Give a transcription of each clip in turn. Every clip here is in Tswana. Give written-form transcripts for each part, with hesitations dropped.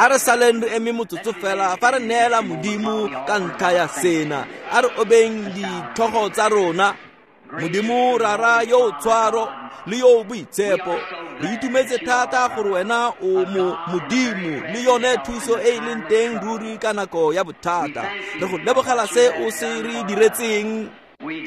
A re saleng re eme motsotso fela fa re neela Modimo ka ntlha ya sena. A re obeng ditlhogo tsa rona. Modimo Rara yo o tshwaro le yo o boitshepo, re itumetse thata gore wena o mo Modimo le yone thuso e e leng teng ruri ka nako ya bothata. Re go lebogela se o se re diretseng.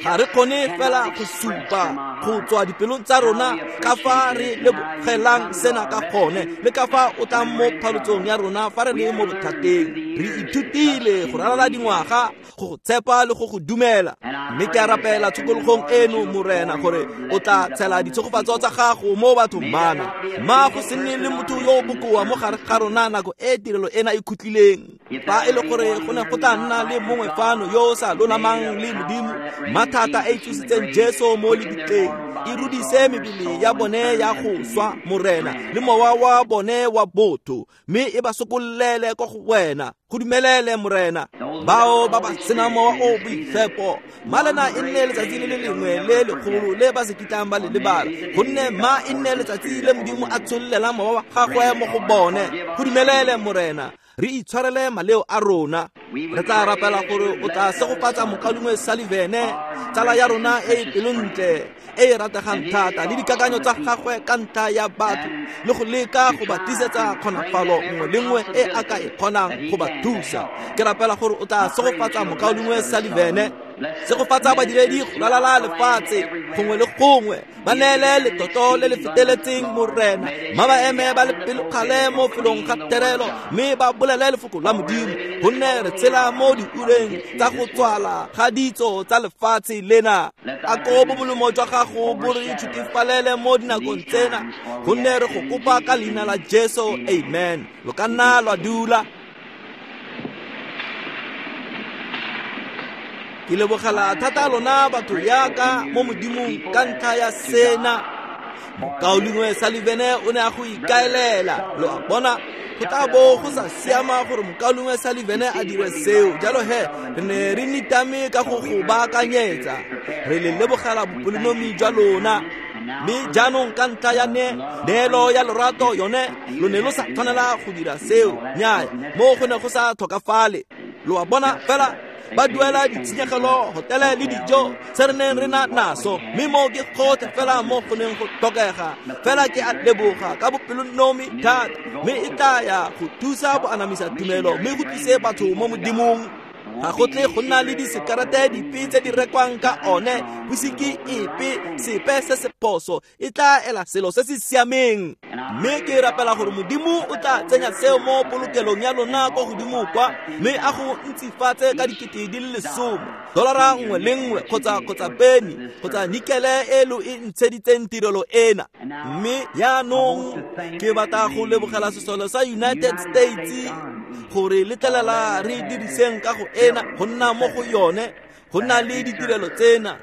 Ga re kgone fela go supa go tswa dipelong tsa rona ka fa re lebogelang sena ka gone le ka fa o tlang mo phalotsong ya rona fa re le mo bothateng. Re ithutile go ralala dingwaga go go tshepa le go go dumela, mme ke a rapela tshokologong eno Morena gore o tla tshela ditshegofatso tsa gago mo bathong bana. Ma go se nne le motho yo o bokoa mo gare ga rona nako e tirelo ena e khutlileng. Fa e le gore go ne go tla nna le mongwe fano yo o sa lolamang le Modimo, mathata e tsositseng Jesu mo lebitleng, e rudise mebele ya bone ya go swa Morena le mowa wa bone wa botho, mme e ba sokollele ko go wena. Go dumelele Morena. Bao ba ba senang mowa o boitshepo, malena e nne letsatsi le le lengwe le legolo le ba se kitlang ba le lebala, gonne ma e nne letsatsi le Modimo a tshollelang mowa wa gagwe mo go bone. Go dumelele Morena. Re itshwarele maleo a rona. Re tla rapela gore o tla segofatsa mokaulengwe Sullivan, tsala ya rona e e pelontle e e rategang thata, le dikakanyo tsa gagwe ka ntlha ya batho le go leka go ba tlisetsa kgonafalo nngwe le nngwe e a ka e kgonang go ba thusa. Ke rapela gore o tla segofatsa mokaulengwe Sullivan, segofatsa badiredi go ralala lefatshe gongwe le gongwe, ba neele letlotlo le le feteletseng Morena, ma ba eme ba le pelokgale mo felong ga terelo mme ba bolele lefoko la Modimo, gonne re tshela mo diureng tsa go tswala ga ditso tsa lefatshe lena. A ko bomolomo jwa gago bo re ithutefalele mo dinakong tsena, gonne re go kopa ka leina la Jesu, amen. Lo ka nna lwa dula. Ke lebogela thata lona batho yaka mo Modimong ka ntlha ya sena. Mokaulengwe Sullivan o ne a go ikaelela, lo a bona, go tla bo go sa siama gore mokaulengwe Sullivan a dire seo. Jalo he re ne re nitame ka go go baakanyetsa. Re le lebogela bopelonomi jwa lona. Mme jaanong ka ntlha ya neelo ya lorato yone, lo ne lo sa tshwanela go dira seo. Nnyaya, mo go ne go sa tlhokafale. Lo a bona fela ba duela ditshenyegelo, hotele le dijo se re neng re na naso, mme mo ke gotlhe fela mo go neng go tlhokega. Fela ke a leboga ka bopelonomi thata, mme e tla ya go thusa bo anamisa tumelo mme go tlise batho mo Modimong. Ga go tle go nna le disekarete dipe tse di rekwang ka one, whisky epe, sepe se se phoso, e tla ela selo se se siameng. Mme ke rapela gore Modimo o tla tsenya seo mo polokelong ya lona ko godimo kwa, mme a go ntsifatse ka dikete di le 10, dolara nngwe le nngwe kgotsa peni kgotsa nikele e lo e ntsheditseng tirelo ena. Mme yaanong ke batla go lebogela sesole sa United States gore letlelela re diriseng ka go ena go nna mo go yone, go nna le ditirelo tsena.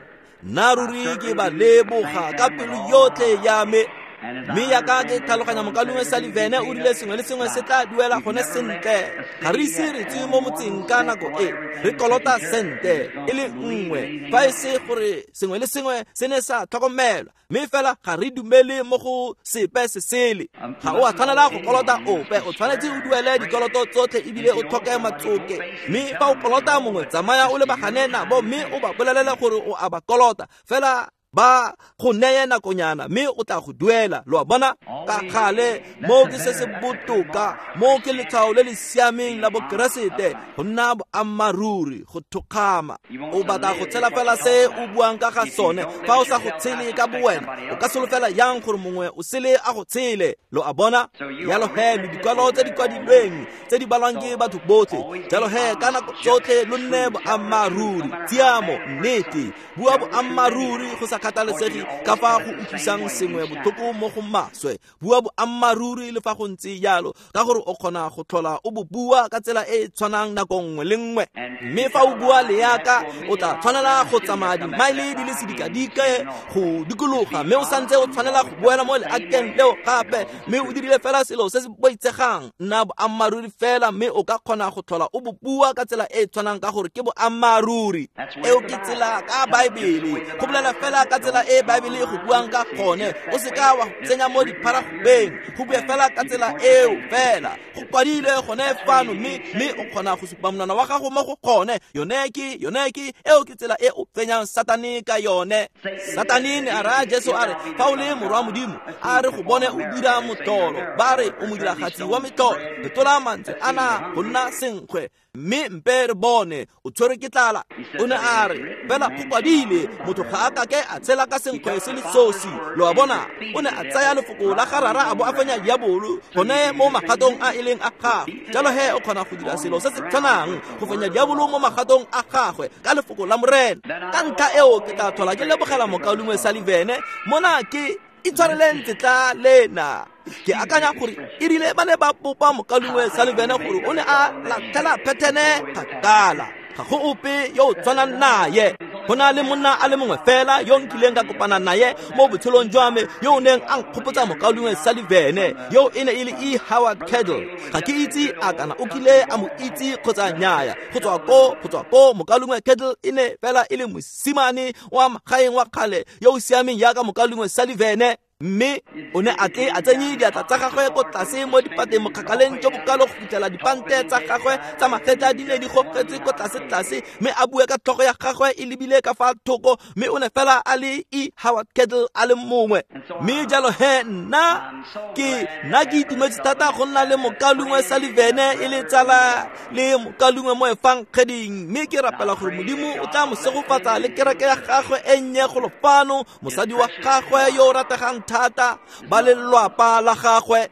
Nna ruri ke ba leboga ka pelo yotlhe ya me. Mme yaka ke tlhaloganya mokaulengwe Sullivan o rile sengwe le sengwe se tla duela gone sentle. Ga re ise re tswe mo motseng ka nako e, re kolota sente e le nngwe, fa e se gore sengwe le sengwe se ne sa tlhokomelwa, mme fela ga re dumele mo go sepe se sele. Ga o a tshwanela go kolota ope, o tshwanetse o duele dikoloto tsotlhe ebile o tlhoke matsoke. Mme fa o kolota mongwe, tsamaya o lebagane nabo mme o ba bolelele gore o a ba kolota, fela ba go neye nakonyana mme o tla go duela. Lo a bona? Ka gale mo ke se se botoka, mo ke letshwao le le siameng la bokeresete, go nna boammaaruri, go thokgama. O batla go tshela fela se o buang ka ga sone. Fa o sa go tshele ka bowena, o ka solofela yang gore mongwe o sele a go tshele? Lo a bona? Jalo he lo dikwalo tse di kwadilweng tse di balwang ke batho botlhe. Jalo he ka nako tsotlhe lo nne boammaaruri, tshiamo, nnete. Bua boammaaruri go sa kgathalesege ka fa go utlwisang sengwe botlhoko mo go maswe. Bua boammaaruri le fa go ntse jalo, ka gore o kgona go tlhola o bo bua ka tsela e e tshwanang nako nngwe le nngwe. Mme fa o bua leaka, o tla tshwanela go tsamaya dimaele di le sedikadike go dikologa, mme o santse o tshwanela go boela mo leakeng leo gape, mme o dirile fela selo se se boitshegang. Nna boammaaruri fela, mme o ka kgona go tlhola o bo bua ka tsela e e tshwanang ka gore ke boammaaruri. Eo ke tsela ka Baebele, go bolela fela ka tsela e Baebele e go buang ka gone. O seka wa tsenya mo dipharagobeng, go bue fela ka tsela eo fela. Go kwadilwe gone fano, mme o kgona go supa monwana wa gago mo go gone. Yone ke eo ke tsela e o tsenyang Satane ka yone. Satane ne a raya Jesu a re, fa o le morwa Modimo, a re go bone o dira motlholo. Ba re o modiragatsi wa metlholo. Fetola mantswe ana go nna senkgwe, mme mpe re bone o tshwerwe ke tlala. O ne a re, fela go kwadile, motho ga a kake a tshela ka senkgwe se le sosi. Lo a bona, o ne a tsaya lefoko la ga Rara a bo a fenya diabolo gone mo magatong a e leng a gagwe. Jalo he o kgona go dira selo se se tshwanang, go fenya diabolo mo magatong a gagwe ka lefoko la Morena. Ka ntlha eo ke tla tlhola ke lebogela mokaulengwe Sullivan mona ke itshwareleng tsetla lena. Ke akanya gore e rile ba ne ba bopa mokaulengwe Sullivan gore o ne a latlhela phethene kgakala. Ga go ope yo o tshwanang naye. Go na le monna a le mongwe fela yo nkileng ka kopana naye mo botshelong jwa me yo o neng a nkgopotsa mokaulengwe Sullivan, yo e ne e le E. Howard Cadle. Ga ke itse a kana o kile a mo itse kgotsa nnyaya. Go tswa ko mokaulengwe Cadle e ne fela e le mosimane wa magaeng wa kgale yo o siameng jaaka mokaulengwe Sullivan. Mme o ne a tle a tsenye diatla tsa gagwe ko tlase mo dipateng mokgakaleng jo bokalo go fitlhela dipante tsa gagwe tsa magetla di ne di gogetse ko tlase-tlase, mme a bue ka tlhogo ya gagwe e lebile ka fa thoko, mme o ne fela a le E. Howard Cadle a le mongwe. Mme jalo he nna ke itumetse thata go nna le mokaulengwe Sullivan e le tsala le mokaulengwe mo efangeding, mme ke rapela gore Modimo o tla mo segofatsa le kereke ya gagwe e nnye golo fano, mosadi wa gagwe yo o rategang thata, ba lelwapa la gagwe.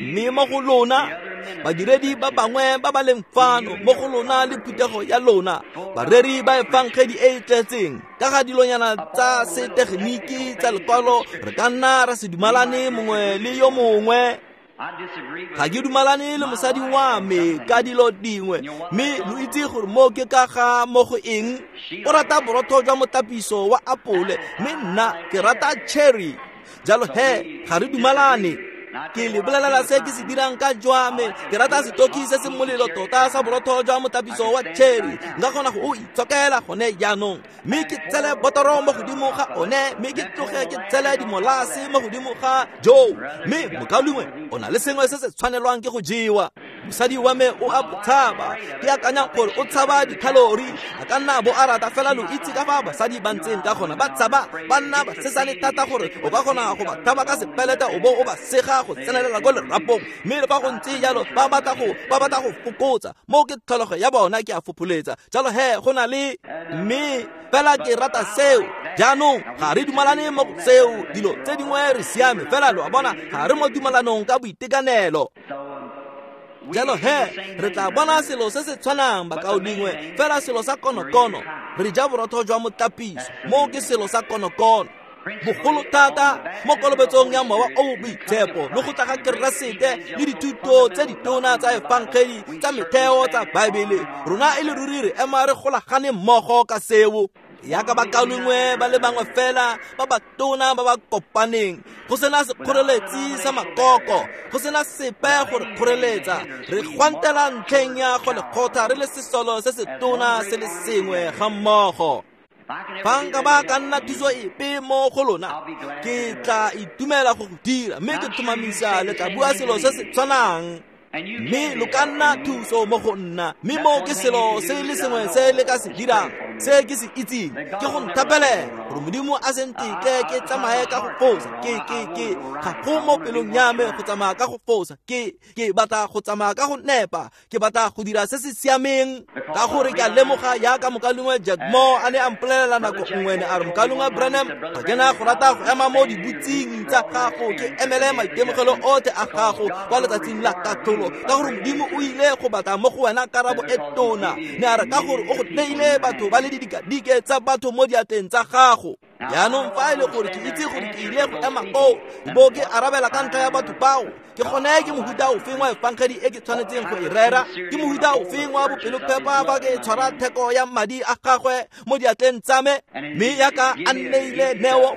Mme mo go lona badiredi ba bangwe ba ba leng fano, mo go lona le phuthego ya lona, bareri ba efangedi e e tletseng ka ga dilonyana tsa setegeniki tsa lekwalo, re ka nna ra se dumalane mongwe le yo mongwe. Ga ke dumalane le mosadi wa me ka dilo dingwe, mme lo itse gore mo ke ka ga mo go eng. O rata borotho jwa motapiso wa apole, mme nna ke rata cherry. Jalo he ga re dumalane. Ke le bolelela se ke se dirang ka jwa me. Ke rata setoki se se molelo tota sa borotho jwa motapiso wa cherry. Nka kgona go o itshokela gone jaanong, mme ke tsele botoro mo godimo ga one, mme ke tloge ke tsele dimolase mo godimo ga joo. Mme mokaulengwe o na le sengwe se se tshwanelwang ke go jewa. Mosadi wa me o a botshaba. Ke akanya gore o tshaba dikhalori. A ka nna bo a rata fela lo itse ka fa basadi ba ntseng ka gona. Ba tshaba, ba nna ba sesane thata gore o ka kgona go ba thaba ka sepelete o bo o ba sega go tsenelela ko lerapong. Mme le fa go ntse jalo ba batla go fokotsa. Mo ke tlholego ya bona ke a fopholetsa. Jalo he go na le mme fela ke rata seo. Jaanong ga re dumalane mo go seo. Dilo tse dingwe re siame fela, lo a bona, ga re mo dumalanong ka boitekanelo. Jalo he re tla bona selo se se tshwanang bakaulengwe, fela selo sa konokono. Re ja borotho jwa motapiso, mo ke selo sa konokono. Bogolo thata mo kolobetsong ya mowa o boitshepo le go tla ga Keresete le dithuto tse ditona tsa efangedi tsa metheo tsa Baebele, rona e le ruri re ema re golagane mmogo ka seo. Yaka bakaulengwe ba le bangwe fela ba batona ba ba kopaneng, go sena sekgoreletsi sa makoko, go sena sepe gore kgoreletsa. Re gwantela ntlheng ya go lekgotla re le sesolo se se tona se le sengwe ga mmogo. Fa nka ba ka nna thuso epe mo go lona, ke tla itumela go go dira, mme ke tlhomamisa le tla bua selo se se tshwanang. Mme lo ka nna thuso mo go nna, mme mo ke selo se le sengwe se le ka se dirang, se ke se itseng, ke go nthapelela gore Modimo a se ntetle ke tsamaye ka go fosa. Ke ga go mo pelong ya me go tsamaya ka go fosa. Ke batla go tsamaya ka go nepa. Ke batla go dira se se siameng, ka gore ke a lemoga jaaka mokaulengwe Jack Moore a ne a mpolelela nako nngwe, ne a re, mokaulengwe Branham, ga ke na go rata go ema mo dibutsing tsa gago ke emele maitemogelo otlhe a gago kwa letsatsing la katlholo, ka gore Modimo o ile go batla mo go wena karabo e tona. Ne a re, ka gore o go neile batho ba le didikadike tsa batho mo diatleng tsa gago. Jaanong fa e le gore ke itse gore ke ile go ema koo bo ke arabela ka ntlha ya batho bao, ke gone ke mohuta ofeng wa efangedi e ke tshwanetseng go e rera? Ke mohuta ofeng wa bopelophepa fa ke tshwara theko ya madi a gagwe mo diatleng tsa me? Mme yaka a nneile neo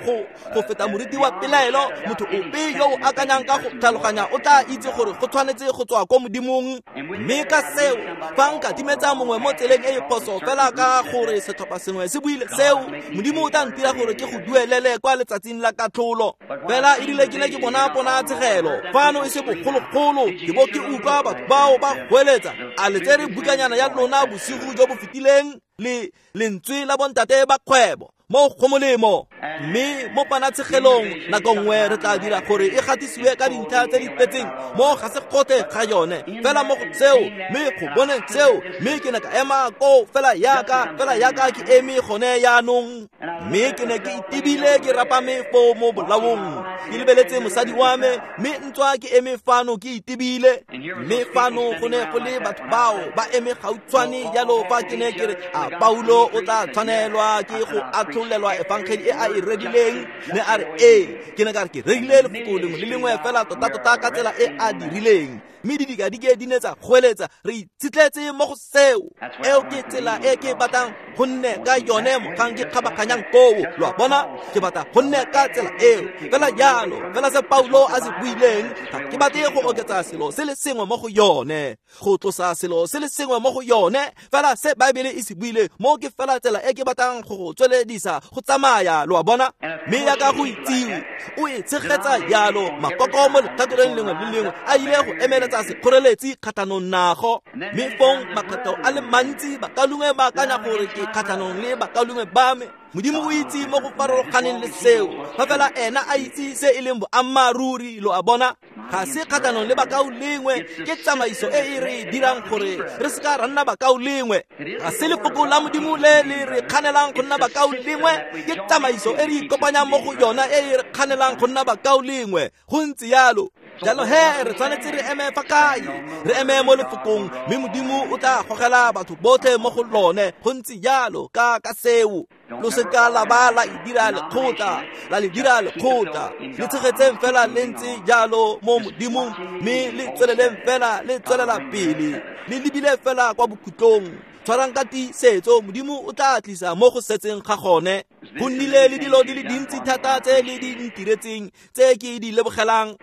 go feta moriti wa pelaelo, motho ope yo o akanyang ka go tlhaloganya o tla itse gore go tshwanetse go tswa ko Modimong. Mme ka seo, fa nka timetsa mongwe mo tseleng e e phoso fela ka gore setlhopha sengwe se buile seo, Modimo o tla ntira gore gore ke go duelele kwa letsatsing la katlholo. Fela e rile ke ne ke bona ponatshegelo fano e se bogologolo, ke bo ke utlwa batho bao ba goeletsa, a le tsere bukanyana ya lona bosigo jo bo fetileng le lentswe la bontate ba kgwebo mo go molemo. Mme mo ponatshegelong nako nngwe re tla dira gore e gatisiwe ka dintlha tse di tletseng mo ga se gotlhe ga yone fela mo go seo, mme go bone seo. Mme ke ne ka ema koo fela yaka ke eme gone yaanong, mme ke ne ke itebile ke rapame foo mo bolaong, ke lebeletse mosadi wa me, mme ntswa ke eme fano ke itebile. Mme fano go ne go le batho bao ba eme gautshwane jalo fa ke ne ke re, a Paulo o tla tshwanelwa ke go atlholelwa efangeli e a e rerileng? Ne a re ee. Ke ne ka re ke rerile lefoko lengwe le lengwe fela tota-tota ka tsela e a dirileng. Mme didikadike di ne tsa goeletsa, re itshitletse mo go seo. Eo ke tsela e ke batlang go nne ka yone mogang ke kgabaganyang koo. Lo a bona, ke batla go nne ka tsela eo fela jalo, fela se Paulo a se buileng. Ga ke batle go oketsa selo se le sengwe mo go yone, go tlosa selo se le sengwe mo go yone, fela se Baebele e se buile mo ke fela tsela e ke batlang go go tsweledisa go tsamaya. Lo a bona? Mme yaka go itsiwe o e tshegetsa jalo, makoko mo letlhakoreng lengwe le lengwe a ile go emeletsa sekgoreletsi kgatlhanong nago. Mme fong makgetho a le mantsi bakalungwe ba akanya gore ke kgatlhanong le bakalungwe ba me. Modimo o itse mo go farologaneng le seo, fa fela ena a itse se e leng boammaaruri. Lo a bona? Ga se kgatlhanong le bakaulengwe, ke tsamaiso e e re dirang gore re se ka ra nna bakaulengwe. Ga se lefoko la Modimo le le re kganelang go nna bakaulengwe, ke tsamaiso e re ikopanyang mo go yona e e re kganelang go nna bakaulengwe. Go ntse jalo. Jalo he re tshwanetse re eme fa kae? Re eme mo lefokong, mme Modimo o tla gogela batho botlhe mo go lone. Go ntse jalo ka seo. Lo seka la ba la e dira lekgotla, la le dira lekgotla. Le tshegetseng fela le ntse jalo mo Modimong, mme le tsweleleng fela le tswelela pele, le lebile fela kwa bokhutlong. Tshwarang ka tiisetso, Modimo o tla tlisa mo go setseng ga gone. Go nnile le dilo di le dintsi thata tse le di ntiretseng tse ke di lebogelang.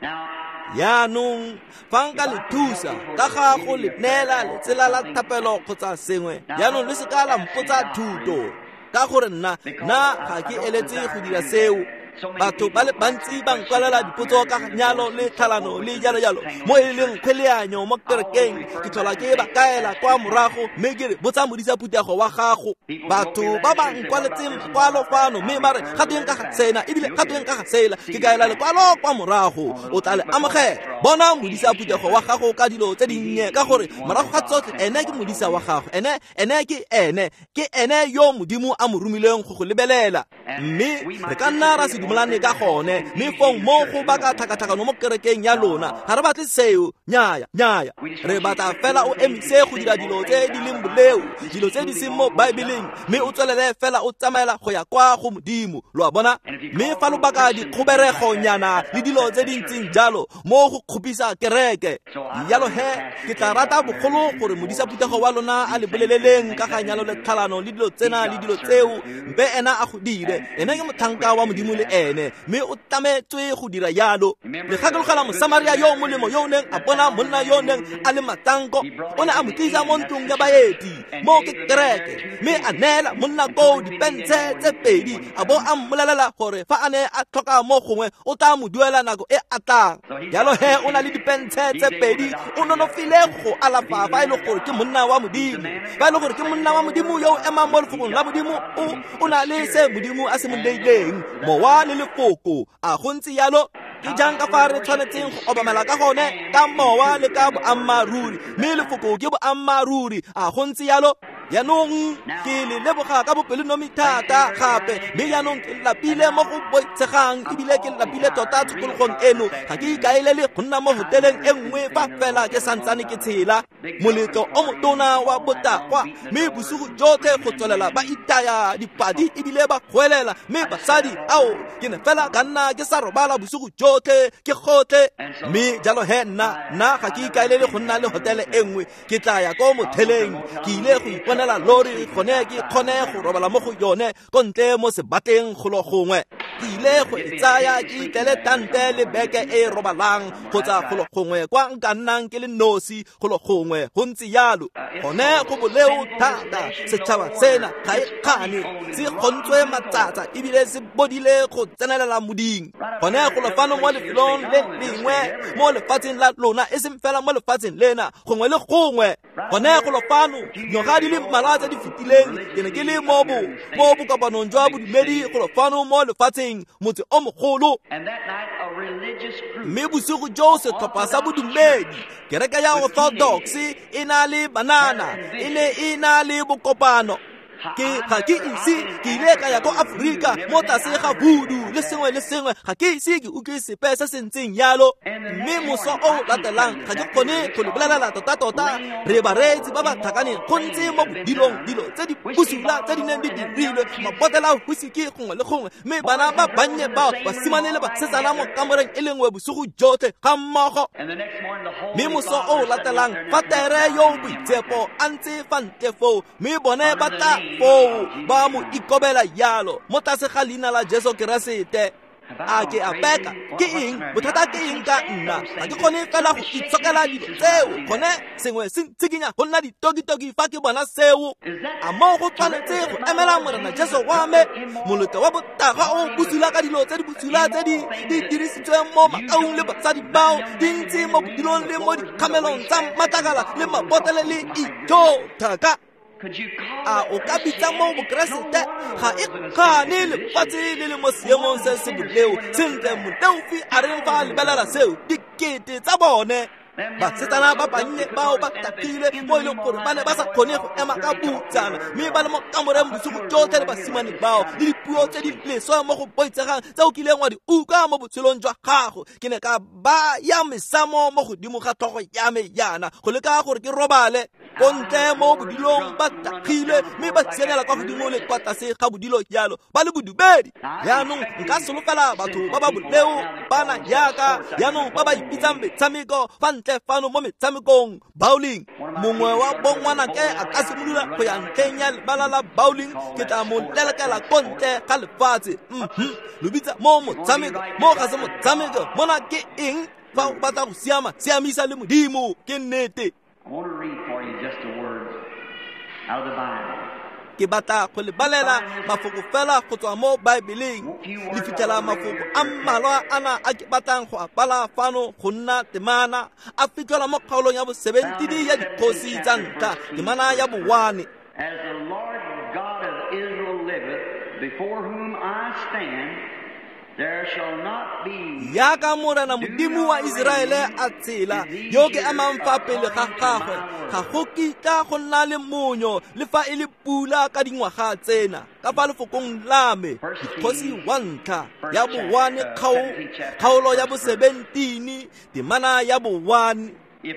Yaanong fa nka le thusa ka ga go le neela letsela la thapelo kgotsa sengwe, yaanong le seka la mpotsa thuto, ka gore nna ga ke eletse go dira seo. Batho ba le bantsi ba nkwalela dipotso ka nyalo le tlhalano le jalo jalo mo e leng kgweleanyo mo kerekeng. Ke tlhola ke ba kaela kwa morago, mme ke re botsa modisa phuthego wa gago. Batho ba ba nkwaletseng makwalo fano mme ba re ga tweng ka ga sena ebile ga tweng ka ga sela, ke kaela lekwalo kwa morago, o tla le amogela. Bona modisa phuthego wa gago ka dilo tse dinnye, ka gore morago ga tsotlhe ene ke modisa wa gago, ene ke ene yo Modimo a mo romileng go go lebelela. Mme re ka nna ra se dumelane ka gone, mme fong mo go baka tlhakatlhakano mo kerekeng ya lona. Ga re batle seo. Nnyaya, nnyaya. Re batla fela o emise go dira dilo tse di leng boleo, dilo tse di seng mo Baebeleng, mme o tswelele fela o tsamaela go ya kwa go Modimo. Lo a bona? Mme fa lo baka dikgoberegonyana le dilo tse di ntseng jalo mo go kgopisa kereke, jalo he ke tla rata bogolo gore modisa phuthego wa lona a le boleleleng ka ga nyalo le tlhalano le dilo tsena le dilo tseo, mpe ena a go dire. Ene ke motlhanka wa Modimo le ene, mme o tlametswe go dira jalo. Le gakologela Mosamaria yo molemo yo o neng a bona monna yo o neng a le matsanko, o ne a mo tlisa mo ntlong ya baeti mo ke kereke, mme a neela monna koo dipentshe tse pedi, a bo a mmolelela gore fa a ne a tlhoka mo gongwe o tla mo duela nako e a tlang. Jalo he o na le dipentshe tse pedi, o nonofile go alafa fa e le gore ke monna wa Modimo. Fa e le gore ke monna wa Modimo yo o emang mo lefokong la Modimo, o na le se Modimo a se mo neileng, mowa le lefoko. A go ntse jalo? Ke jang ka fa re tshwanetseng go obamela ka gone, ka mowa le ka boammaaruri, mme lefoko ke boammaaruri. A go ntse jalo? Yaanong ke le leboga ka bopelonomi thata gape, mme yaanong ke lapile mo go boitshegang, ebile ke lapile tota tshokologong eno. Ga ke ikaelele go nna mo hoteleng e nngwe fa fela ke santsane ke tshela. Moletlo o motona wa botagwa, mme bosigo jotlhe go tswelela ba itaya dipadi ebile ba goelela, mme basadi ao ke ne fela ka nna ke sa robala bosigo jotlhe ke gotlhe. Mme jalo he nna ga ke ikaelele go nna le hotele e nngwe, ke tla ya ko motheleng, ke ile go tshwanela lori gone ke kgone go robala mo go yone ko ntle mo sebatleng golo gongwe. Ke ile go e tsaya ke itlele tante le beke e robalang kgotsa golo gongwe kwa nka nnang ke le nosi golo gongwe go ntse yalo. Gone go boleo thata setšhaba sena ga e kgane se kgontswe matsatsa ebile se bodile go tsenelela moding. Gone go fano mo lefelong le lengwe mo lefatsheng la lona e seng fela mo lefatsheng lena gongwe le gongwe. Gone go fano dingwaga di le mmalwa tse di fetileng ke ne ke le mo bokopanong jwa bodumedi go fano mo lefatsheng motse o mogolo. Mme bosigo joo setlhopha sa bodumedi kereke ya Orthodox e na le banana e ne e na le bokopano. Ke ga ke ise ke ile ka ya ko Afrika mo tlase ga voodoo le sengwe le sengwe ga ke ise ke utlwe sepe se se ntseng yalo. Mme moso o latelang ga ke kgone go le bolelela tota-tota re bareetsi ba ba tlhakaneng go ntse mo bodilong dilo tse di bosula tse di neng di dirilwe mabotela a whisky gongwe le gongwe mme bana ba bannye bao basimane le basetsana mo kamoreng e le nngwe bosigo jotlhe ga mmogo. Mme moso o latelang fa tere yo boitshepo a ntse fa ntle foo mme bone ba tla foo ba mo ikobela yalo mo tlase ga leina la Jesu Keresete. A ke a peka ke eng bothata ke eng ka nna ga ke kgone fela go itshokela dilo tseo gone sengwe se ntshikinya go nna ditokitoki fa ke bona seo. A mo go tshwanetse go emela Morena Jesu wa me molete wa botaga o bosula ka dilo tse di bosula tse di dirisitsweng mo makaung le basadi bao di ntse mo bodilong le mo dikgamelong tsa matlakala le mabotele le ijo thaka. A o ka bitsa mo bokeresete ga e kgane lefatshe le le mo seemong se se boleo sentle moleofi a reng fa a lebelela seo dikete tsa bone. Basetsana ba bannye bao ba tagilwe mo e leng gore ba ne ba sa kgone go ema ka butsana mme ba le mo kamoreng bosigo jotlhe le basimane bao le dipuo tse di leswe mo go boitsegang tse o kileng wa di utlwa mo botshelong jwa gago. Ke ne ka baya mesamo mo godimo ga tlhogo ya me yana go leka gore ke robale ko ntle mo bodilong ba tagilwe mme ba sianela kwa godimo le kwa tlase ga bodilo jalo ba le bodumedi. Jaanong nka solofela batho ba ba boleo bana yaka jaanong ba ba ipitsang metshameko fa ntle fano mo metshamekong bowling. Mongwe wa bongwanake a ka simolola go ya ntlheng ya lebala la bowling ke tla mo lelekela ko ntle ga lefatshe. Lo bitsa mo motshameko mo ga se motshameko mona ke eng fa o batla go siama siamisa le Modimo ke nnete. Ke batla go le balela mafoko fela go tswa mo Baebeleng. Le fitlhela mafoko a mmalwa ana a ke batlang go a bala fano go nna temana a fitlhelwa mo kgaolong ya bo-17 ya dikgosi tsa ntlha temana ya bo-1. As the Lord God of Israel liveth, before whom I stand, there shall not be Yaka Morena Modimo wa Iseraele a tshela yo ke amang fa pele ga gagwe ga go kitla go nna le monyo le fa e le pula ka dingwaga tsena ka fa lefokong la me. Dikgosi wa ntlha ya bo-1 kgaolo ya bo-17 temana ya bo-1.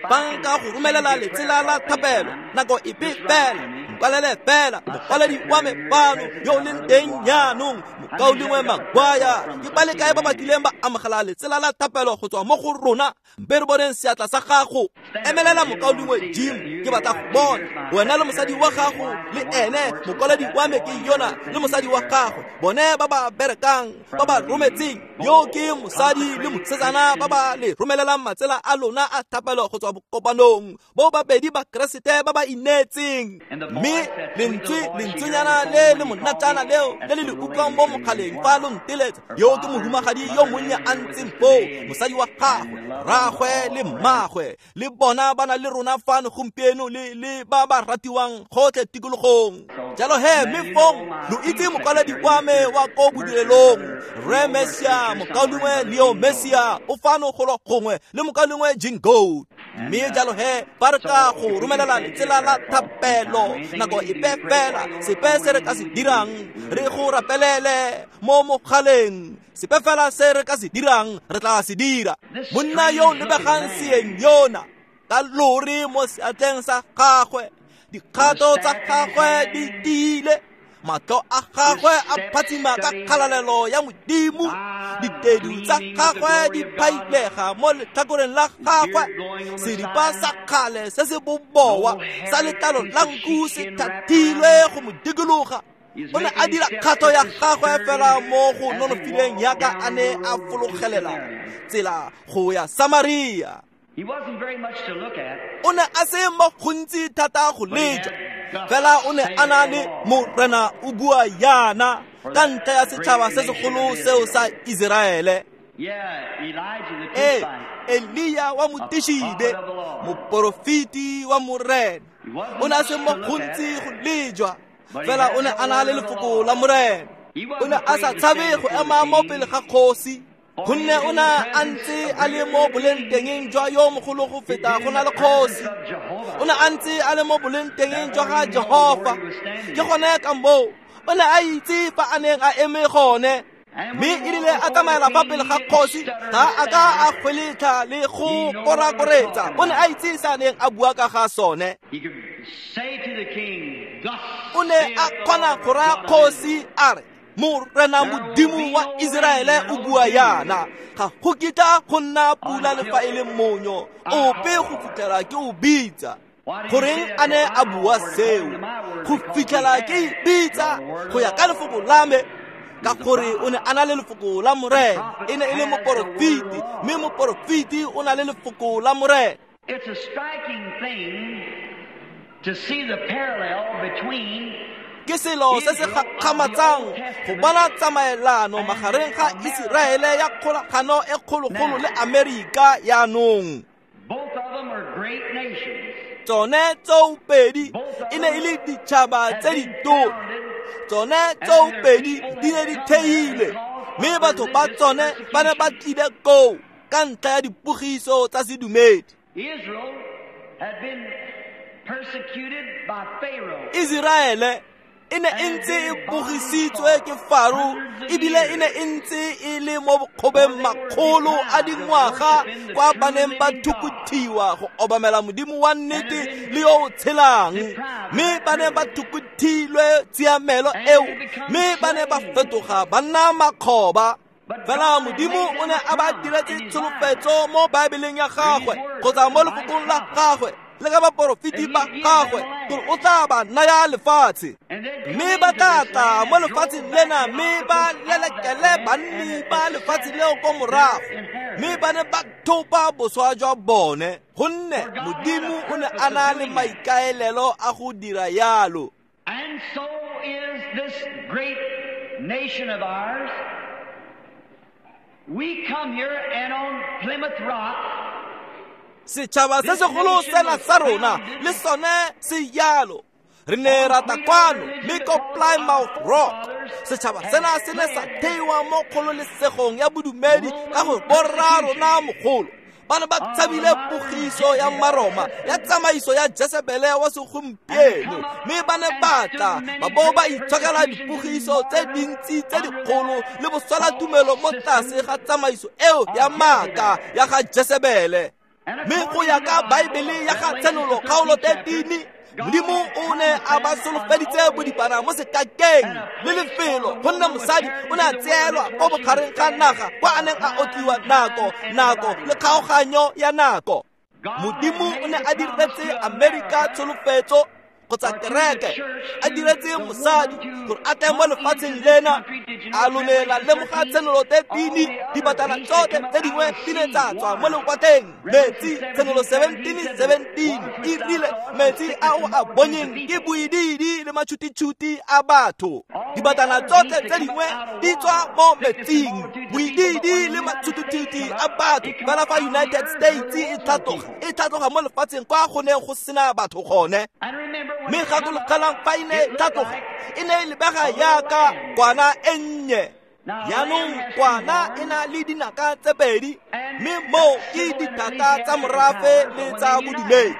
Fa nka go romelela letsela la thapelo nako epe fela nkwalele fela mokwaledi wa me fano yo o leng teng jaanong mokaulengwe Magwaya ke ba le kae ba ba kileng ba amogela letsela la thapelo go tswa mo go rona mpe re boneng seatla sa gago. Emelela mokaulengwe Jim ke batla go bona wena le mosadi wa gago le ene mokwaledi wa me ke yona le mosadi wa gagwe bone ba ba berekang ba ba rometseng yo ke mosadi le mosetsana ba ba le romelelang matsela a lona a thapelo go tswa bokopanong bo babedi ba Keresete ba ba ineetseng. Mme lentswenyana le le monatjana leo le le le utlwang mo mogaleng fa lo nteletsa yo ke mohumagadi yo monnye a ntseng foo mosadi wa gagwe rraagwe le mmagwe le bona ba na le rona fano gompieno le ba ba ratiwang gotlhe tikologong. Jalo he mme fong lo itse mokwaledi wa me wa ko bodirelong Rre Messia mokaulengwe Leo Messia o fano golo gongwe le mokaulengwe Jim Gold. Mme jalo he fa re ka go romelela letsela la thapelo nako epe fela sepe se re ka se dirang re go rapelele mo mogaleng sepe fela se re ka se dirang re tla se dira. Monna yo lebegang seeng yona ka lori mo seatleng sa gagwe dikgato tsa gagwe di tiile Matlho a gagwe a phatsima ka kgalalelo ya Modimo, ditedu tsa gagwe di phailega mo letlhakoreng la gagwe, seripa sa kgale se se bobowa sa letlalo la nku se thathilwe go mo dikologa. O ne a dira kgato ya gagwe fela mo go nonofileng yaka a ne a fologelela tsela go ya Samaria. O ne a se mo gontsi thata go lejwa, fela o ne a na le Morena o bua yana ka ntlha ya setšhaba se segolo seo sa Iseraele. Ee, Elia wa Motishibe, moporofeti wa Morena, o ne a se mo gontsi go lejwa, fela o ne a na le lefoko la Morena. O ne a sa tshabe go ema mo pele ga kgosi, gonne o ne a ntse a le mo bolengtengeng jwa yo mogolo go feta go na le kgosi. O ne a ntse a le mo bolengtengeng jwa ga Jehofa. Ke gone ka moo o ne a itse fa a neng a eme gone. Mme e rile a tsamaela fa pele ga kgosi, ga a ka a kgweletlha le go korakoretsa. O ne a itse se a neng a bua ka ga sone. O ne a kgona go raya kgosi a re, Morena Modimo wa Iseraele o bua yana, ga go kitla go nna pula le fa e le monyo ope go fitlhela ke o bitsa. Goreng a ne a bua seo? Go fitlhela ke bitsa go ya ka lefoko la me, ka gore o ne a na le lefoko la Morena. E ne e le moporofeti, mme moporofeti o na le lefoko la Morena. It's a striking thing to see the parallel between Ke selo se se gakgamatsang go bona tsamaelano magareng ga Iseraele ya kgolagano e kgologolo le Amerika yaanong. Both of them are great nations. Tsone tsoopedi e ne e le ditšhaba tse ditona. Tsone tsoopedi di ne di theilwe, mme batho ba tsone ba ne ba tlile koo ka ntlha ya dipogiso tsa sedumedi. Israel had been persecuted by Pharaoh. Iseraele e ne e ntse e bogisitswe ke Faro, ebile e ne e ntse e le mo bokgobeng makgolo a dingwaga kwa ba neng ba thukuthiwa go obamela Modimo wa nnete le yo o tshelang. Mme ba ne ba thukuthilwe tshiamelo eo, mme ba ne ba fetoga ba nna makgoba. Fela Modimo o ne a ba diretse tsholofetso mo Baebeleng ya gagwe kgotsa mo lefokong la gagwe le ka baporofeti ba gagwe gore o tla ba naya lefatshe. Mme ba tla tla mo lefatsheng lena, mme ba lelekele banni ba lefatshe leo ko morago, mme ba ne ba thopa boswa jwa bone, gonne Modimo o ne a na le maikaelelo a go dira yalo. And so is this great nation of ours. We come here and on Plymouth Rock, Setšhaba se segolo sena sa rona le sone se yalo. Re ne ra tla kwano mme ko Plymouth Rock, setšhaba sena se ne sa theiwa mo kgololesegong ya bodumedi ka gore borra rona mogolo ba ne ba tshabile pogiso ya Maroma ya tsamaiso ya Jezebele wa segompieno, mme ba ne ba tla ba bo ba itshokela dipogiso tse dintsi tse dikgolo le boswelatumelo mo tlase ga tsamaiso eo ya maaka ya ga Jezebele. Mme go ya ka Baebele ya ga Tshenolo kgaolo 13, Modimo o ne a ba solofeditse bodipana mo sekakeng le lefelo, gonne mosadi o ne a tseelwa ko bogareng ga naga kwa a neng a otliwa nako nako le kgaoganyo ya nako. Modimo o ne a diretse Amerika tsholofetso kgotsa kereke, a diretse mosadi gore a tle mo lefatsheng lena. A lo ne la lemoga Tshenolo 13, dibatana tsotlhe tse dingwe di ne tsa tswa mo lewatleng. Metsi, Tshenolo 17:17 e rile metsi a o a bonyeng ke boidiidi le matšhutitšhuti a batho. Dibatana tsotlhe tse dingwe di tswa mo metsing, boidiidi le matšhutitšhuti a batho. Fela fa United States e tlhatloga mo lefatsheng kwa go neng go sena batho gone. Mme gakologelang fa e ne e tlhatloga, e ne e lebega yaka kwana e nnye. Jaanong kwana e na le dinaka tse pedi, mme moo ke dithata tsa morafe le tsa bodumedi.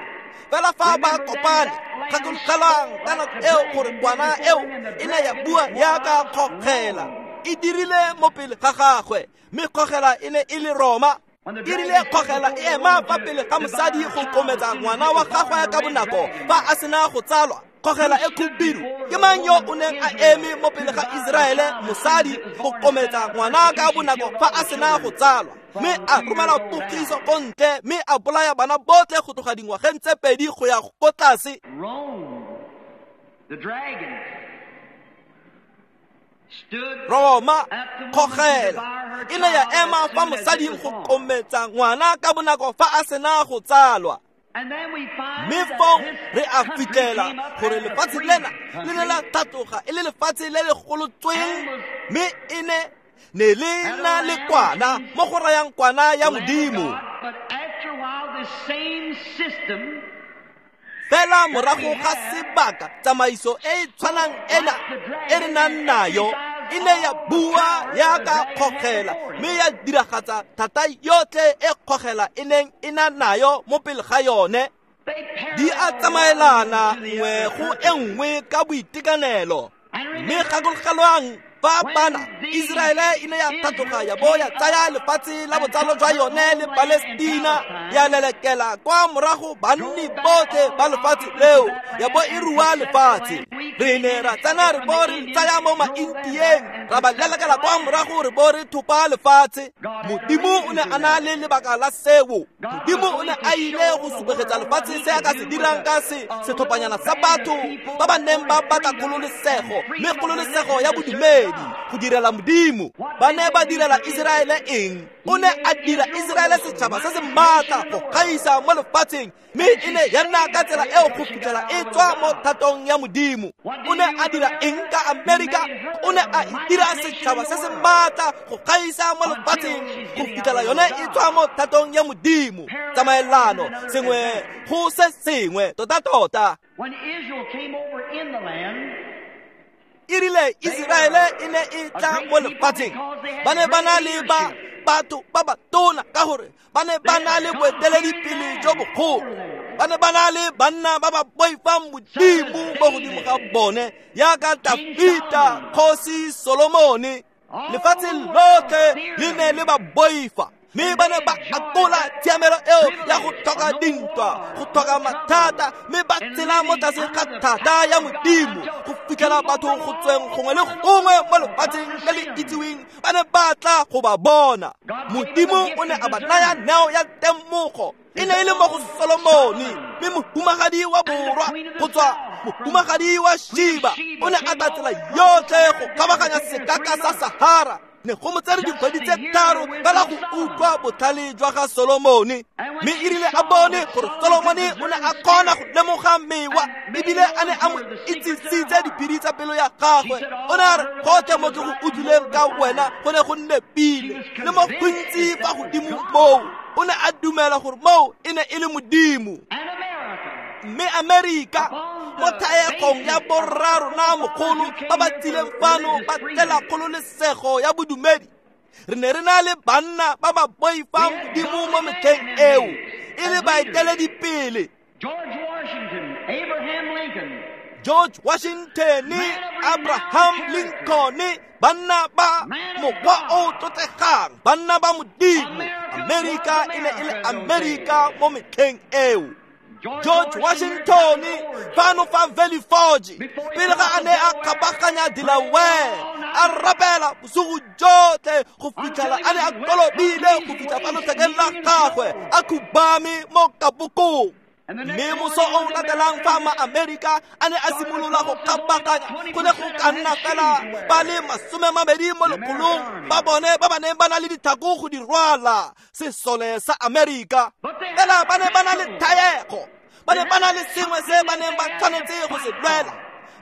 Fela fa ba kopane, gakologelang ka nako eo gore kwana eo e ne ya bua yaka kgogela. E dirile mo pele ga gagwe, mme kgogela e ne e le Roma. E rile kgogela e ema fa pele ga mosadi go kometsa ngwana wa gagwe ka bonako fa a sena go tsalwa. Kgogela e khubidu ke mang yo o neng a eme mo pele ga Iseraele mosadi go kometsa ngwana ka bonako fa a sena go tsalwa, mme a romela pogiso ko ntle mme a bolaya bana botlhe go tloga dingwageng tse 2 go ya ko tlase. Roma kgogela e ne ya ema fa mosading go kometsa ngwana ka bonako fa a sena go tsalwa. Mme fong re a fitlhela gore lefatshe lena le ne la tlhatloga e le lefatshe le le golotsweng, mme e ne le na le kwana mo go rayang kwana ya Modimo. Fela morago ga sebaka tsamaiso e e tshwanang ena e re nang nayo e ne ya bua yaka kgogela mme ya diragatsa thata yotlhe e kgogela e neng e na nayo mo pele ga yone. Di a tsamaelana nngwe go e nngwe ka boitekanelo. Mme gakologelwang fa bana Iseraele e ne ya tlhatloga ya bo ya tsaya lefatshe la botsalo jwa yone le Palestina, ya lelekela kwa morago banni botlhe ba lefatshe leo, ya bo e rua lefatshe. Re ne ra tsena re bo re tsaya mo maintieng, ra ba lelekela kwa morago re bo re thopa lefatshe. Modimo o ne a na le lebaka la seo. Modimo o ne a ile go supegetsa lefatshe se a ka se dirang ka setlhophanyana sa batho ba ba neng ba batla kgololesego, mme kgololesego ya bodumedi go direla Modimo. Ba ne ba direla Iseraele eng? O ne a dira Iseraele setšhaba se se maatla go gaisa mo lefatsheng, mme e ne ya nna ka tsela eo go fitlhela e tswa mo thatong ya Modimo. O ne a dira eng ka Amerika? O ne a dira setšhaba se se maatla go gaisa mo lefatsheng go fitlhela yone e tswa mo thatong ya Modimo. Tsamaelano sengwe go se sengwe tota-tota. E rile Iseraele e ne e tla mo lefatsheng, ba ne ba na le ba batho ba ba tona ka gore ba ne ba na le boeteledipele jo bogolo, ba ne ba na le banna ba ba boifang Modimo mo godimo ga bone yaka Dafita, kgosi Solomone. Lefatshe lotlhe le ne le ba boifa, mme ba ne ba akola tshiamelo eo ya go tlhoka dintwa, go tlhoka mathata, mme ba tsela mo tlase ga thata ya Modimo go fitlhela batho go tsweng gongwe le gongwe mo lefatsheng le le itsiweng ba ne ba tla go ba bona. Modimo o ne a ba naya neo ya temogo. E ne e le mo go Solomone, mme mohumagadi wa borwa go tswa mohumagadi wa Sheba o ne a tla tsela yotlhe go kgabaganya sekaka sa Sahara. Ne go mo tsere dikgwedi tse 3 fela go utlwa botlhale jwa ga Solomone. Mme e rile a bone gore Solomone o ne a kgona go lemoga mewa ebile a ne a mo itsisitse diphiri tsa pelo ya gagwe, o ne a re gotlhe mo ke go utlwileng ka wena go ne go nepile le mo gontsi fa godimo moo. O ne a dumela gore moo e ne e le Modimo. Mme Amerika mo thaegong ya borrarona mogolo ba ba tsileng fano ba tlela kgololesego ya bodumedi, re ne re na le banna ba ba boifang Modimo mo metlheng eo e le baeteledipele. George Washington, Abraham Lincoln, banna ba mokgwa o tlotlegang, banna ba Modimo. Amerika e ne e le Amerika mo metlheng eo. George Washington fano fa Valley Forge pele ga a ne a kgabaganya Delaware, a rapela bosigo jotlhe go fitlhela a ne a kolobile go fitlha fa lothekeng la gagwe a khubame mo kapokong. Mme moso o latelang fa ma-Amerika a ne a simolola go kgabaganya, go ne go ka nna fela ba le 20 mo lekgolong ba bone ba ba neng ba na le ditlhako go di rwala sesole sa Amerika. Fela ba ne ba na le thaego, ba ne ba na le sengwe se ba neng ba tshwanetse go se lwela.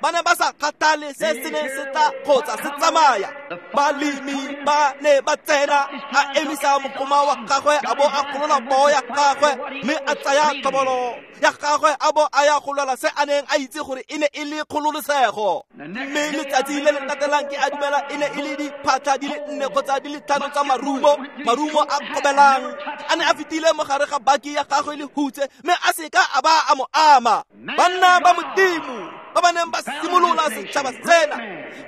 Ba ne ba sa kgathale se se neng se tla kgotsa se tsamaya. Balemi ba ne ba tsena, a emisa mogoma wa gagwe a bo a golola poo ya gagwe, mme a tsaya tlhobolo ya gagwe a bo a ya go lwela se a neng a itse gore e ne e le kgololesego. Mme letsatsi le le latelang ke a dumela e ne e le diphatlha di le 4 kgotsa di le 5 tsa marumo, marumo a kgobelang a ne a fetile mo gare ga baki ya gagwe le hutse, mme a seka a ba a mo ama. Banna ba Modimo ba ba neng ba simolola setšhaba sena,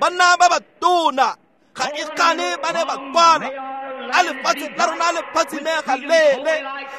banna ba ba tona ga e kgane ba ne ba kwala a lefatshe la rona le phatsimega lele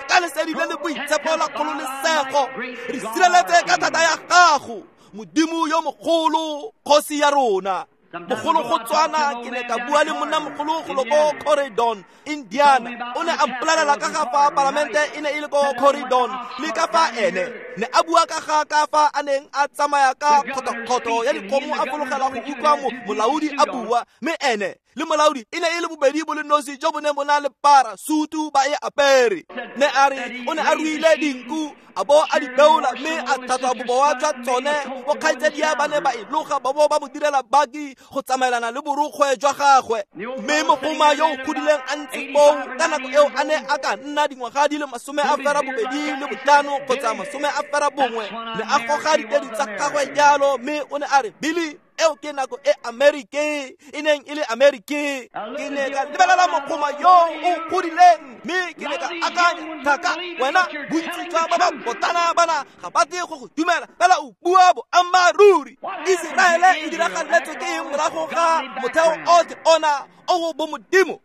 ka lesedi le le boitshepo la kgololesego, re sireletse ka thata ya gago. Modimo yo mogolo, kgosi ya rona. Mogolo go tswana ke ne ka bua le monna mogolo golo ko Corydon, Indiana. O ne a mpolelela ka ga fa palamente e ne e le ko Corydon, le ka fa ene ne a bua ka ga ka fa a neng a tsamaya ka kgothokgotho ya dikgomo a fologela go utlwa molaodi a bua, mme ene le molaodi e ne e le bobedi bo le nosi jo bo neng bo na le para sutu ba e apere. Ne a re o ne a ruile dinku a bo a di beola mme a tlhatswa bobowa jwa tsone. Bokgaitsadia ba ne ba e loga ba bo ba mo direla baki go tsamaelana le borukgwe jwa gagwe. Mme mogoma yo o godileng a ntse foo ka nako eo a ne a ka nna dingwaga di le 85 kgotsa 91, ne a goga ditedu tsa gagwe jalo, mme o ne a re, Billy, eo ke nako e Amerika e neng e le Amerika. Ke ne ka lebelela mogoma yo o godileng mme ke ne ka akanya, thaka wena, bontsi jwa ba ba botana bana ga ba tle go go dumela, fela o bua boammaaruri. Iseraele e diragaletswe ke eng morago ga motheo otlhe ona o bo modimo?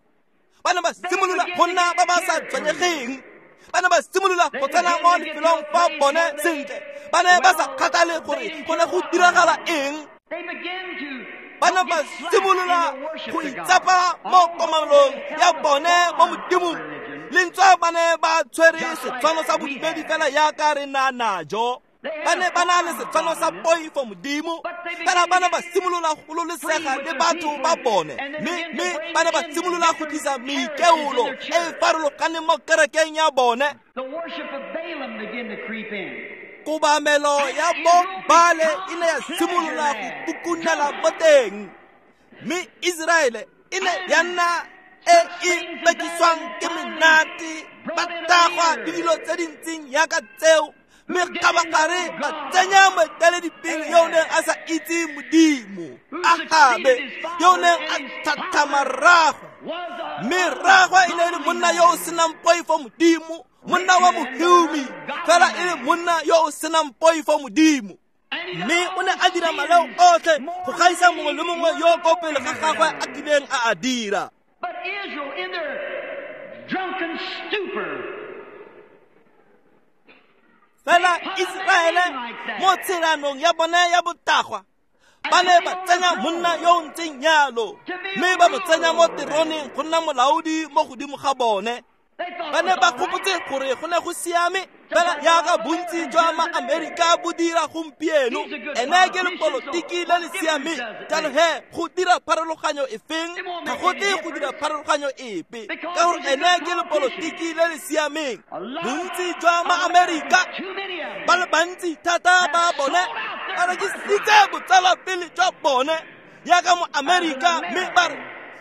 Ba ne ba simolola go nna ba ba sa tshwenyegeng. Ba ne ba simolola go tsena mo lefelong fa bone sentle. Ba ne ba sa kgathale gore go ne go diragala eng. Ba ne ba simolola go itsapa mo komanong ya bone mo modimong. Le ntswa ba ne ba tshwere setshwano sa bodumedi fela yaka re na najo. Ba ne ba na le setshwano sa poifo modimo, fela ba ne ba simolola go gololesega le batho ba bone, mme ba ne ba simolola go tlisa meikeolo e e farologaneng mo kerekeng ya bone. Kobamelo ya bo Baale e ne ya simolola go kukunela mo teng, mme Iseraele e ne ya nna e e bekiswang ke menate, ba tagwa le dilo tse di ntseng yaka tseo, mme kgabagare ba tsenya moeteledipele yo o neng a sa itse modimo, Ahabe, yo o neng a tlhatlhama rraagwe. Mme rraagwe e ne e le monna yo o senang poifo modimo, monna wa mohumi, fela e le monna yo o senang poifo modimo. Mme o ne a dira maleo otlhe go gaisa mongwe le mongwe yo ko pele ga gagwe a kileng a a dira. But Israel, in their drunken stupor, fela Iseraele mo tshelanong ya bone ya botagwa ba ne ba tsenya monna yo o ntseng yalo, mme ba mo tsenya mo teroneng go nna molaodi mo godimo ga bone. Ba ne ba gopotse gore go ne go siame, fela yaka bontsi jwa ma-Amerika bo dira gompieno. Ene ke lepolotiki le le siameng, jalo he go dira pharologanyo efeng? Ga go tle go dira pharologanyo epe, ka gore ene ke lepolotiki le le siameng. Bontsi jwa ma-Amerika ba le bantsi thata ba bone ba rekisitse botsalapele jwa bone yaka mo-Amerika, mme ba re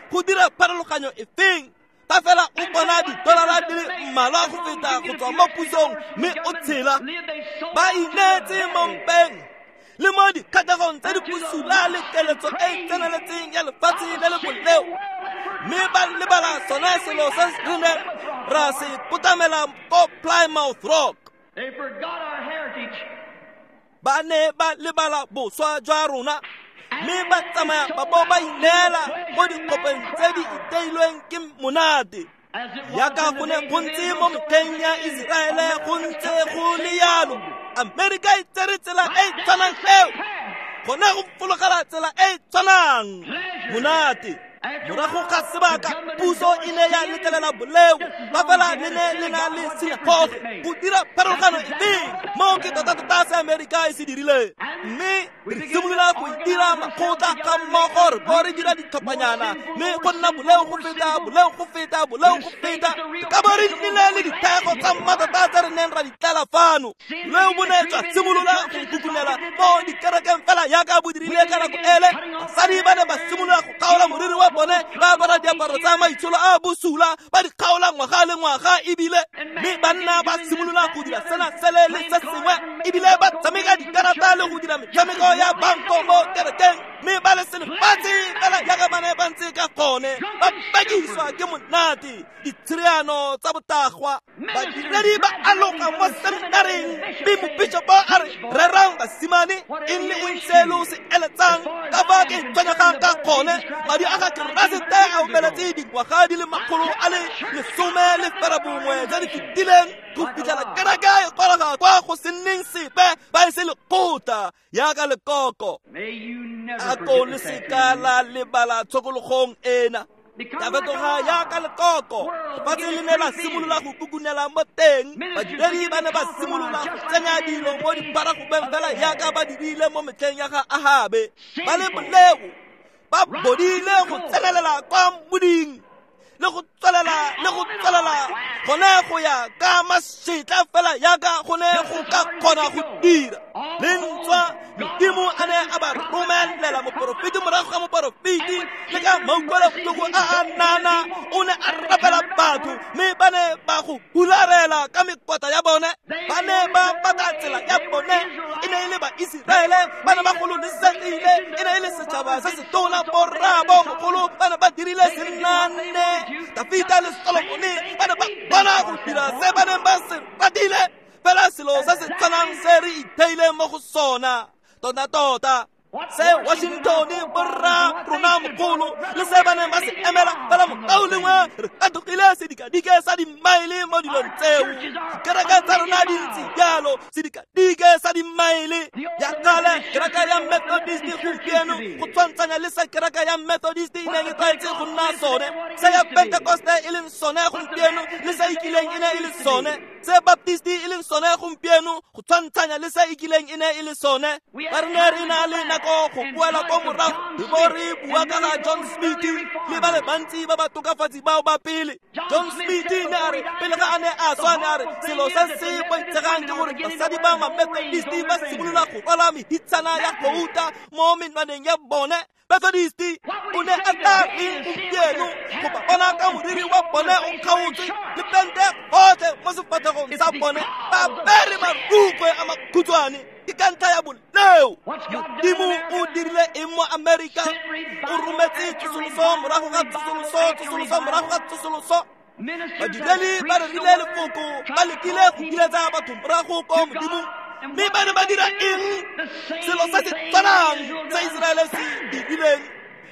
go dira pharologanyo efeng? Ba fela o bona didolara di le mmalwa go feta go tswa mo pusong mme o tshela. Ba ineetse mo mpeng le mo dikgatlhegong tse di bosula le keletso e e tseneletseng ya lefatshe le le boleo, mme ba lebala sone selo se re neng ra se kotamela ko Plymouth Rock. They forgot our heritage. Ba ne ba lebala boswa jwa rona, mme ba tsamaya ba bo ba ineela mo dikgopeng tse di iteilweng ke monate. Yaka go ne go ntse mo metlheng ya Iseraele go ntse go le yalo. Amerika e tsere tsela e e tshwanang eo, gone go fologela tsela e e tshwanang monate. Morago ga sebaka puso e ne ya letlelela boleo, ba fela le ne le na le sinagoge go dira pharologano efeng? Moo ke tota-tota se Amerika e se dirileng. Mme re simolola go itira makgotla ga mmogo, re bo re dira ditlhophanyana, mme go nna boleo go feta, boleo go feta, boleo go feta. Ka bo re nnile le dithego tsa mmatota tse re neng ra di tlela fano. Boleo bo ne jwa simolola go kukunela mo dikerekeng fela yaka bo dirile ka nako ele. Basadi ba ne ba simolola go kgaola moriri wa bone, ba apara diaparo tsa maitsholo a bosula, ba di kgaola ngwaga le ngwaga ebile, mme banna ba simolola go dira sena sele le se sengwe, ebile ba tshameka dikarata le go dira metshameko ya banko mo kerekeng, mme ba le selefatshe fela yaka ba ne ba ntse ka gone, ba bakiswa ke monate, ditshereano tsa botagwa. Badiredi ba aloga mo seminareng, mme mobishopo a re rerang basimane eng le eng se lo se eletsang ka fa ke tshwenyegang ka gone. Madi a ga Keresete a omeletse dingwaga di le 119 tse di fetileng go fitlhela kereke e goroga kwa go se nneng sepe. Ba Fa e se lekgotla yaka lekoko. A ko le seka la lebala tshokologong ena. Ya fetoga yaka lekoko. Lefatshe le ne la simolola go kukunela mo teng. Badiredi ba ne ba simolola go tsenya dilo mo diparagobeng fela yaka ba dirile mo metlheng ya ga Ahabe. Ba le boleo, ba bodile go tsenelela kwa moding le go tswelela le go tswelela gone go ya ka mašetla fela yaka gone go ka kgona go dira. Le ntswa Modimo a ne a ba romelela moporofeti morago ga moporofeti le ka mautlwelobotlhoko a a nana o ne a rapela batho mme ba ne ba go hularela ka mekota ya bone. Ba ne ba batla tsela ya bone. E ne e le Baiseraele, ba ne ba gololesegile, e ne e le setšhaba se se tona, borraabo mogolo ba ne ba dirile senane. Dafita le Solomone ba ne ba kgona go dira se ba neng ba se ratile, fela selo se se tshwanang se re itheileng mo go sona. Tota-tota se Washington borra rona mogolo le se ba neng ba se emela fela mokaulengwe re katogile sedikadike sa dimaele mo dilong tseo. Dikereke tsa rona di ntse jalo, sedikadike sa dimaele. Ya kgale kereke ya Methodist gompieno go tshwantshanya le se kereke ya Methodist e neng e tlwaetse go nna sone, se ya Pentecoste e leng sone gompieno le se e kileng e ne e le sone, se Baptist e leng sone gompieno go tshwantshanya le se e kileng e ne e le sone. Ba re ne re na le nako go boela ko morago re bo re bua ka ga John Smith le ba le bantsi ba ba tokafatsi bao ba pele. John Smith ne a re pele ga a ne a swa ne a re selo se se boitshegang ke gore basadi ba ma-Methodist ba simolola go rwala mehitshana ya gouta mo menwaneng ya bone. Methodist o ne a tla reng gompieno go ba bona ka moriri wa bone o kgaotswe le pente gotlhe mo sefatlhegong sa bone, ba apere marukwe a makhutshwane. Ke ka ntlha ya boleo. Modimo o dirile eng mo Amerika? O rometse tsosoloso morago ga tsosoloso, tsosoloso morago ga tsosoloso. Badiredi ba rerile lefoko, ba lekile go kiletsa batho morago ko Modimong, mme ba ne ba dira eng? Selo se se tshwanang se Iseraele se dirileng.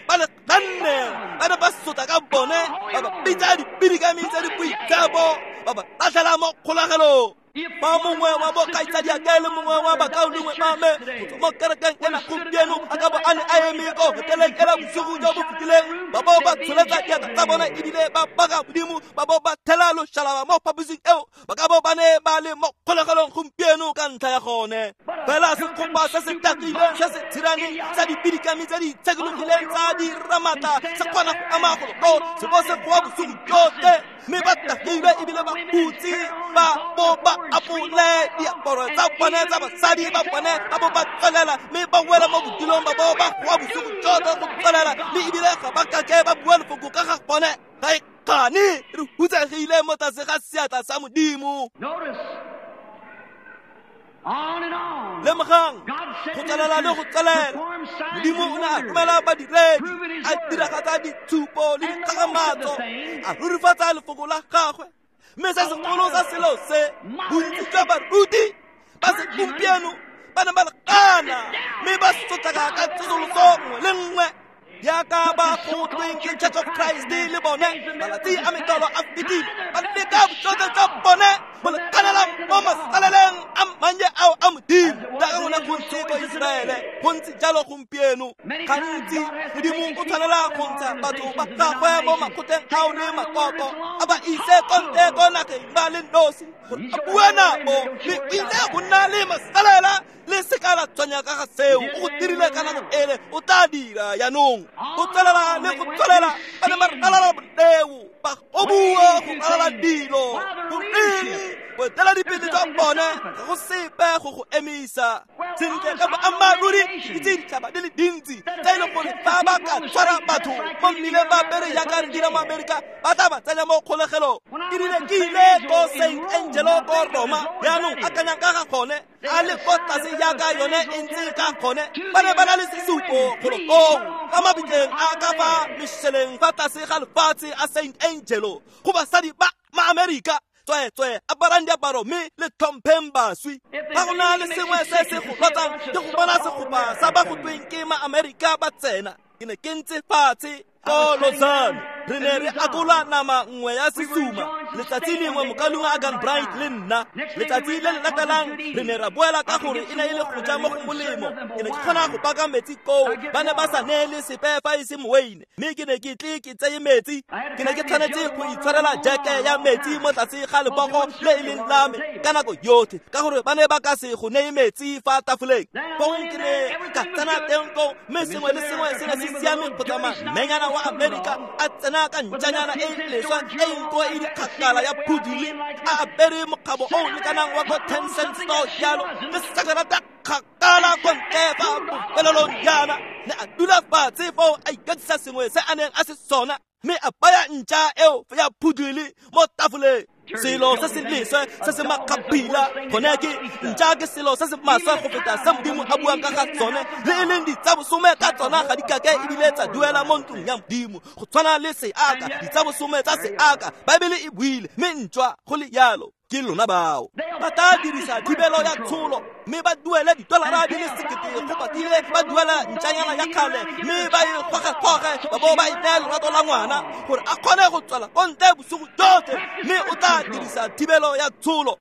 Ba le ganne, ba ne ba sotla ka bone, ba ba bitsa dipidikami tse di boitshepo, ba ba latlhela mo kgolagelong. Fa mongwe wa bokgaitsadiake le mongwe wa bakaulengwe ba me go tswa mo kerekeng ena gompieno a ka bo a ne a eme ko hoteleng ela bosigo jo bo fetileng, ba bo ba tsholetsa diatla tsa bone ebile ba baka Modimo, ba bo ba thela loshalaba mo phaposing eo, ba ka bo ba ne ba le mo kgolegelong gompieno ka ntlha ya gone. Fela sekgopa se se tagileng se se tshiraneng sa dipidikami tse di itshekologileng tsa diramatla se kgona go ama golo koo se bo se goa bosigo jotlhe, mme ba tagilwe ebile ba hutse, ba bo ba apole diaparo tsa bone tsa basadi ba bone, ba bo ba tswelela mme ba wela mo bodilong, ba bo ba goa bosigo jotlhe go tswelela, mme ebile ga ba kake ba bua lefoko ka ga bone. Ga e kgane re hutsegile mo tlase ga seatla sa Modimo. Lemogang go tswelela le go tswelela. Modimo o ne a romela badiredi, a diragatsa ditshupo le dikgakgamatso, a rurifatsa lefoko la gagwe. Mme se segolo sa selo se, bontsi jwa baruti ba segompieno ba ne ba le gana, mme ba sotlaka ka tsosoloso nngwe le nngwe yaka ba go tweng ke Church of Christ le bone. Malatsi a metlolo a fetile, ba leka bojotlhe jwa bone go lekanela mo masaleleng a mannye ao a Modimo. Jaaka gone go ntse ko Iseraele, go ntse jalo gompieno. Gantsi Modimo o tshwanela go ntsha batho ba gagwe mo makgotleng ao le makoko, a ba ise ko ntle ko nageng ba le nosi gore a bue nabo, mme o ile go nna le masalela. Le seka la tshwanya ka ga seo, o go dirile ka nako ele, o tla dira jaanong. Go tswelela le go tswelela, ba ne ba ralala boleo, ba goboa go ralala dilo. Goreng boeteledipele jwa bone ga go sepe go go emisa. Sentle ka boammaaruri ke itse ditšhaba di le dintsi tse e leng gore fa ba ka tshwara batho mo mmileng ba apere jaaka re dira mo Amerika, ba tla ba tsenya mo kgolegelong. Ke rile ke ile ko Saint Angelo ko Roma, jaanong akanyang ka ga gone, a le ko tlase jaaka yone e ntse ka gone. Ba ne ba na le sesupo golo koo ka mabitleng a ka fa mešeleng fa tlase ga lefatshe a Saint Angelo go basadi ba ma-Amerika. Tsweetswe aparang diaparo mme le tlhompheng baswi. Ga go na le sengwe se se go lotsang ke go bona segopa sa ba go tweng ke ma-Amerika ba tsena. Ke ne ke ntse fatshe ko Lausanne. Re ne re akola nama nngwe ya sesuma letsatsi lengwe mokalung a Gan Bright le nna. Letsatsi le le latelang re ne ra boela ka gore e ne e le go ja mo go molemo. Ke ne ke kgona go paka metsi koo, ba ne ba sa neele sepe fa e se moweine, mme ke ne ke tle ke tseye metsi. Ke ne ke tshwanetse go itshwarela jeke ya metsi mo tlase ga lebogo le e leng la me ka nako yotlhe, ka gore ba ne ba ka se go neye metsi fa tafoleng. Fong ke ne ka tsena teng koo, mme sengwe le sengwe se ne se siame go tsamaya. Mmenyana wa Amerika a tsena ka ntšanyana e leswa e nko e dikgakala ya phudule, a apere mokgabo o o lekanang wa ko 10 cent store jalo, le sakerata kgakala ko ntle fa bofelelong jaana. Ne a dula fatshe foo a ikatisa sengwe se a neng a se sona, mme a baya ntša eo ya phudule mo tafoleng. Selo se se leswe se se makgapila gone ke ntša ke selo se se maswe go feta se Modimo a buang ka ga tsone, le e leng ditsabosome ka tsona ga di kake ebile tsa duela mo ntlong ya Modimo. Go tshwana le seaka, ditsabosome tsa seaka, Baebele e buile, mme ntšwa go le yalo ke lona bao ba tla dirisa thibelo ya tsholo, mme ba duele $1,000 go patile ba duela ntšanyana ya kgale, mme ba e goge-goge ba bo ba e naya lerato la ngwana gore a kgone go tswela ko ntle bosigo jotlhe, mme o tla dirisa thibelo ya tsholo.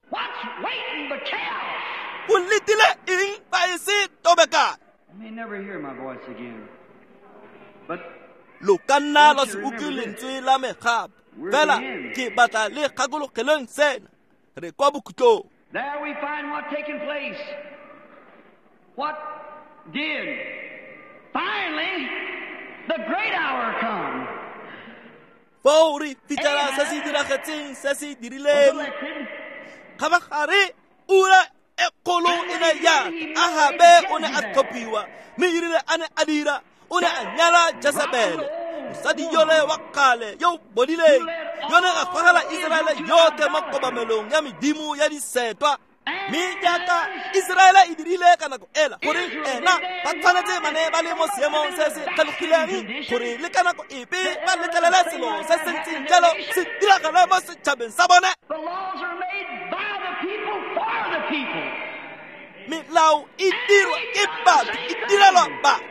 O letile eng fa e se tobekane? Lo ka nna lwa se utlwe lentswe la me gape, fela ke batla le gakologelweng sena. Re kwa bokhutlong. There we find what taken place. What did? Finally, the great hour come. Foo re fitlhela se se diragetseng se se dirileng. Kgabagare ura e kgolo e ne ya Ahabe o ne a tlhophiwa, mme erile a ne a dira, o ne a nyala Jezebele, mosadi yole wa kgale yo o bodileng, yone ga gogela Iseraele yotlhe mo kobamelong ya medimo ya disetwa. Mme jaaka Iseraele e dirile ka nako ela, gore ena ba tshwanetse ba ne ba le mo seemong se se tlhalogileng gore le ka nako epe ba letlelele selo se se ntseng jalo se diragale mo setšhabeng sa bone. Melao e dirwa ke batho, e direlwa batho,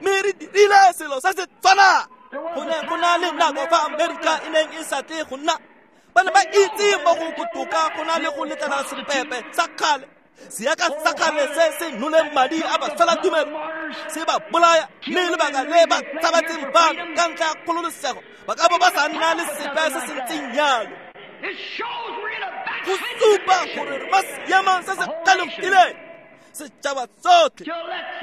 mme re dirile selo se se tshwanang. Go ne go na le nako fa Amerika e neng e sa tle go nna, ba ne ba itse mo go botoka go na le go letlela sepepe sa kgale, seaka sa kgale se se noleng madi a baswelatumelo se ba bolaya, mme lebaka le ba tshabatseng bano ka ntlha ya kgololosego ba ka bo ba sa nna le sepe se se ntseng jalo. Go supa gore re mo seemong se se tlhalogileng, setšhaba tsotlhe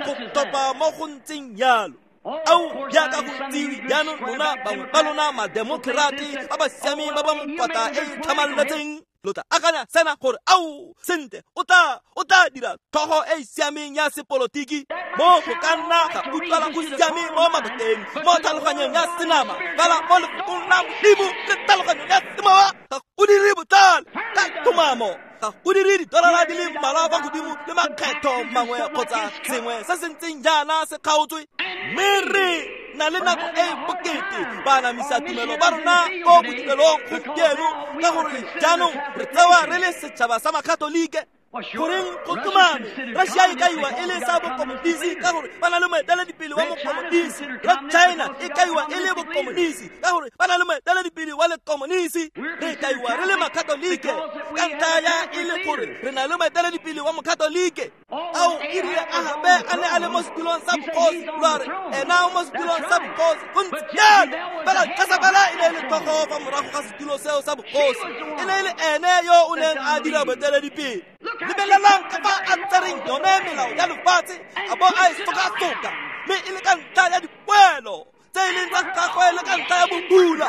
go topa mo go ntseng jalo. Ao jaaka go itsiwe jaanong lona bangwe ba lona mademokrate ba ba siameng ba ba mokwata e e tlhamaletseng, lo tla akanya sena gore ao sentle o tla dira tlhogo e e siameng ya sepolotiki, mo go ka nna ga utlwala go siame mo mabakeng, mo tlhaloganyong ya senama, fela mo lefokong la Modimo le tlhaloganyong ya semowa ga go dire botlhale ka tlhomamo. Ga go dire $mmalwa fa godimo le makgetho mangwe kgotsa sengwe se se ntseng jaana se kgaotswe, mme re na le nako e bokete ba anamisa tumelo ba rona ko bodirelong gompieno, ka gore jaanong re tsewa re le setšhaba sa makatolike. Goreng go tlhomame Russia e kaiwa e le sa bokomonisi ka gore ba na le moeteledipele wa mokomonisi, la China e kaiwa e le bokomonisi ka gore ba na le moeteledipele wa lekomonisi, re kaiwa re le makatolike ka ntlha ya e le gore re na le moeteledipele wa mokatolike. Ao erile Ahabe a ne a le mo setulong sa bogosi, lwa re ena o mo setulong sa bogosi go ntse jalo, fela Jezebele e ne e le tlhogo fa morago ga setulo seo sa bogosi, e ne e le ene yo o neng a dira boeteledipele. Lebelelang ka fa a tsereng yone melao ya lefatshe a bo a e sokasoka, mme e le ka ntlha ya dipoelo tse e leng tsa gagwe le ka ntlha ya bobula,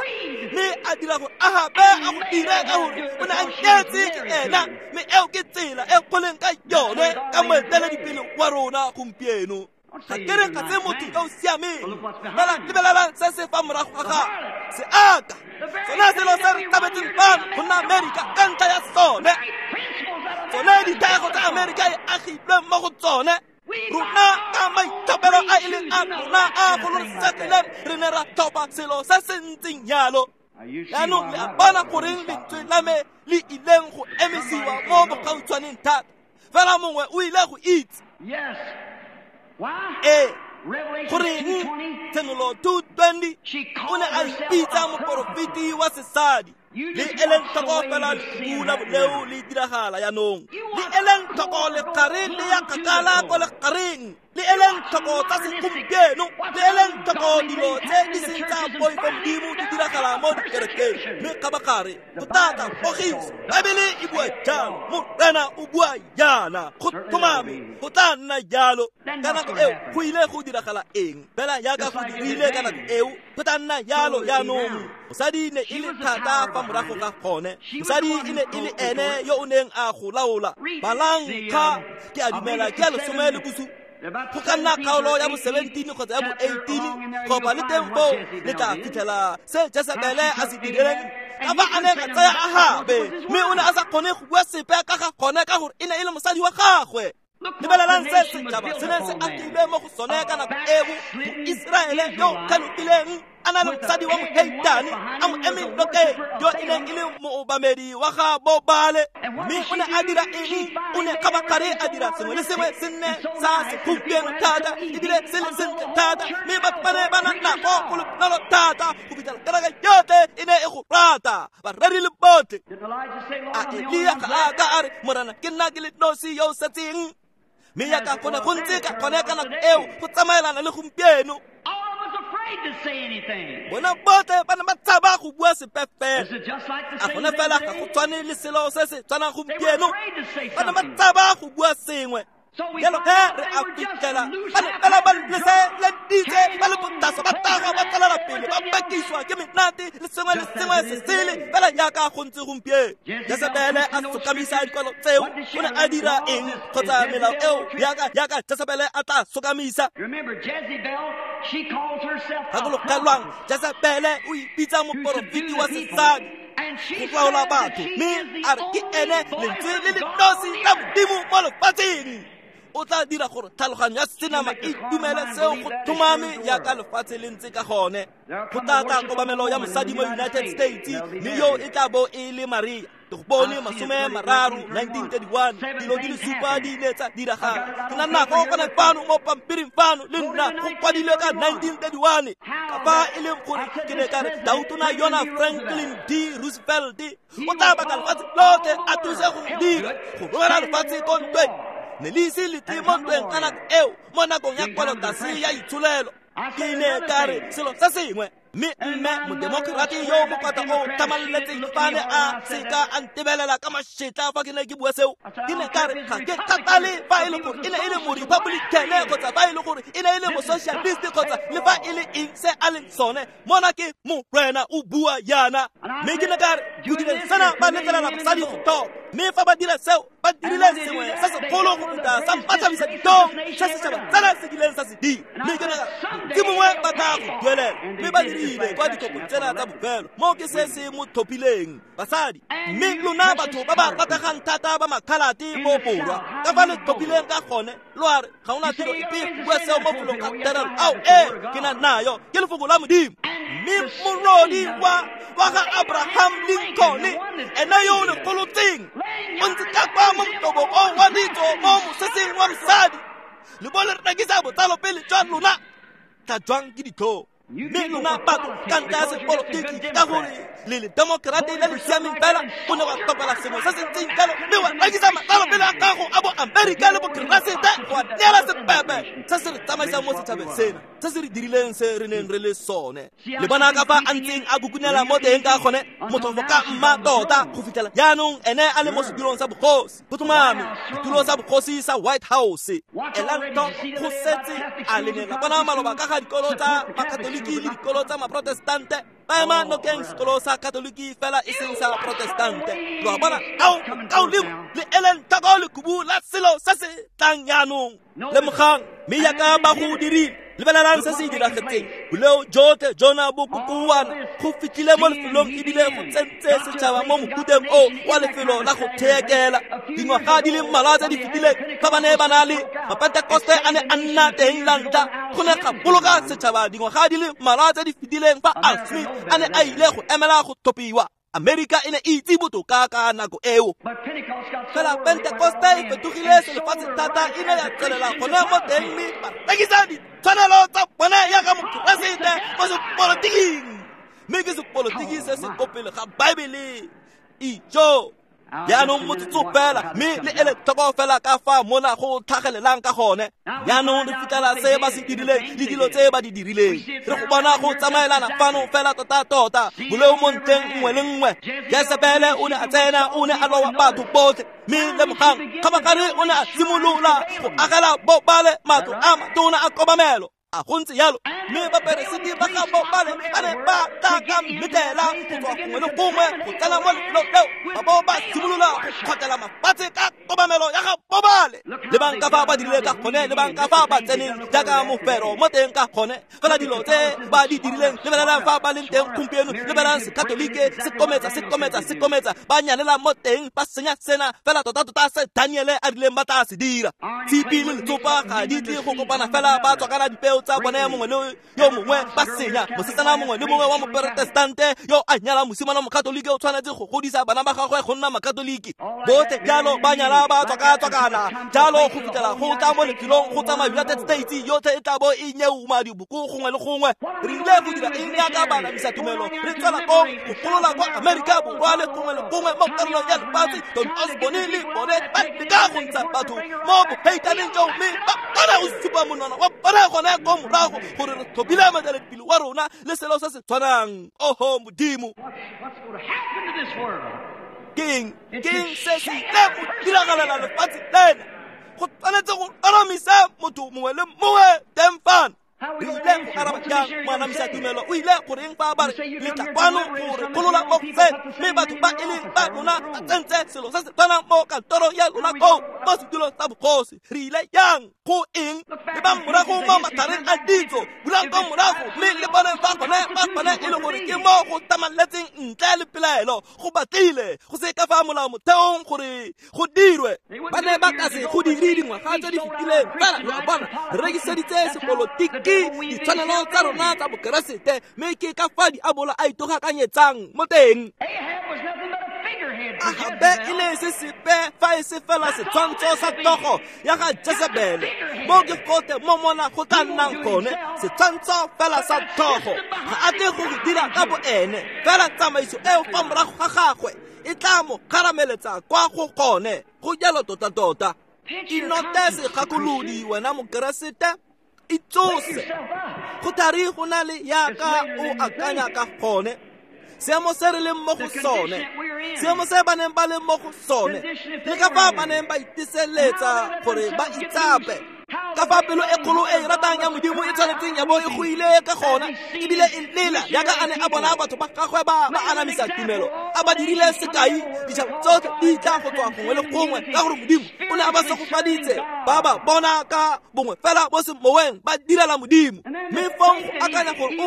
mme a dira gore Ahabe a go dire ka gore o ne a nyetse ke ena, mme eo ke tsela e goleng ka yone ka moeteledipele wa rona gompieno. Ga ke re ga se motho yo o siameng, fela lebelelang se se fa morago ga gagwe, seaka sone selo se re tlabetseng fano go nna Amerika ka ntlha ya sone, tsone dithego tsa Amerika e agilweng mo go tsone. Rona ka maithapelo a e leng a rona a gololosegileng re ne ra tlhopha selo se se ntseng jalo. Jaanong le a bona goreng lentswe la me le ileng go emisiwa mo bogautshwaneng thata, fela mongwe o ile go itse. Ee, Goreng Tshenolo 2:20 o ne a ipitsa moporofeti wa sesadi. Le eleng tlhoko fela lekhubu la boleo le diragala jaanong. Le eleng tlhoko lekgare le ya kgakala ko lekgareng. Le eleng tlhoko tsa segompieno. Le eleng tlhoko dilo tse di seng tsa poifo Modimo di diragala mo dikerekeng. Mme kgabagare go tata pogiso. Baebele e bua jalo, Morena o bua jaana. Go tlhomame go tla nna jalo. Ka nako eo go ile go diragala eng? Fela jaaka go dirile ka nako eo, go tla nna jalo jaanong. Mosadi ne e le thata fa morago ga gone. Mosadi e ne e le ene yo o neng a go laola. Balang kga ke a dumela ke ya 17. Go ka nna kgaolo ya bo 17 kgotsa ya bo 18, kopa le teng foo le tla fitlhela se Jesebele a se dirileng. Ka fa a neng a tsaya Ahabe, mme o ne a sa kgone go bua sepe ka ga gone ka gore e ne e le mosadi wa gagwe. Lebelelang se setšhaba se neng se agilwe mo go sone ka nako eo. Moiseraele yo o tlhalogileng a na le mosadi wa moheitane a mo eme nokeng, yo e neng e le moobamedi wa ga Bobale. Mme o ne a dira eng? O ne kgabagare a dira sengwe le sengwe se nne sa segompieno thata, ebile se le sentle thata, mme batho ba ne ba na nako go le bonolo thata go fitlhela kereke yotlhe e ne e go rata, bareri le botlhe. A Elia ga a ka a re, Morena ke nna ke le nosi yo o setseng? Mme jaaka go ne go ntse ka gone ka nako eo, go tsamaelana le gompieno. Bona botlhe ba ne ba tshaba go bua sepe fela. A gone fela ga go tshwane le selo se se tshwanang gompieno? Ba ne ba tshaba go bua sengwe. Jalo ge re a fitlhela ba ne fela ba leseleditse ba le botaswa, ba tagwa, ba tswelela pele, ba bakiswa ke menate le sengwe le sengwe se sele fela jaaka go ntse gompieno. Jesebele a sokamisa dikwalo tseo. O ne a dira eng? Kgotsa melao eo jaaka Jesebele a tla sokamisa. Gakologelwang, Jesebele o ipitsa moporofeti wa sesadi go laola batho, mme a re ke ene lentswe le le nosi la Modimo mo lefatsheng. O tla dira gore tlhaloganyo ya senama e dumele seo go tlhomame jaaka lefatshe le ntse ka gone. Go tla tla kobamelo ya mosadi mo United States, mme yo e tla bo e le Maria. Ke go bone 30, 1931, dilo di le supa di ile tsa diragala. Ke na nako gone fano mo pampiring fano le nna go kwadilwe ka 1931. Ka fa e leng gore ke ne ka re Tautona yona Franklin D. Roosevelt o tla baka lefatshe lotlhe a thuse go dira go romela lefatshe ko ntweng. Ne le ise le tle mo ntweng ka nako eo mo nakong ya kwalotase ya itsholelo. Ke ne ka re selo se sengwe. Mme mme modemokrate yo mokwata o tlhamaletseng fa ne a seka a ntebelela ka mašetla fa ke ne ke bua seo. Ke ne ka re ga ke kgathale fa e le gore e ne e le mo-Republican kgotsa fa e le gore e ne e le mo-socialist kgotsa le fa e le eng se a leng sone. Mona ke Morena o bua jaana. Mme ke ne ka re go direng sena ba letlelela basadi go tlhoka. Mme fa ba dira seo, ba dirile sengwe se segolo go feta sa mpatlhabisa ditlhong se setšhaba tsena se kileng sa se dira. Mme ke ne ka re ke mongwe ba tla go duelela. Mme ba dirile kwa ditlhopho tsena tsa bofelo. Moo ke se se mo tlhophileng basadi. Mme lona batho ba ba rategang thata ba makhalate mo Borwa, ka fa le tlhophileng ka gone, lo a re ga ona tiro epe go bua seo mo felong ga terelo. Ao ee, ke na nayo, ke lefoko la Modimo. Mme morodi wa ga Abraham Lincoln, ene yo o lekgolotseng, o ntse ka kwa mo motobong o wa ditso mo moseseng wa mosadi. Le bo le rekisa botsalo pele jwa lona, tla jwang ke ditlhong. Mme lona batho ka ntlha ya sepolotiki, ka gore le le demokrate le le siameng fela, o ne wa tlhopela sengwe se se ntseng jalo, mme wa rekisa matsalo pele a gago a bo Amerika le bokeresete, wa neela sepepe se se re tsamaisang mo setšhabeng sena, se se re dirileng se re neng re le sone. Le bona ka fa a ntseng a kukunela mo teng ka gone, motlhofo ka mma tota go fitlhela jaanong ene a le mo sedulong sa bogosi. Go tlhomame, setulo sa bogosi sa White House. Elang tlhoko go setse a le ne la bona maloba ka ga dikolo tsa Makatoliki le dikolo tsa Maprotestante. Ba ema nokeng sekolo sa Katoliki fela e seng sa Protestante. Lo a bona, ao kaolimo le eleng tlhoko lekhubu la selo se se tlang jaanong. Lemogang, mme jaaka ba go dirile, lebelelang se se diragetseng. Boleo jotlhe jona bo kokoana go fitlhile mo lefelong ebile go tsentse setšhaba mo mokuteng o wa lefelo la go theekela. Dingwaga di le mmalwa tse di fetileng fa ba ne ba na le Mapentekoste a ne a nna teng la ntlha, go ne ga boloka setšhaba dingwaga di le mmalwa tse di fetileng fa Al Smith a ne a ile go emela go tlhophiwa. Amerika e ne e itse botoka ka nako eo. Fela Pentekoste e fetogile selefatshe thata, e ne ya tswelela gone mo teng mme ba rekisa ditshwanelo tsa bone jaaka Mokeresete mo sepolotiking. Mme ke sepolotiki se se ko pele ga Baebele. Ijo! Jaanong motsotso fela, mme le ele tlhoko fela ka fa mona go tlhagelelang ka gone. Jaanong re fitlhela se ba se dirileng le dilo tse ba di dirileng. Re go bona go tsamaelana fano fela tota-tota, boleo mo ntlheng nngwe le nngwe. Jesebele o ne a tsena, o ne a lowa batho botlhe, mme lemogang kgabagare o ne a simolola go agela Bobale matlo a matona a kobamelo. A go ntse jalo, mme baperesiti ba ga Bobale ba ne ba tla ka mmetela go tswa gongwe le gongwe go tsena mo lefelong leo, ba bo ba simolola go kgotlela mafatshe ka kobamelo ya ga Bobale. Lebang ka fa ba dirile ka gone, lebang ka fa ba tseneng jaaka mofero mo teng ka gone. Fela dilo tse ba di dirileng, lebelelang fa ba leng teng gompieno, lebelelang Sekatolike se kometsa, se kometsa, se kometsa, ba nyalela mo teng, ba senya sena, fela tota-tota se Daniele a rileng ba tla se dira. Tshipi le letsopa ga di tle go kopana fela, ba tswakana dipeo tsa bone mongwe le yo mongwe, ba senya. Mosetsana mongwe le mongwe wa moprotestante yo a nyala mosimane wa mokatolike o tshwanetse go godisa bana ba gagwe go nna makatoliki. Botlhe jalo ba nyala ba tswaka-tswakana jalo go fitlhela go tla mo lefelong go tsamaya United States yotlhe e tla bo e nyeuma diboko gongwe le gongwe. Re ile go dira eng jaaka baanamisa tumelo? Re tswela kong go golola kwa Amerika Borwa le gongwe le gongwe mo karolong ya lefatshe. Don Osborne le bone ba leka go ntsha batho mo boheitaneng joo, mme ba kgona go supa monwana wa bone gone ko morago gore re tlhophile moeteledipele wa rona le selo se se tshwanang. Oho Modimo, keng keng se se ile go diragalela lefatshe lena? Go tshwanetse go aramisa motho mongwe le mongwe teng fano. Re ile go araba jang moanamisa tumelo? O ile goreng fa ba re le tla kwano go re golola mo go se, mme batho ba e leng ba lona ba tsentse selo se se tshwanang mo kantorong ya lona koo mo setulong sa bogosi? Re ile yang go eng? Le ba morago mo matlhareng a ditso, bulang ko morago mme le bone fa gone ba gone e le gore ke mo go tamaletseng ntle le pelaelo, go batlile go se ka fa molao motheong gore go dirwe. Ba ne ba ka se go dire dingwaga tse di fetileng, fela lo a bona re rekiseditse sepolotiki ditshwanelo tsa rona tsa Bokeresete, mme ke ka fa diabolo a itogakanyetsang mo teng. Ahabe e ne se sepe fa e se fela setshwantsho sa tlhogo ya ga Jezebele. Mo ke gote mo mona go tla nnang gone, setshwantsho fela sa tlhogo. Ga a tle go go dira ka boene, fela tsamaiso eo fa morago ga gagwe e tla mo kgarameletsa kwa go gone. Go jalo tota-tota. Inote segakolodi wena Mokeresete, itsose. Go thari go na le yaka o akanya ka gone. Seemo se re leng mo go sone, seemo se ba neng ba leng mo go sone, le ka fa ba neng ba iteseletsa gore ba itsape, ka fa pelo e kgolo e e ratang ya Modimo e tshwanetseng ya bo e go ile ka gona, ebile e lela jaaka a ne a bona batho ba gagwe ba ba anamisa tumelo, a ba dirile sekai. Ditšhaba tsotlhe di tla go tswa gongwe le gongwe ka gore Modimo o ne a ba segofaditse, ba ba bona ka bongwe fela mo semoweng ba direla Modimo. Mme fong go akanya gore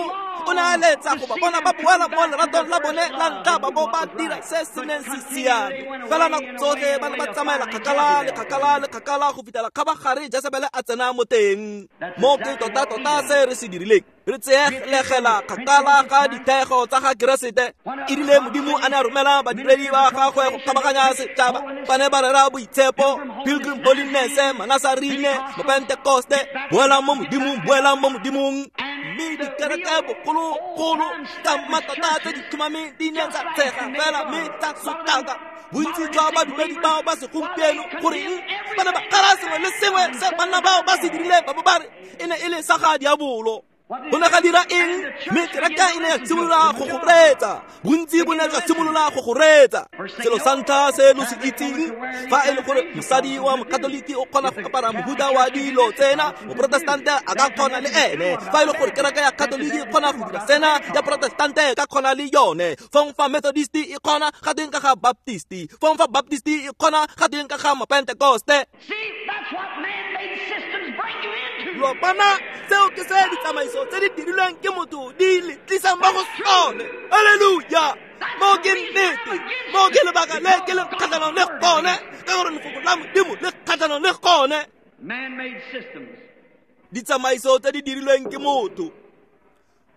o ne a letsa go ba bona ba boela mo leratong la bone la ntlha, ba bo ba dira se se neng se siame. Fela nako tsotlhe ba ne ba tsamaela kgakala le kgakala le kgakala go fitlhela kgabagare Jesebele a tsena mo teng. Mo ke tota-tota se re se dirileng, re tseeglegela kgakala ga dithego tsa ga Keresete. E rile Modimo a ne a romela badiredi ba gagwe go kgabaganya setšhaba, ba ne ba rera boitshepo, Pilgrim Holiness, Manasarine, Mopentekoste, boelang mo Modimong, boelang mo Modimong. Mme dikereke bogologolo ka matata tse di tlhomameng di ne tsa tshega fela mme tsa sotlaka bontsi jwa badumedi bao ba segompieno. Goreng ba ne ba kgala sengwe le sengwe se banna bao ba se dirileng, ba bo ba re e ne e le sa ga diabolo. Go ne ga dira eng? Mme kereke e ne ya simolola go go reetsa, bontsi bo ne jwa simolola go go reetsa. Selo sa ntlha se lo se itseng, fa e le gore mosadi wa mokatoliki o kgona go apara mohuta wa dilo tsena, moprotestante a ka kgona le ene. Fa e le gore kereke ya katoliki e kgona go dira sena, ya protestante e ka kgona le yone. Fong fa Methodist e kgona, ga teng ka ga Baptist. Fong fa Baptist e kgona, ga teng ka ga Mapentekoste. Lo bona, seo ke se ditsamaiso tse di dirilweng ke motho di le tlisang mo go sone. Halleluja! Mo ke nnete, mo ke lebaka le ke le kgatlhanong le gone, ka gore lefoko la Modimo le kgatlhanong le gone. Ditsamaiso tse di dirilweng ke motho.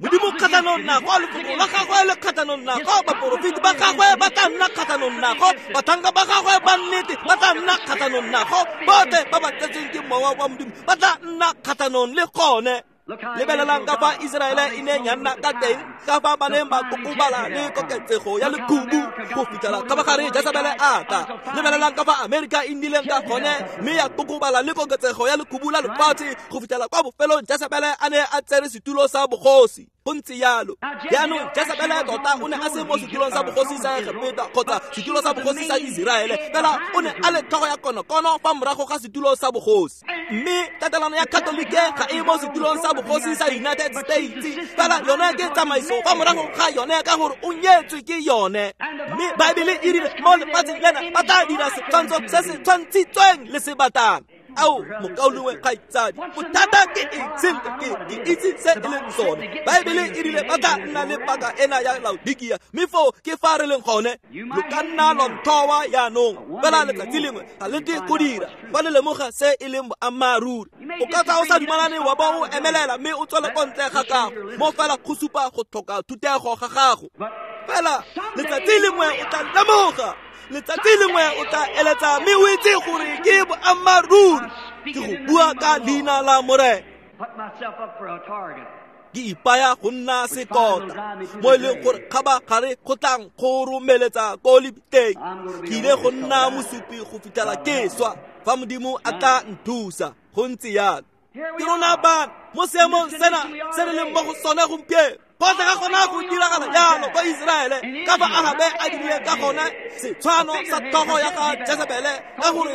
Modimo kgatlhanong nago, lefoko la gagwe le kgatlhanong nago, baporofeti ba gagwe ba tla nna kgatlhanong nago, batlhanka ba gagwe ba nnete ba tla nna kgatlhanong nago, botlhe ba ba tletseng ke mowa wa Modimo ba tla nna kgatlhanong le gone. Lebelelang ka fa Iseraele e neng ya nna ka teng, ka fa ba neng ba kokobala le koketsego ya lekhubu go fitlhela kgabagare Jesebele a tla. Lebelelang ka fa Amerika e nnileng ka gone mme ya kokobala le koketsego ya lekhubu la lefatshe go fitlhela kwa bofelong Jesebele a ne a tsere setulo sa bogosi. Go ntse jalo. Jaanong Jesebele tota o ne a se mo setulong sa bogosi sa Egepeta kgotsa setulo sa bogosi sa Iseraele, fela o ne a le tlhogo ya konokono fa morago ga setulo sa bogosi. Mme tatelano ya Katolike ga e mo setulong sa bogosi sa United States, fela yone ke tsamaiso fa morago ga yone ka gore o nyetswe ke yone. Mme Baebele e rile mo lefatsheng lena ba tla dira setshwantsho se se tshwantshitsweng le sebatana. Ao, mokaulengwe kgaitsadi, bothata ke eng? Sentle, ke itse se e leng sone. Baebele e rile ba tla nna le paka ena ya Laodikia, mme foo ke fa re leng gone. Lo ka nna lwa nthowa jaanong, fela letsatsi lengwe ga le tle go dira fa le lemoga se e leng boammaaruri. O ka tswa o sa dumalane wa bo o emelela mme o tswele kwa ntle ga gago, mo fela go supa go tlhoka thutego ga gago. Fela letsatsi lengwe o tla lemoga, letsatsi lengwe o tla eletsa mme o itse gore ke boammaaruri. Ke go bua ka leina la Morena. Ke ipaya go nna sekota mo e leng gore kgabagare go tlang go romeletsa ko lebitleng. Ke ile go nna mosupi go fitlhela ke swa fa Modimo a tla nthusa. Go ntse jalo. Ke rona bana mo seemong sena se re leng mo go sone gompieno. Gotlhe ga gona go diragala jalo kwa Iseraele ka fa Ahabe a dirileng ka gone setshwano sa tlhogo ya ga Jesebele ka gore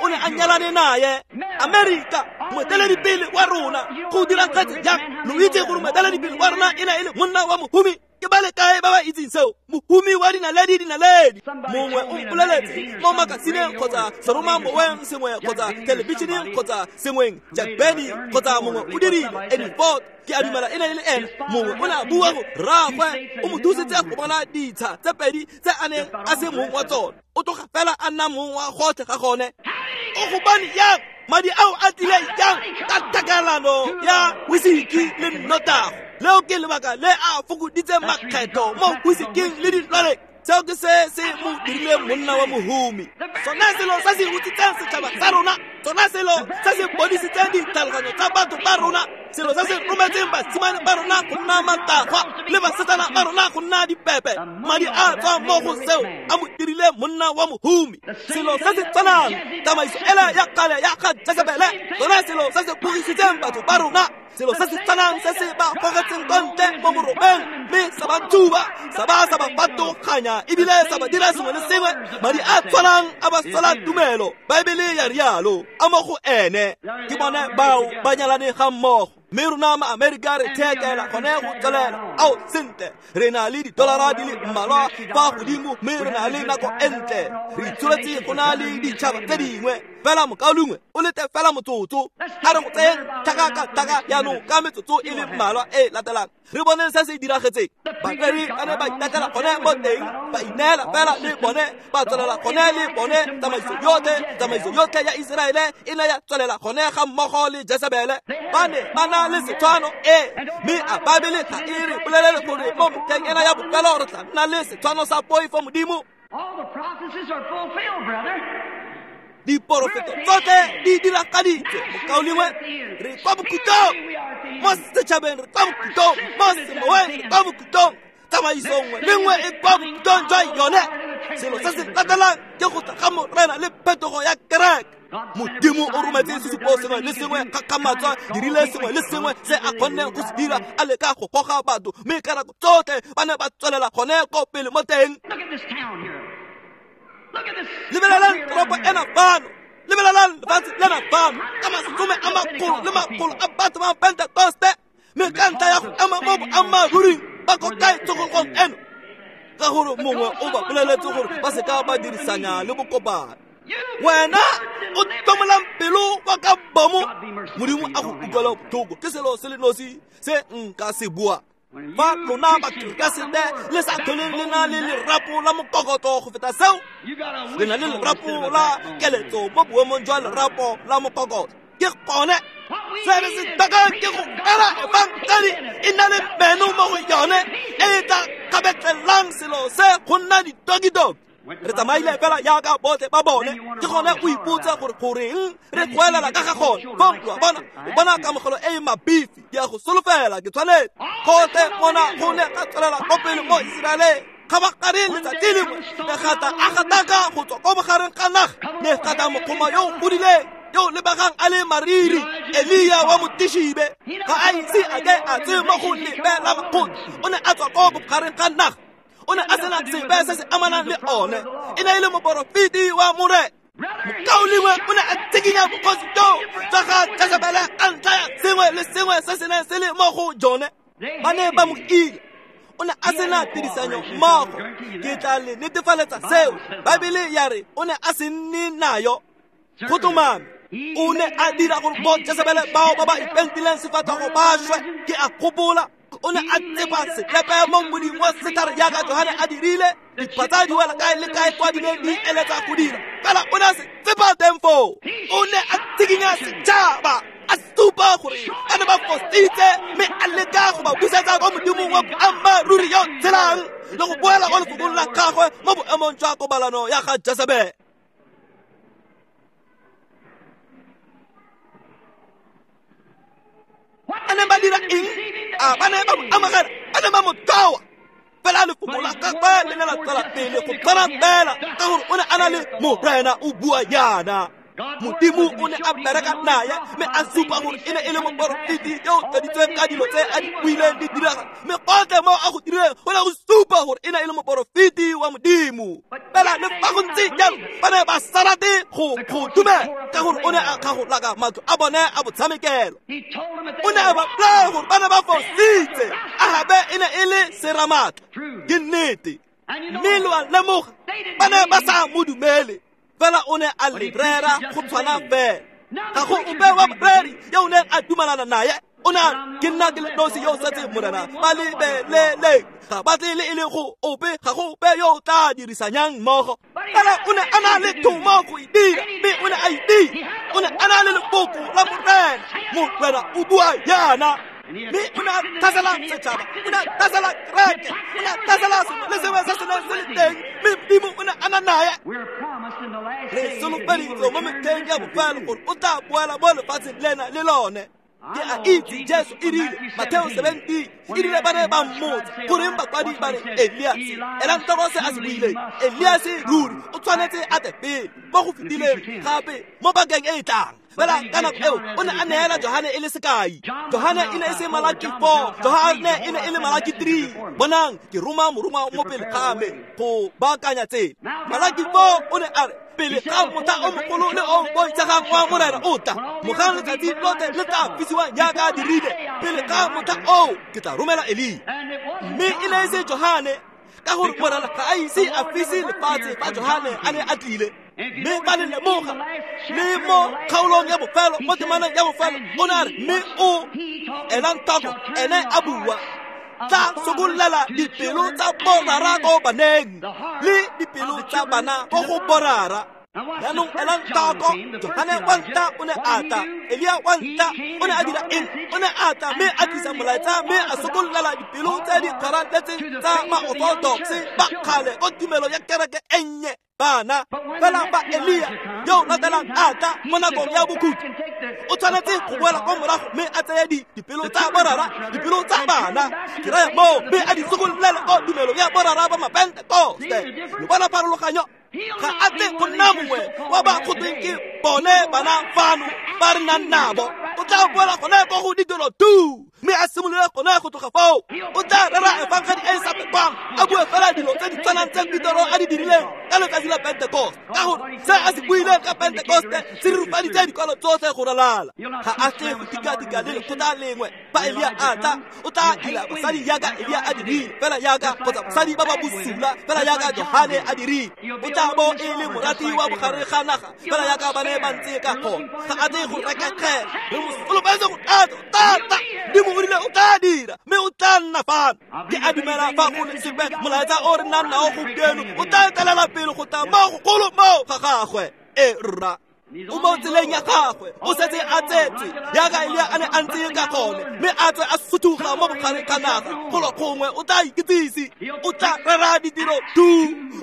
o ne a nyalane naye. Amerika, moeteledipele wa rona, go diragetse jang? Lo itse gore moeteledipele wa rona e ne e le monna wa mohumi. Ke ba le kae ba ba itseng seo? Mohumi wa dinaledi dinaledi. Mongwe o mpoleletse mo makasineng kgotsa seromamoweng sengwe kgotsa thelebišeneng kgotsa sengweng, Jack Benny kgotsa mongwe o dirile Eddie Ford, ke a dumela e ne e le ene. Mongwe o ne a bua go rraagwe o mo thusitse go bona ditsha tse pedi tse a neng a se mong wa tsone, o tloga fela a nna mong wa gotlhe ga gone. O gobane yang madi ao a tlile jang ka tlhakelano ya whisky le nnotago? Leo ke lebaka le a fokoditseng makgetho mo whiskeng le dilwaleng. Seo ke se se mo dirileng monna wa mohumi. Sona selo se se utswitseng setšhaba sa rona, sona selo se se bodisitseng ditlhaloganyo tsa batho ba rona, selo se se rometseng basimane ba rona go nna matagwa le basetsana ba rona go nna dipepe. Madi a tswang mo go seo a mo dirile monna wa mohumi. Selo se se tshwanang, tsamaiso ela ya kgale ya ga Jesebele, sona selo se se bogisitseng batho ba rona, selo se se tshwanang se se ba gogetseng kwa ntle mo morobeng mme sa ba thuba, sa ba sa ba fatoganya ebile sa ba dira sengwe le sengwe. Madi a tshwanang a ba sola tumelo, Baebele ya rialo, a mo go ene. Ke bone bao ba nyalane ga mmogo. Mme rona ma-Amerika re thekela gone go tswelela. Ao, sentle, re na le didolara di le mmalwa fa godimo mme re na le nako e ntle. Re itsholetse go na le ditšhaba tse dingwe. Fela mokaulengwe o lete fela motsotso, a re go tseyeng tlhaka ka tlhaka jaanong ka metsotso e le mmalwa e latelang, re boneng se se diragetseng. Bareri ba ne ba itatlhela gone mo teng, ba ineela fela le bone, ba tswelela gone le bone. Tsamaiso yotlhe ya Iseraele e ne ya tswelela gone ga mmogo le Jesebele. Ba ne ba na le setshwano e, mme a Baebele ga e re bolelele gore mo metlheng ena ya bofelo re tla nna le setshwano sa poifo Modimo? All the prophecies are fulfilled, brother. Diporofeto tsotlhe di diragaditswe, mokaulengwe. Re kwa bokhutlong mo setšhabeng, re kwa bokhutlong mo semoweng, re kwa bokhutlong. Tsamaiso nngwe le nngwe e kwa bokhutlong jwa yone. Selo se se latelang ke go tla ga Morena le phetogo ya kereke. Modimo o rometse sesupo sengwe le sengwe, kgakgamatso, dirile sengwe le sengwe se a kgonneng go se dira, a leka go goga batho, mme ka nako tsotlhe ba ne ba tswelela gone ko pele mo teng. Look at this town here. Look at this. Lebelelang toropo ena fano, lebelelang lefatshe lena fano, ka masome a makgolo le makgolo a batho ba Pentekoste, mme ka ntlha ya go ema mo boammaaruring ba ko kae tsogologong eno? Ka gore mongwe o ba boleletse gore ba se ka ba dirisanya le bokopano. Wena o tlomolang pelo wa ka bomo, Modimo a go utlwela botlhoko. Ke selo se le nosi se nka se bua. Fa lona Bakeresete le sa tlholeng le na le lerapo la mokokotlo go feta seo, le na le lerapo la keletso mo boemong jwa lerapo la mokokotlo. Ke gone Se re se tlhokang ke go rera efangedi e na le meno mo go yone e tla kgabetlelang selo se go nna ditokitoki. Re tsamaile fela jaaka botlhe ba bone, ke gone o ipotse gore goreng re goelela ka ga gone. Fong lo a bona, o bona kamogelo e e mabifi, ke a go solofela ke tshwanetse. Gotlhe mona go ne ga tswelela ko pele mo Iseraeleng. Kgabagare letsatsi lengwe ne gata a gataka go tswa ko bogareng ga naga, ne gata mokgoma yo o godileng yo o lebegang a le mariri, Elia wa Motishibe. Ga a ise a ke a tse mo go lebela makgotla, o ne a tswa ko bogareng ga naga. O ne a sena sepe se se amanang le one, e ne e le moporofeti wa Morena. Mokaulengwe o ne a tshikinya bogosi joo jwa ga Jesebele ka ntlha ya sengwe le sengwe se se neng se le mo go jone. Ba ne ba mo ile. O ne a sena tirisanyo mmogo. Ke tla le netefaletsa seo. Baebele ya re o ne a se nne nayo. Go tlhomame, o ne a dira gore bo Jesebele bao ba ba ipentileng sefatlhego ba šwe. Ke a gopola o ne a tsepa selepe mo mmoding wa setlhare jaaka Johane a dirile, diphatsa di wela kae le kae kwa di neng di eletsa go dira, fela o ne a se tsepa teng foo. O ne a tshikinya setšhaba, a supa gore ba ne ba fositse, mme a leka go ba busetsa kwa Modimong wa boammaaruri yo tshelang le go boela kwa lefokong la gagwe mo boemong jwa kobalano ya ga Jesebele. Ba ne ba dira eng? A ba ne ba mo amogela? Ba ne ba mo tloa. Fela lefoko la gagwe le ne la tswela pele go tshwana fela, ka gore o ne a na le Morena o bua jaana. Modimo o ne a bereka naye, mme a supa gore e ne e le moporofeti yo o tladitsweng ka dilo tse a di buileng di direga, mme gotlhe mo a go dirileng go ne go supa gore e ne e le moporofeti wa Modimo. Fela le fa go ntse jalo, ba ne ba sa rate go dumela, ka gore o ne a kgagolaka matlo a bone a botshamekelo. O ne a ba bolaya gore ba ne ba fositse. Ahabe e ne e le seramatla, ke nnete, mme lo a lemoga ba ne ba sa mo dumele. Fela o ne a le rera go tshwana fela. Ga go ope wa boreri yo o neng a dumalana naye. O ne a ke nna ke le nosi yo o setseng Morena, ba lebeleleng, ga ba tle le e le go ope, ga go ope yo o tla dirisanyang mmogo. Fela o ne a na le thomo go e dira, mme o ne a e dira. O ne a na le lefoko la Morena. Morena o bua jaana. Mme o ne a tlhasela setšhaba, o ne a tlhasela kereke, o ne a tlhasela sengwe le sengwe se se neng se le teng, mme Modimo o ne a na naye. Re solofeditswe mo metlheng ya bofelo gore o tla boela mo lefatsheng lena le lone. Ke a itse Jesu e rile, Mateo 17, e rile ba ne ba mmotsa goreng bakwadi ba re Eliase. Elang tlhoko se a se buileng. Eliase ruri o tshwanetse a tle pele mo go fetileng gape mo pakeng e e tlang. Fela ka nako eo o ne a neela Johane e le sekai. Johane e ne e se Malaki 4, Johane e ne e le Malaki 3. Bonang, ke roma morongwa mo pele ga me go baakanya tsela. Malaki 4 o ne a re pele ga motlha o mogolo le o boitshegang wa Morena o tla, mogang letsatsi lotlhe le tla fisiwang jaaka dirile, pele ga motlha oo ke tla romela Elia. Mme e ne e se Johane, ka gore Morena ga a ise a fise lefatshe fa Johane a ne a tlile. Mme ba le lemoga le mo kgaolong ya bofelo, mo temaneng ya bofelo, o ne a re mme o elang tlhoko, ene a bua, tla sokollela dipelo tsa borara ko baneng le dipelo tsa bana ko go borara. Jaanong elang tlhoko, Johane wa ntlha o ne a tla, Elia wa ntlha o ne a dira eng? O ne a tla mme a tlisa molaetsa, mme a sokollela dipelo tse di kgaratletseng tsa ma-orthodox ba kgale ko tumelo ya kereke e nnye bana. Fela fa Elia yo o latelang a tla mo nakong ya bokhutlo, o tshwanetse go boela kwa morago mme a tseye dipelo tsa borara, dipelo tsa bana, ke raya moo, mme a di sokollele ko tumelo ya borara ba Mapentekoste. Lo bona pharologanyo? Ga a tle go nna mongwe wa ba go tweng ke bone bana fano ba re nang nabo. O tla boela gone ko go ditiro tu, mme a simolole gone go tloga foo. O tla rera efangedi e e sa pekwang, a bue fela dilo tse di tshwanang tse Petero a di dirileng ka letsatsi la Pentekoste, ka gore se a se buileng ka Pentekoste se rurifaditse dikwalo tsotlhe go ralala. Ga a tle go tika-tika le lekgotla lengwe. Fa Elia a tla, o tla dira basadi jaaka Elia a dirile, fela jaaka kgotsa basadi ba ba bosula, fela jaaka Johane a dirile. O tla bo e le morati wa bogare ga naga, fela jaaka ba ne ba ntse ka gone. Ga a tle go rekegela. Re mo solofetse go tata. Modimo o rile o tla dira, mme o tla nna fano. Ke a dumela fa go le sepe molaetsa o re nang nao gompieno o tla etelela pele go tla mo gogolo mo ga gagwe. E rra. O mo tseleng ya gagwe, o setse a tsetswe jaaka Elia a ne a ntse ka gone, mme a tswe a suthuga mo bogareng ga naga. Golo gongwe o tla ikitsise, o tla rera ditiro tu,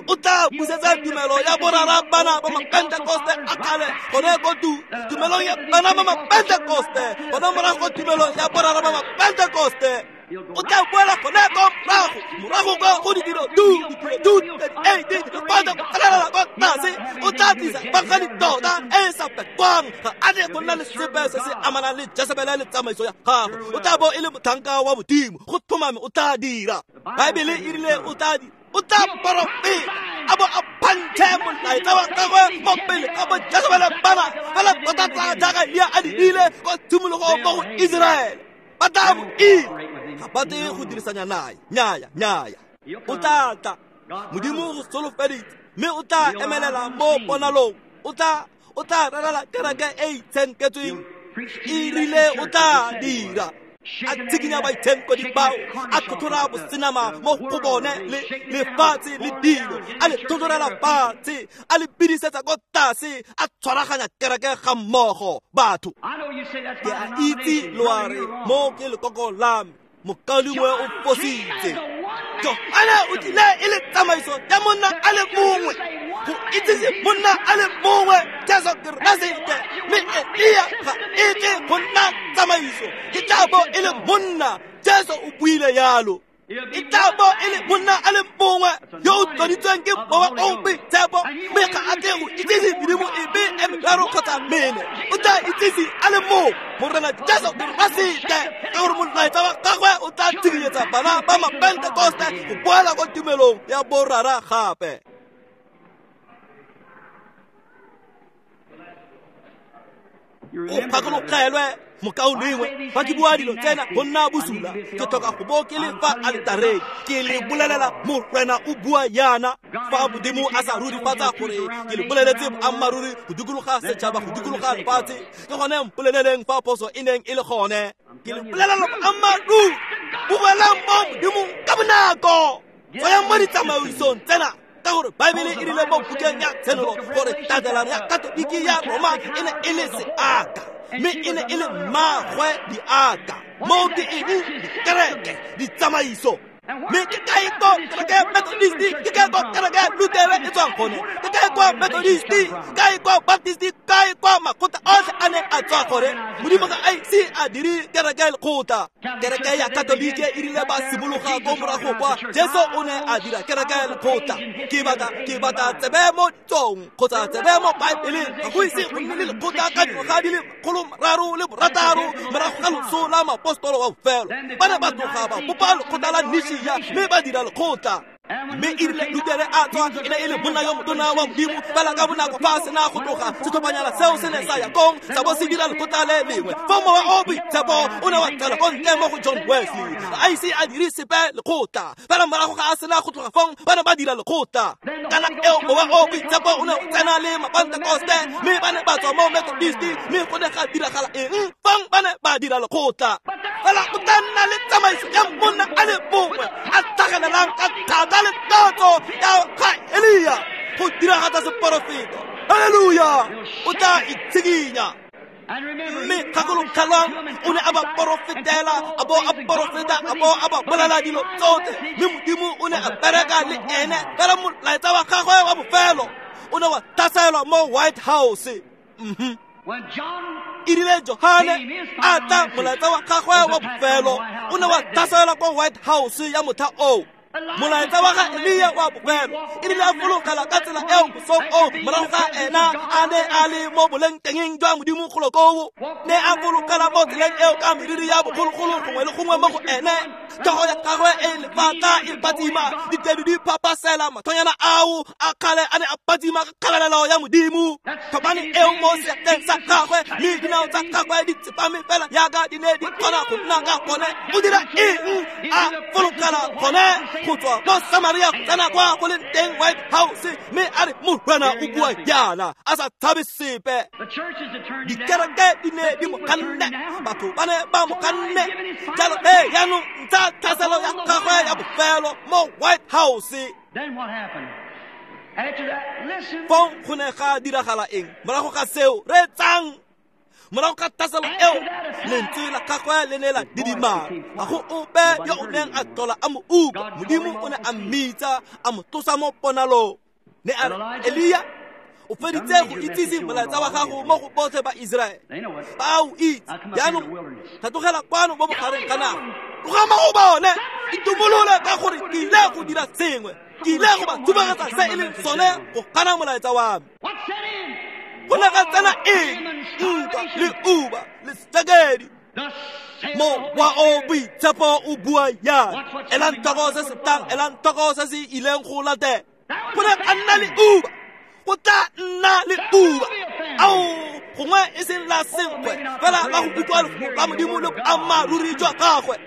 o tla busetsa tumelo ya borara bana ba Mapentekoste a kgale gone ko tu, tumelong ya bana ba Mapentekoste, gone morago tumelong ya borara ba Mapentekoste. O tla boela gone ko morago, morago ko go ditiro tu, ditiro tu, 38, lekwata go tlelela kwa tlase. O tla tlisa bankgadi tota e e sa pekwang, ga a tle go nna le sepe se se amanang le Jesebele le tsamaiso ya gagwe. O tla bo e le motlhanka wa Modimo, go tlhomame o tla dira. Baebele e rile o tla dira, o tla porofeta, a bo a phantšhe molaetsa wa gagwe mo pele ga bo Jesebele bana, fela tota tsa jaaka Elia a dirile ko tshimologong mo go Iseraele. Ba tla mo ila, ga ba tle go dirisanya nae. Nnyaya, nnyaya. O tla tla, Modimo go solofeditse, mme o tla emelela mo ponalong. O tla rerela kereke e itshenketsweng, e rile o tla dira. A tshikinya baitshenkedi bao, a tlhotlhora bosenama mo go bone le lefatshe le dilo, a le tlhotlhorela fatshe, a le bidisetsa ko tlase, a tshwaraganya kereke ga mmogo batho. Ke a itse lo a re mo ke lekoko la me, mokaulengwe o fositse. Johane o tlile e le tsamaiso ya monna a le mongwe, go itsise monna a le mongwe, Jesu Keresete. Mme Elia ga e tle go nna tsamaiso, e tla bo e le monna. Jesu o buile yalo. E tla bo e le monna a le mongwe yo o tloditsweng ke Mowa o o Boitshepo, mme ga a tle go itsise medimo epe e meraro kgotsa mene. O tla itsise a le mongwe, Morena Jesu Keresete, ka gore molaetsa wa gagwe o tla tshireletsa bana ba Mapentekoste go boela ko tumelong ya borara gape. O gakologelwe mokaulengwe, fa ke bua dilo tsena go nna bosula, ke tlhoka go bo ke le fa altareng, ke le bolelela Morena o bua yana. Fa Modimo a sa rurifatsa gore ke le boleletse boammaaruri go dikologa setšhaba, go dikologa lefatshe, ke gone mpoleleleng fa phoso e neng e le gone. Ke le bolelela boammaaruri, boelang mo Modimong ka bonako, tswayang mo ditsamaisong tsena, ka gore Baebele e rile mo bukeng ya Tshenolo gore tatelano ya Katoliki ya Roma e ne e le seaka, mme e ne e le mmagwe diaka. Moo ke eng? Dikereke, ditsamaiso. Mme ke kae ko kereke Methodisti, ke kae ko kereke Lutere e tswang gone, ke kae ko Methodisti, kae ko Baptisti, kae ko makgotla otlhe a neng a tswa gore. Modimo ga a ise a dire kereke lekgotla. Kereke ya Katolike e rile ba simologa ko morago kwa, Jesu o ne a dira kereke lekgotla. Ke batla tsebe mo ditsong kgotsa tsebe mo Baebeleng, ga go ise go nne le lekgotla ka dingwaga di le 306 morago ga loso la moapostolo wa bofelo. Ba ne ba tloga ba bopa lekgotla la Nishia, mme ba dira lekgotla. Mme e rile Lutere a tswa, e ne e le monna yo motona wa Modimo, fela ka bonako fa a sena go tloga, setlhophanyana seo se ne sa ya kong, sa bo se dira lekgotla le lengwe. Fa Mowa o Boitshepo o ne wa tswela ko ntle mo go John Wesley, ga a ise a dire sepe lekgotla. Fela morago ga a sena go tloga fong, ba ne ba dira lekgotla. Kana eo Mowa o Boitshepo o ne o tsena le Mapentekoste, mme ba ne ba tswa mo Methodisti, mme go ne ga diragala eng? Fong ba ne ba dira lekgotla. Fela go tla nna le tsamaiso ya monna a le mongwe a tlhagelelang ka thata le tatso ya ga Elia go diragatsa seporofeto. Halleluja! O tla itshikinya. Mme gakologelwang, o ne a ba porofetela, a bo a porofeta, a bo a ba bolela dilo tsotlhe, mme Modimo o ne a bereka le ene. Fela molaetsa wa gagwe wa bofelo o ne wa tlhaselwa mo White House. E rile Johane a tla, molaetsa wa gagwe wa bofelo o ne wa tlhaselwa kwa White House ya motlha oo. Molaetsa wa ga Elia wa bofelo e rile a fologela ka tsela eo mosong oo, morago ga ena a ne a le mo bolengtengeng jwa Modimo golo koo, ne a fologela mo tseleng eo ka meriri ya bogologolo gongwe le gongwe mo go ene, tlhogo ya gagwe e lefatla e phatsima, ditedu di phapasela, mathonyana ao a kgale a ne a phatsima ka kgalalelo ya Modimo. Thobane eo mo seatleng sa gagwe, mme dinao tsa gagwe di tsepame fela jaaka di ne di kgona go nna ka gone. O dira eng? A fologela gone go tswa mo Samaria go tsena kwa go leng teng White House, mme a re Morena o bua yana, a sa tshabe sepe. Dikereke di ne di mo ganne, batho ba ne ba mo ganne. Jalo he jaanong ntsha tlhaselo ya gagwe ya bofelo mo White House. Then what happened? Fong go ne ga diragala eng morago ga seo reetsang morago ga tlhaselo eo lentswe la gagwe le ne la didimala ga go ope yo o neng a tlhola a mo utlwa. Modimo o ne a mmitsa a mo tlosa mo ponalong. Ne a re, Elia, o feditse go itsise molaetsa wa gago mo go botlhe ba Iseraele. Ba o itse. Jaanong tlhatlogela kwano mo bogareng ga naga. Tloga mo go bone, itumolole ka gore ke ile go dira sengwe. Ke ile go ba thubagetsa se e leng sone go gana molaetsa wa me. Go ne ga tsena eng? Ntwa le uba le sejakedi. Mowa o boitshepo o bua yana. Elang tlhoko se se tlang, elang tlhoko se se ileng go latela. Go ne ga nna le uba. Go tla nna le uba. Ao, gongwe e seng la senkgwe, fela la go utlwa lefoko la Modimo le boammaaruri jwa gagwe.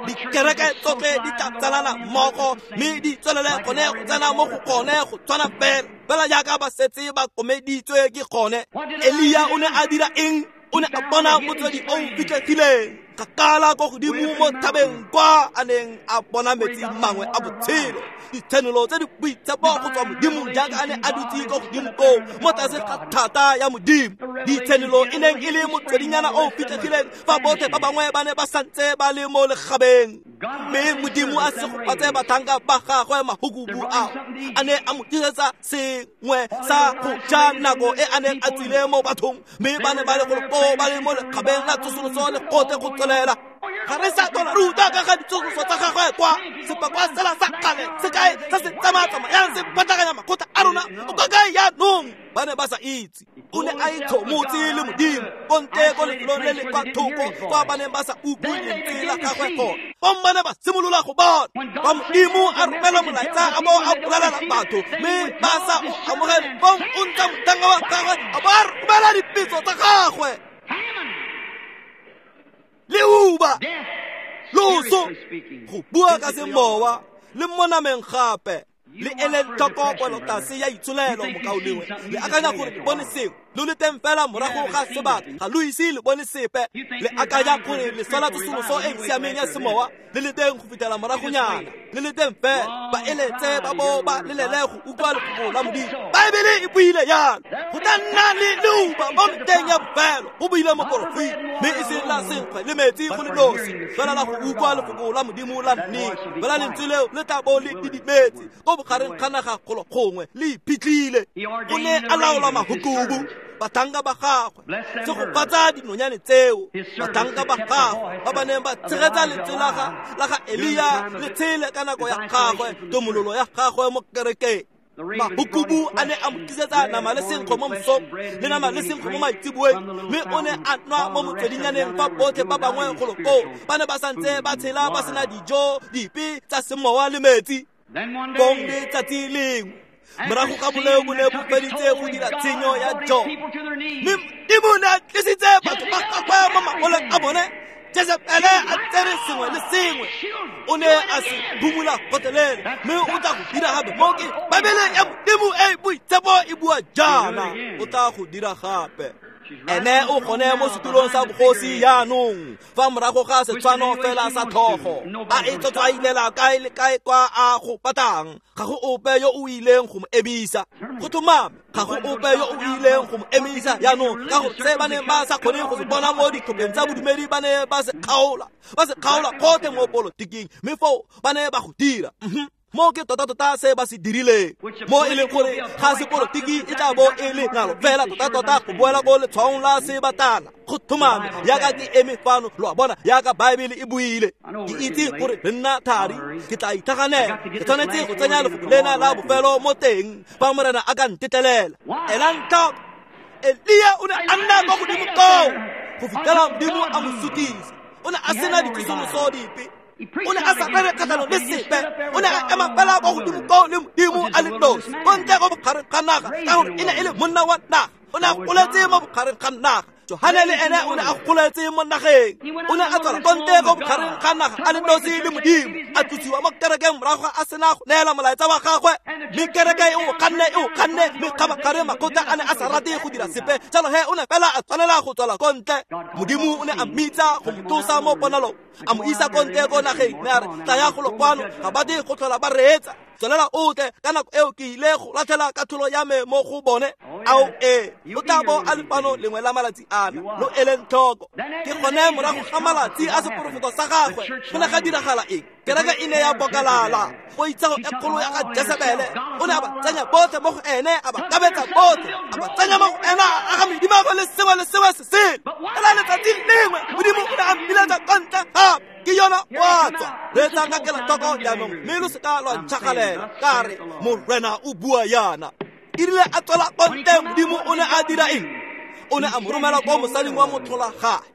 Dikereke tsotlhe di tla tsalana mmogo mme di tswelele gone go tsena mo go gone go tshwana fela fela jaaka ba setse ba komeditswe ke gone. Elia o ne a dira eng? O ne a bona motswedi o o fitlhegileng kgakala ko godimo mo thabeng kwa a neng a bona metsi mangwe a botshelo, ditshenolo tse di boitshepo go tswa Modimong jaaka a ne a dutse ko godimo koo mo tlase ga thata ya Modimo. Ditshenolo e neng e le motswedinyana o o fitlhegileng fa botlhe ba bangwe ba ne ba santse ba le mo legabeng. Mme Modimo a segofatse batlhanka ba gagwe mahukubu ao a ne a mo tlisetsa sengwe sa go ja nako e a neng a tswile mo bathong, mme ba ne ba le golo koo ba le mo lekgabeng la tsosoloso le gotlhe go tswelela. Ga re sa tlhola re utlwa ka ga ditsosoloso tsa gagwe kwa sepakwa sela sa kgale se kae se se tsamaya-tsamayang se phatlhaganya makgotla a rona o ka kae jaanong? Ba ne ba sa itse. O ne a itlhomotse le Modimo ko ntle ko lefelong le le kwa thoko kwa ba neng ba sa utlwe lentswe la gagwe gone. Fong ba ne ba simolola go bona fa Modimo a romela molaetsa a bo a bolelela batho mme ba sa o amogele. Fong o ntsha motlhanka wa gagwe a bo a romela dipetso tsa gagwe. Leuba, loso, go bua ka semowa le mo nameng gape. Le eleng tlhoko kwelotlase ya itsholelo mokaulengwe. Le akanya gore le bone sengwe, lo le teng fela morago ga sebaka, ga lo ise le bone sepe. Le akanya gore le sola tsosoloso e e siameng ya semowa, le le teng go fitlhela moragonyana, le le teng fela ba eletse ba bo ba lelele go utlwa lefoko la Modimo. Baebele e buile jalo. Go tla nna le leuba mo meteng ya bofelo, go buile moporofeti, mme e seng la senkgwe le metsi go le nosi, fela la go utlwa lefoko la Modimo la nnete. Fela lentswe leo le tla bo le didimetse ko bogareng ga naga golo gongwe le iphitlhile. O ne a laola mahukubu batlhanka ba gagwe, segofatsa dinonyane tseo batlhanka ba gagwe ba ba neng ba tshegetsa lentswe la ga Elia le tshele ka nako ya gagwe, tomololo ya gagwe mo kerekeng. Mahukubu a ne a mo tlisetsa nama le senkgwe mo mosong le nama le senkgwe mo maitseboeng, mme o ne a nwa mo motswedinyaneng fa botlhe ba bangwe golo koo ba ne ba santse ba tshela ba sena dijo dipe tsa semowa le metsi. Fong letsatsi lengwe morago ga boleo bo ne bo feditse go dira tshenyo ya jone, mme Modimo ne a tlisitse batho ba gagwe mo mangoleng a bone. Jezebele a tsere sengwe le sengwe, o ne a se phumula gotlhelele, mme o tla go dira gape. Mo ke Baebele ya Modimo e e boitshepo e bua jaana, o tla go dira gape. Ene o gone mo setulong sa bogosi jaanong fa morago ga setshwano fela sa tlhogo, a e tlotswailela kae le kae kwa a go batlang. Ga go ope yo o ileng go mo emisa. Go tlhomame, ga go ope yo o ileng go mo emisa jaanong, ka gore se ba neng ba sa kgone go se bona mo ditlhopheng tsa bodumedi ba ne ba se kgaola, ba se kgaola gotlhe mo polotiking, mme foo ba ne ba go dira. Mo ke tota-tota se ba se dirileng, mo e leng gore ga sepolotiki e tla bo e le ngalo fela tota-tota go boela ko letshwaong la sebatana. Go tlhomame jaaka ke eme fano, lo a bona, jaaka Baebele e buile. Ke itse gore re nna thari, ke tla itlhaganela, ke tshwanetse go tsenya lefoko lena la bofelo mo teng fa Morena a ka ntetlelela. Elang tlhoko, Elia o ne a nna kwa godimo koo go fitlhela Modimo a mo sutisa. O ne a sena ditsosoloso dipe, o ne a sa rere kgatlhanong le sepe, o ne a ema fela kwa godimo koo le Modimo a le nosi ko ntle go bogareng ga naga, ka gore e ne e le monna wa naga. O ne a goletse mo bogareng ga naga. Johane le ene o ne a goletse mo nageng. O ne a tswela konte ko bogareng ga naga a le nosi le Modimo, a tlosiwa mo kerekeng morago a sena go neela molaetsa wa gagwe. Mme kereke e o ganne, mme kgabagare makgotla a ne a sa rate go dira sepe. Jalo he o ne fela a tshwanela go tswela ko ntle. Modimo o ne a mmitsa go mo tlosa mo ponalong, a mo isa ko ntle ko nageng, mme a re, tlaya golo kwano, ga ba di go tlhola ba reetsa. Tswelela o tle, ka nako eo ke ile go latlhela katlholo ya me mo go bone. Ao ee, o tla bo a le fano lengwe la malatsi ana, lo eleng tlhoko. Ke gone morago ga malatsi a seporofeto sa gagwe, go ne ga diragala eng? Kereke e ne ya bokalala. Poitshego e kgolo ya ga Jesebele, o ne a ba tsenya botlhe mo go ene, a ba kabetsa botlhe, a ba tsenya mo go ene, a aga medimo le sengwe le sengwe se sele. Fela letsatsi lengwe Modimo o ne a mmiletsa kwa ntle gape. Ke yona wa tswa. Reetsang ka kelotlhoko jaanong, mme lo seka lwa ntšhagalela. Ka re, Morena o bua yana. E rile a tswela kwa ntle, Modimo o ne a dira eng? O ne a mo romela kwa mosading wa motlholagadi.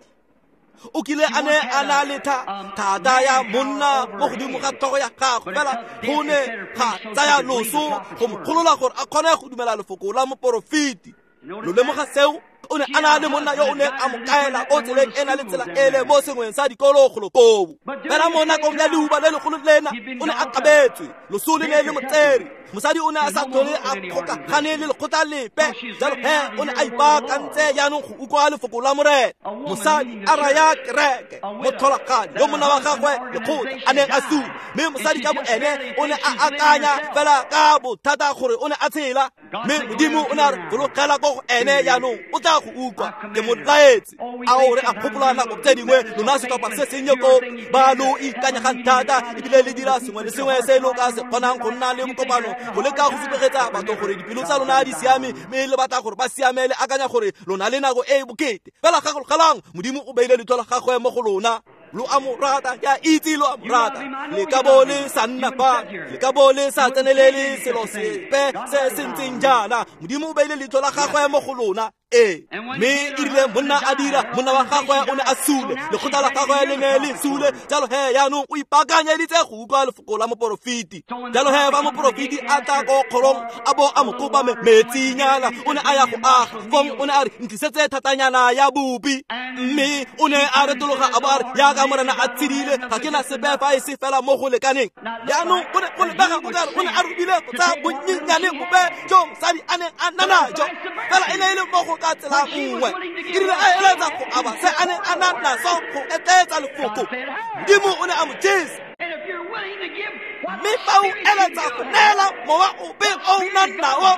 O kile a ne a na le thata ya monna mo godimo ga tlhogo ya gagwe, fela go ne ga tsaya loso go mo golola gore a kgone go dumela lefoko la moporofeti. Lo lemoga seo? O ne a na le monna yo o neng a mo kaela ko tseleng e na le tsela ele mo sengweng sa dikolo golo koo. Fela mo nakong ya leuba le legolo lena, o ne a kabetswe, loso le ne le mo tsere. Mosadi o ne a sa tlhole a kgokagane le lekgotla lepe. Jalo he o ne a ipaakantse jaanong go utlwa lefoko la Morena. Mosadi a raya kereke, motlholagadi yo monna wa gagwe lekgotla a neng a sule, mme mosadi ka boene o ne a akanya fela ka bothata gore o ne a tshela. Mme Modimo o ne a re, fologela ko go ene jaanong, o tla go utlwa, ke mo laetse. Ao re a gopola nako tse dingwe lona setlhopha se sennye ko ba lo ikanyegang thata, ebile le dira sengwe le sengwe se lo ka se kgonang go nna le bokopano, go leka go supegetsa batho gore dipelo tsa lona di siame, mme le batla gore ba siame, le akanya gore lona le nako e e bokete. Fela gakologelang, Modimo o beile leitlho la gagwe mo go lona. Lo a mo rata, ke a itse lo a mo rata. Le ka bo le sa nna fa, le ka bo le sa tsenelele selo sepe se se ntseng jaana. Modimo o beile leitlho la gagwe mo go lona. Ee, mme e rile monna a dira, monna wa gagwe o ne a sule, lekgotla la gagwe le ne le sule. Jalo he jaanong o ipaakanyeditse go utlwa lefoko la moporofeti. Jalo he fa moporofeti a tla ko kgorong a bo a mo kopa metsinyana, o ne a ya go aga. Fong o ne a re, ntlisetse thatanyana ya bopi. Mme o ne a retologa a bo a re, jaaka Morena a tshedile, ga ke na sepe fa e se fela mo go lekaneng. Jaanong go ne go lebega o kare o ne a robile go tsaya bonnyenyane bope jo mosadi a neng a na najo, fela e ne e le mo go ka tsela nngwe. E rile a eletsa go aba se a neng a na naso go etleetsa lefoko, Modimo o ne a mo jesa. Mme fa o eletsa go neela mowa ope o o nang nao,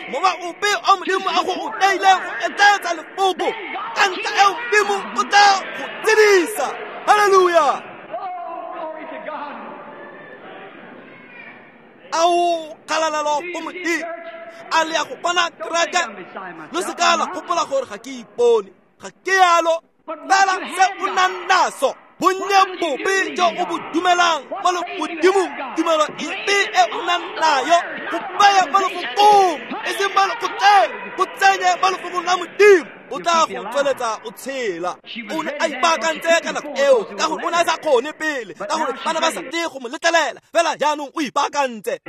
mowa ope o Modimo a go o neileng go etleetsa lefoko, ka ntlha eo Modimo o tla go tshedisa. Haleluya! Ao kgalalelo go Modimo. A le ya go bona kereke? Lo seka la gopola gore ga ke ipone, ga ke yalo. Fela se o nang naso, bonnye bope jo o bo dumelang mo legodimong, tumelo epe e o nang nayo, go baya mo lefokong, e seng mo lekgotleng, go tsenye mo lefokong la Modimo, o tla go tsweletsa o tshela. O ne a ipaakantse ka nako eo, ka gore o ne a sa kgone pele, ka gore ba ne ba sa tle go mo letlelela. Fela jaanong o ipaakantse.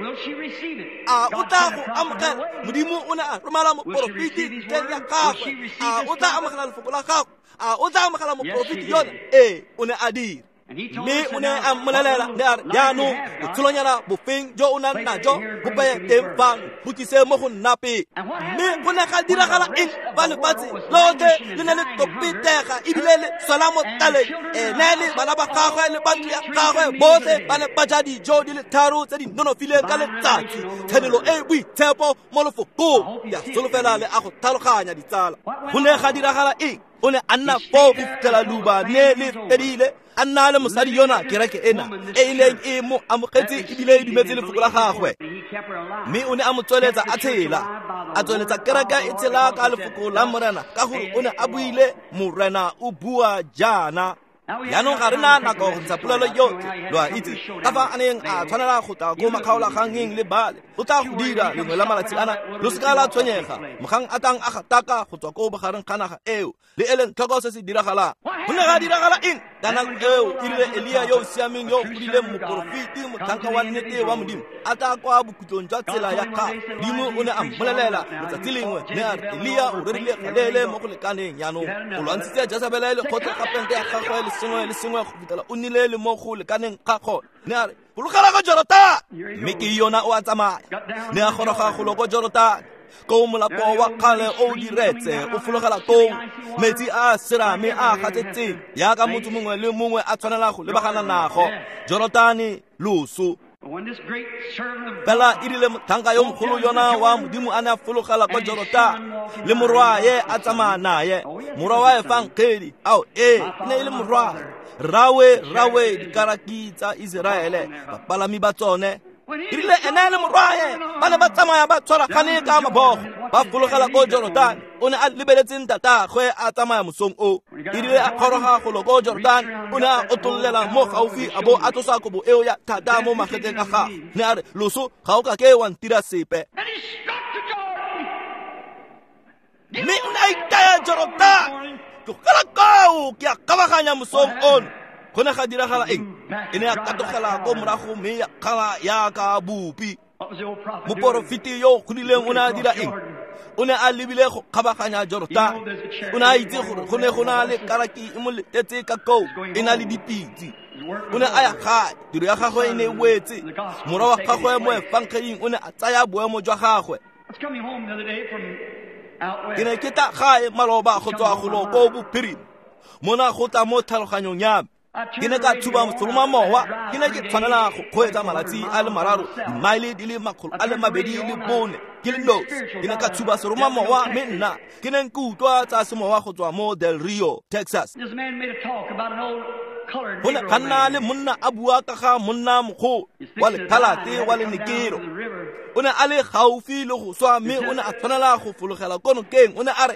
A o tla go amogela? Modimo o ne a romela moporofeti ntleng ya gagwe. A o tla amogela lefoko la gagwe? A o tla amogela moporofeti yona? Ee, o ne a dira. Mme o ne a mmolelela, ne a re, jaanong botshelonyana bofeng jo o nang najo bo beye teng fano, bo tlise mo go nna pele. Mme go ne ga diragala eng fa lefatshe lotlhe le ne le topetega ebile le swela mo tlaleng? Ene le bana ba gagwe le ba ntlo ya gagwe botlhe ba ne ba ja dijo di le tharo tse di nonofileng ka letsatsi. Tshenolo e e boitshepo mo lefokong. Ke a solofela le a go tlhaloganya, ditsala. Go ne ga diragala eng? O ne a nna foo go fitlhela leuba ne le fedile, a nna le mosadi yona, kereke ena e e neng e mo amogetse ebile e dumetse lefoko la gagwe. Mme o ne a mo tsweletsa a tshela, a tsweletsa kereke e tshela ka lefoko la Morena, ka gore o ne a buile, Morena o bua jaana. Jaanong ga re na nako go ntsha polelo yotlhe, lo a itse ka fa a neng a tshwanela go tla ko makgaolagangeng le bale. O tla go dira lengwe la malatsi ana, lo seka la tshwenyega. Mogang a tlang a gataka go tswa ko bogareng ga naga eo, le eleng tlhoko se se diragalang. Go ne ga diragala eng? Ka nako eo e rile Elia yo o siameng yo o godileng moporofeti motlhanka wa nnete wa Modimo a tla kwa bokhutlong jwa tsela ya gagwe. Modimo o ne a mmolelela letsatsi lengwe mme a re Elia o rerile galeele mo go lekaneng jaanong o lwantshitse Jezebele le kgotlhe ga pente ya gagwe le sengwe le sengwe go fitlhela o nnile le mo go lekaneng ga gone. Ne a re fologela ko Jorotane, mme ke yona o a tsamaya. Ne a goroga golo ko Jorotane, ko molapo wa kgale o diretse o fologela koo, metsi a serame a gatsetseng yaka motho mongwe le mongwe a tshwanela go lebagana nago. Jorotane loso. Fela e rile motlhanka yo mogolo yona wa Modimo a ne a fologela kwa Jorotane le morwaye a tsamaya naye, morwa wa Efangeli. Ao ee, e ne e le morwaye. Rrawe dikaraki tsa Iseraele, bapalami ba tsone. E rile ene le morwaye ba ne ba tsamaya ba tshwaragane ka mabogo ba fologela ko Jorotane. O ne a lebeletse ntatagwe a tsamaya mosong o. E rile a kgoroga golo ko Jorotane, o ne a otollela mo gaufi a bo a tlosa kobo eo ya thata mo magetleng a gagwe. Ne a re loso ga o ka ke wa ntira sepe. Mme o ne a itaya Jorotane. Tlogela koo ke a kabaganya mosong ono. Go ne ga diragala eng? E ne ya katogela ko morago mme ya kgala yaka bopi. Moporofeti yo o godileng o ne a dira eng? O ne a lebile go kgabaganya Jorotane. O ne a itse gore go ne go na le karaki e mo letetse ka koo e na le dipitse. O ne a ya gae, tiro ya gagwe e ne e wetse. Morwa wa gagwe mo efangeding o ne a tsaya boemo jwa gagwe. Ke ne ke tla gae maloba go tswa golo ko bophirima, mona go tla mo tlhaloganyong ya me. Ke ne ka tshuba seromamowa, ke ne ke tshwanela go kgweetsa malatsi a le mararo, dimaele di le 224 ke le nosi. Ke ne ka tshuba seromamowa mme nna ke ne ke utlwa tsa semowa go tswa mo Del Rio, Texas. Go ne ga nna le monna a bua ka ga monna mogolo wa lekhalate wa lenekero. O ne a le gaufi le go swa mme o ne a tshwanela go fologela ko nokeng. O ne a re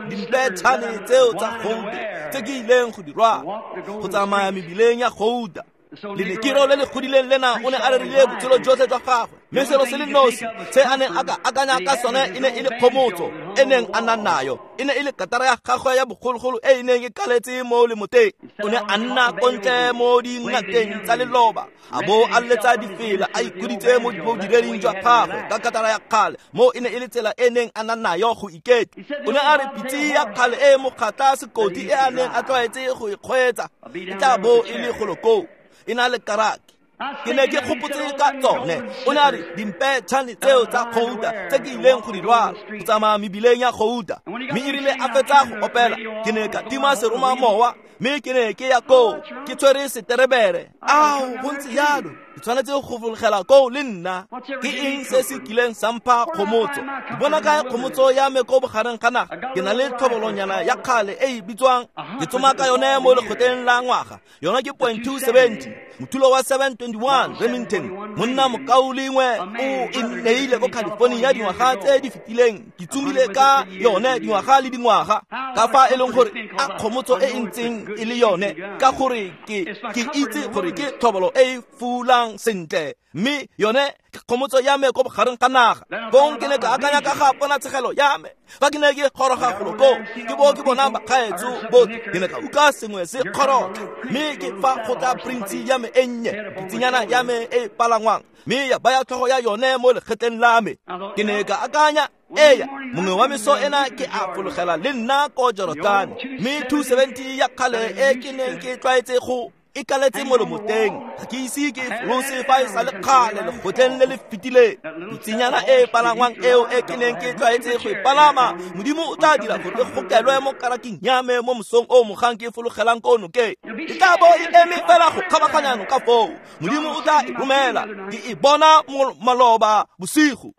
dimpetšhane tseo tsa gouta tse ke ileng go di rwala go tsamaya mebileng ya gouta. Lenekero le le godileng lena o ne a rerile botshelo jotlhe jwa gagwe, mme selo se le nosi se a neng a ka akanya ka sone e ne e le kgomotso e neng a na nayo. E ne e le katara ya gagwe ya bogologolo e e neng e kaletse mo lemoteng. O ne a nna ko ntle mo dingakeng tsa leloba, a bo a letsa difela a ikhuditse mo bodireding jwa gagwe ka katara ya kgale, mo e ne e le tsela e neng a na nayo go iketla. O ne a re pitse ya kgale e mokgatla sekoti e a neng a tlwaetse go e kgweetsa e tla bo e le golo koo, e na le karaki. Ke ne ke gopotse ka tsone. O ne a re dimpetšhane tseo tsa gouta tse ke ileng go di rwala go tsamaya mebileng ya gouta. Mme e rile a fetsa go opela, ke ne ka tima seromamowa mme ke ne ke ya koo ke tshwere seterebere. Ao, go ntse jalo, ke tshwanetse go fologela koo le nna. Ke eng se se kileng sa mpha kgomotso? Ke bona kae kgomotso ya me ko bogareng ga naga? Ke na le tlhobolonyana ya kgale e e bitswang, ke tsoma ka yone mo lekgotleng la ngwaga. Yona ke .270, mothulo wa 721 Remington. Monna mokaulengwe o e nneile ko California dingwaga tse di fetileng. Ke tsomile ka yone dingwaga le dingwaga. Ka fa e leng gore a kgomotso e e ntseng e le yone, ka gore ke itse gore ke tlhobolo e e fulang sentle, mme yone ke kgomotso ya me ko bogareng ga naga. Kong ke ne ka akanya ka ga ponatshegelo ya me fa ke ne ke goroga golo koo, ke bo ke bona bakgaetso botlhe. Ke ne ka utlwa sengwe se kgorotlha, mme ke fa go tla prince ya me e nnye, pitsinyana ya me e palangwang, mme ya baya tlhogo ya yone mo lekgetleng la me. Ke ne ka akanya, eya, mongwe wa meso ena ke a fologela le nna ko Jorotane, mme 270 ya kgale e ke neng ke tlwaetse go e kaletse mo lomoteng, ga ke ise ke folose fa e sa le kgale lekgotleng le le fetileng. Pitsinyana e palangwang eo e ke neng ke tlwaetse go e palama, Modimo o tla dira gore e gokelwe mo karaking ya me mo mosong o mogang ke fologelang ko nokeng. E tla bo e eme fela go kgabaganya noka foo. Modimo o tla e romela. Ke e bona maloba bosigo.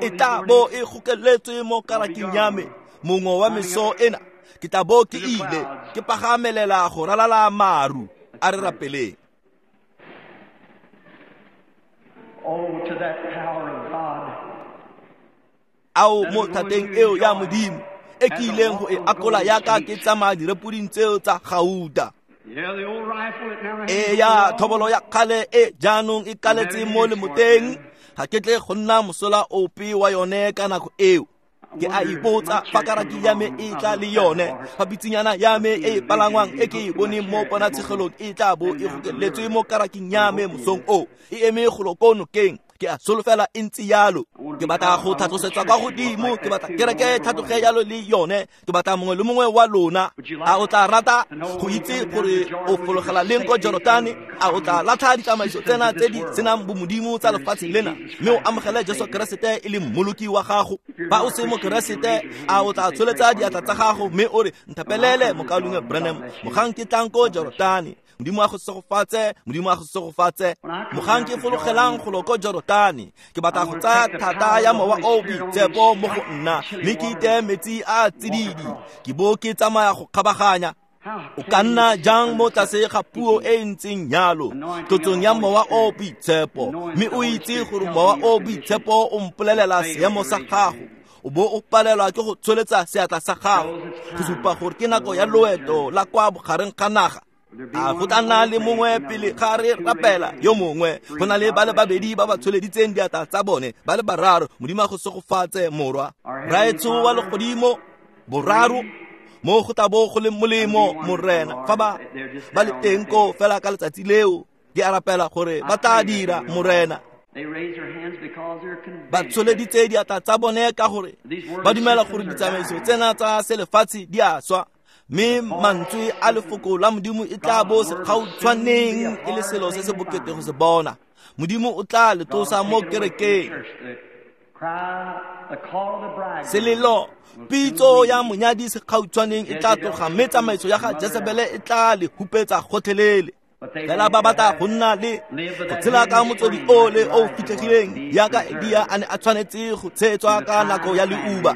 E tla bo e gokeletswe mo karaking ya me mongwe wa meso ena. Ke tla bo ke ile ke pagamelela go ralala maru. A re rapeleng. Ao mo thateng eo ya Modimo e ke ileng go e akola yaka ke tsamaya direpoding tseo tsa gauta. E ya thobolo ya kgale e jaanong e kaletse mo lemoteng, ga ke tle go nna mosola ope wa yone ka nako eo. Ke a ipotsa fa karaki ya me e tla le yone, fa pitsinyana ya me e palangwang e ke e boneng mo ponatshegelong e tla bo e gokeletswe mo karaking ya me mosong o, e eme golo ko nokeng. Ke a solofela e ntse yalo. Ke batla go tlhatlosetswa kwa godimo, ke batla kereke e tlhatloge yalo le yone. Ke batla mongwe le mongwe wa lona. A o tla rata go itse gore o fologela leng ko Jorotane? A o tla latlha ditsamaiso tsena tse di senang bomodimo tsa lefatshe lena, mme o amogele Jesu Keresete e le mmoloki wa gago? Fa o se mokeresete, a o tla tsholetsa diatla tsa gago mme o re, nthapelele mokaulengwe Branham, mogang ke tlang ko Jorotane. Modimo a go segofatse, Modimo a go segofatse. Mogang ke fologelang golo ko Jorotane, ke batla go tsaya thata ya mowa o boitshepo mo go nna, mme ke iteye metsi a tsididi, ke bo ke tsamaya go kgabaganya. O ka nna jang mo tlase ga puo e e ntseng yalo, tlotsong ya mowa o boitshepo, mme o itse gore mowa o boitshepo o mpolelela seemo sa gago, o bo o palelwa ke go tsholetsa seatla sa gago go supa gore ke nako ya loeto la kwa bogareng ga naga? A go tla nna le mongwe pele ga re rapela yo mongwe? Go na le ba le babedi ba ba tsholeditseng diatla tsa bone, ba le bararo. Modimo a go segofatse, morwa. Raetsho wa legodimo, boraro mo go tla bo go le molemo, Morena, fa ba le teng ko fela ka letsatsi leo. Ke a rapela gore ba tla dira, Morena. Ba tsholeditse diatla tsa bone ka gore ba dumela gore ditsamaiso tsena tsa selefatshe di a swa, mme mantswe a lefoko la Modimo e tla bo segautshwaneng e le selo se se bokete go se bona. Modimo o tla le tlosa mo kerekeng. Selelo, pitso ya monyadi segautshwaneng e tla tloga, mme tsamaiso ya ga Jesebele e tla le hupetsa gotlhelele. Fela ba batla go nna le go tshela ka motswedi o le o fitlhegileng, yaka Elia a ne a tshwanetse go tshetswa ka nako ya leuba.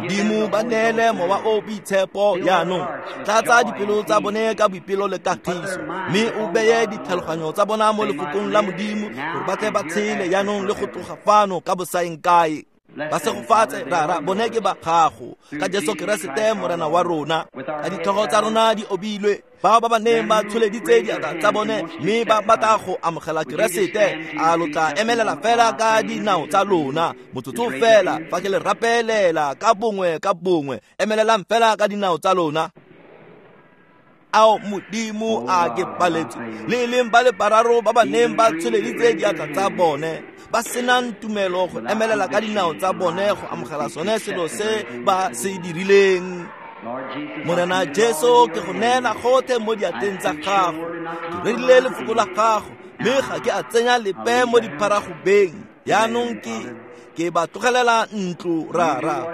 Modimo ba neele mowa o boitshepo jaanong. Tlatsa dipelo tsa bone ka boipelo le kagiso, mme o beye ditlhaloganyo tsa bona mo lefokong la Modimo, gore ba tle ba tshele jaanong le go tloga fano ka bosaeng kae. Ba segofatse, Rara, bone ke ba gago, ka Jesu Keresete Morena wa rona. Ka ditlhogo tsa rona di obilwe, bao ba ba neng ba tsholeditse diatla tsa bone mme ba batla go amogela Keresete, a lo tla emelela fela ka dinao tsa lona motsotso fela fa ke le rapelela ka bongwe ka bongwe. Emelelang fela ka dinao tsa lona. Ao Modimo, a ke paletswe le e leng ba le bararo ba ba neng ba tsholeditse diatla tsa bone, ba senang tumelo go emelela ka dinao tsa bone go amogela sone selo se ba se dirileng. Morena Jesu, ke go neela gotlhe mo diatleng tsa gago. Ke rerile lefoko la gago, mme ga ke a tsenya lepe mo dipharagobeng. Jaanong ke ba tlogelela ntlo, Rara.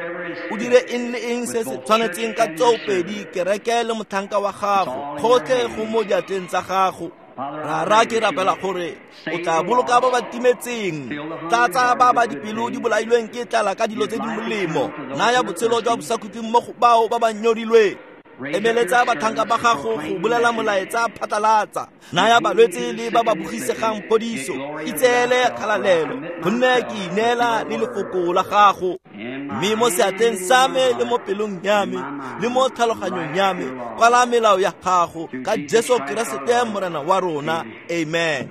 O dire eng le eng se se tshwanetseng ka tsoopedi kereke le motlhanka wa gago, gotlhe go mo diatleng tsa gago. Rara, ke rapela gore o tla boloka ba ba timetseng, tlatsa ba ba dipelo di bolailweng ke tlala ka dilo tse di molemo, naya botshelo jwa bosakhutleng mo go bao ba ba nyorilweng. Emeletsa batlhanka ba gago go bolela molaetsa phatlalatsa, naya balwetse le ba ba bogisegang phodiso. Itseele kgalalelo, gonne ke ineela le lefoko la gago. Mme mo seatleng sa me le mo pelong ya me le mo tlhaloganyong ya me, kwala melao ya gago ka Jesu Keresete Morena wa rona. Amen.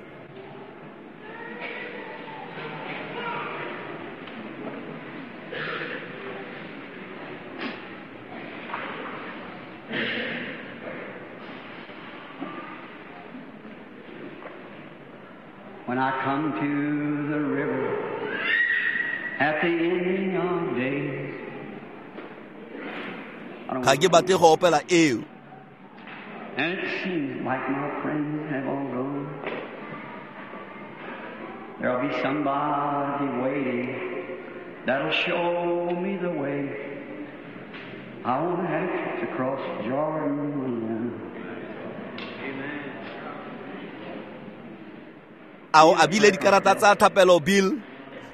When I come to the river at the ending of days, Ga ke batle go opela eo. And it seems like my friends have all gone. There'll be somebody waiting that'll show me the way. I won't have to cross Jordan alone. A o abile dikarata tsa thapelo, Bill?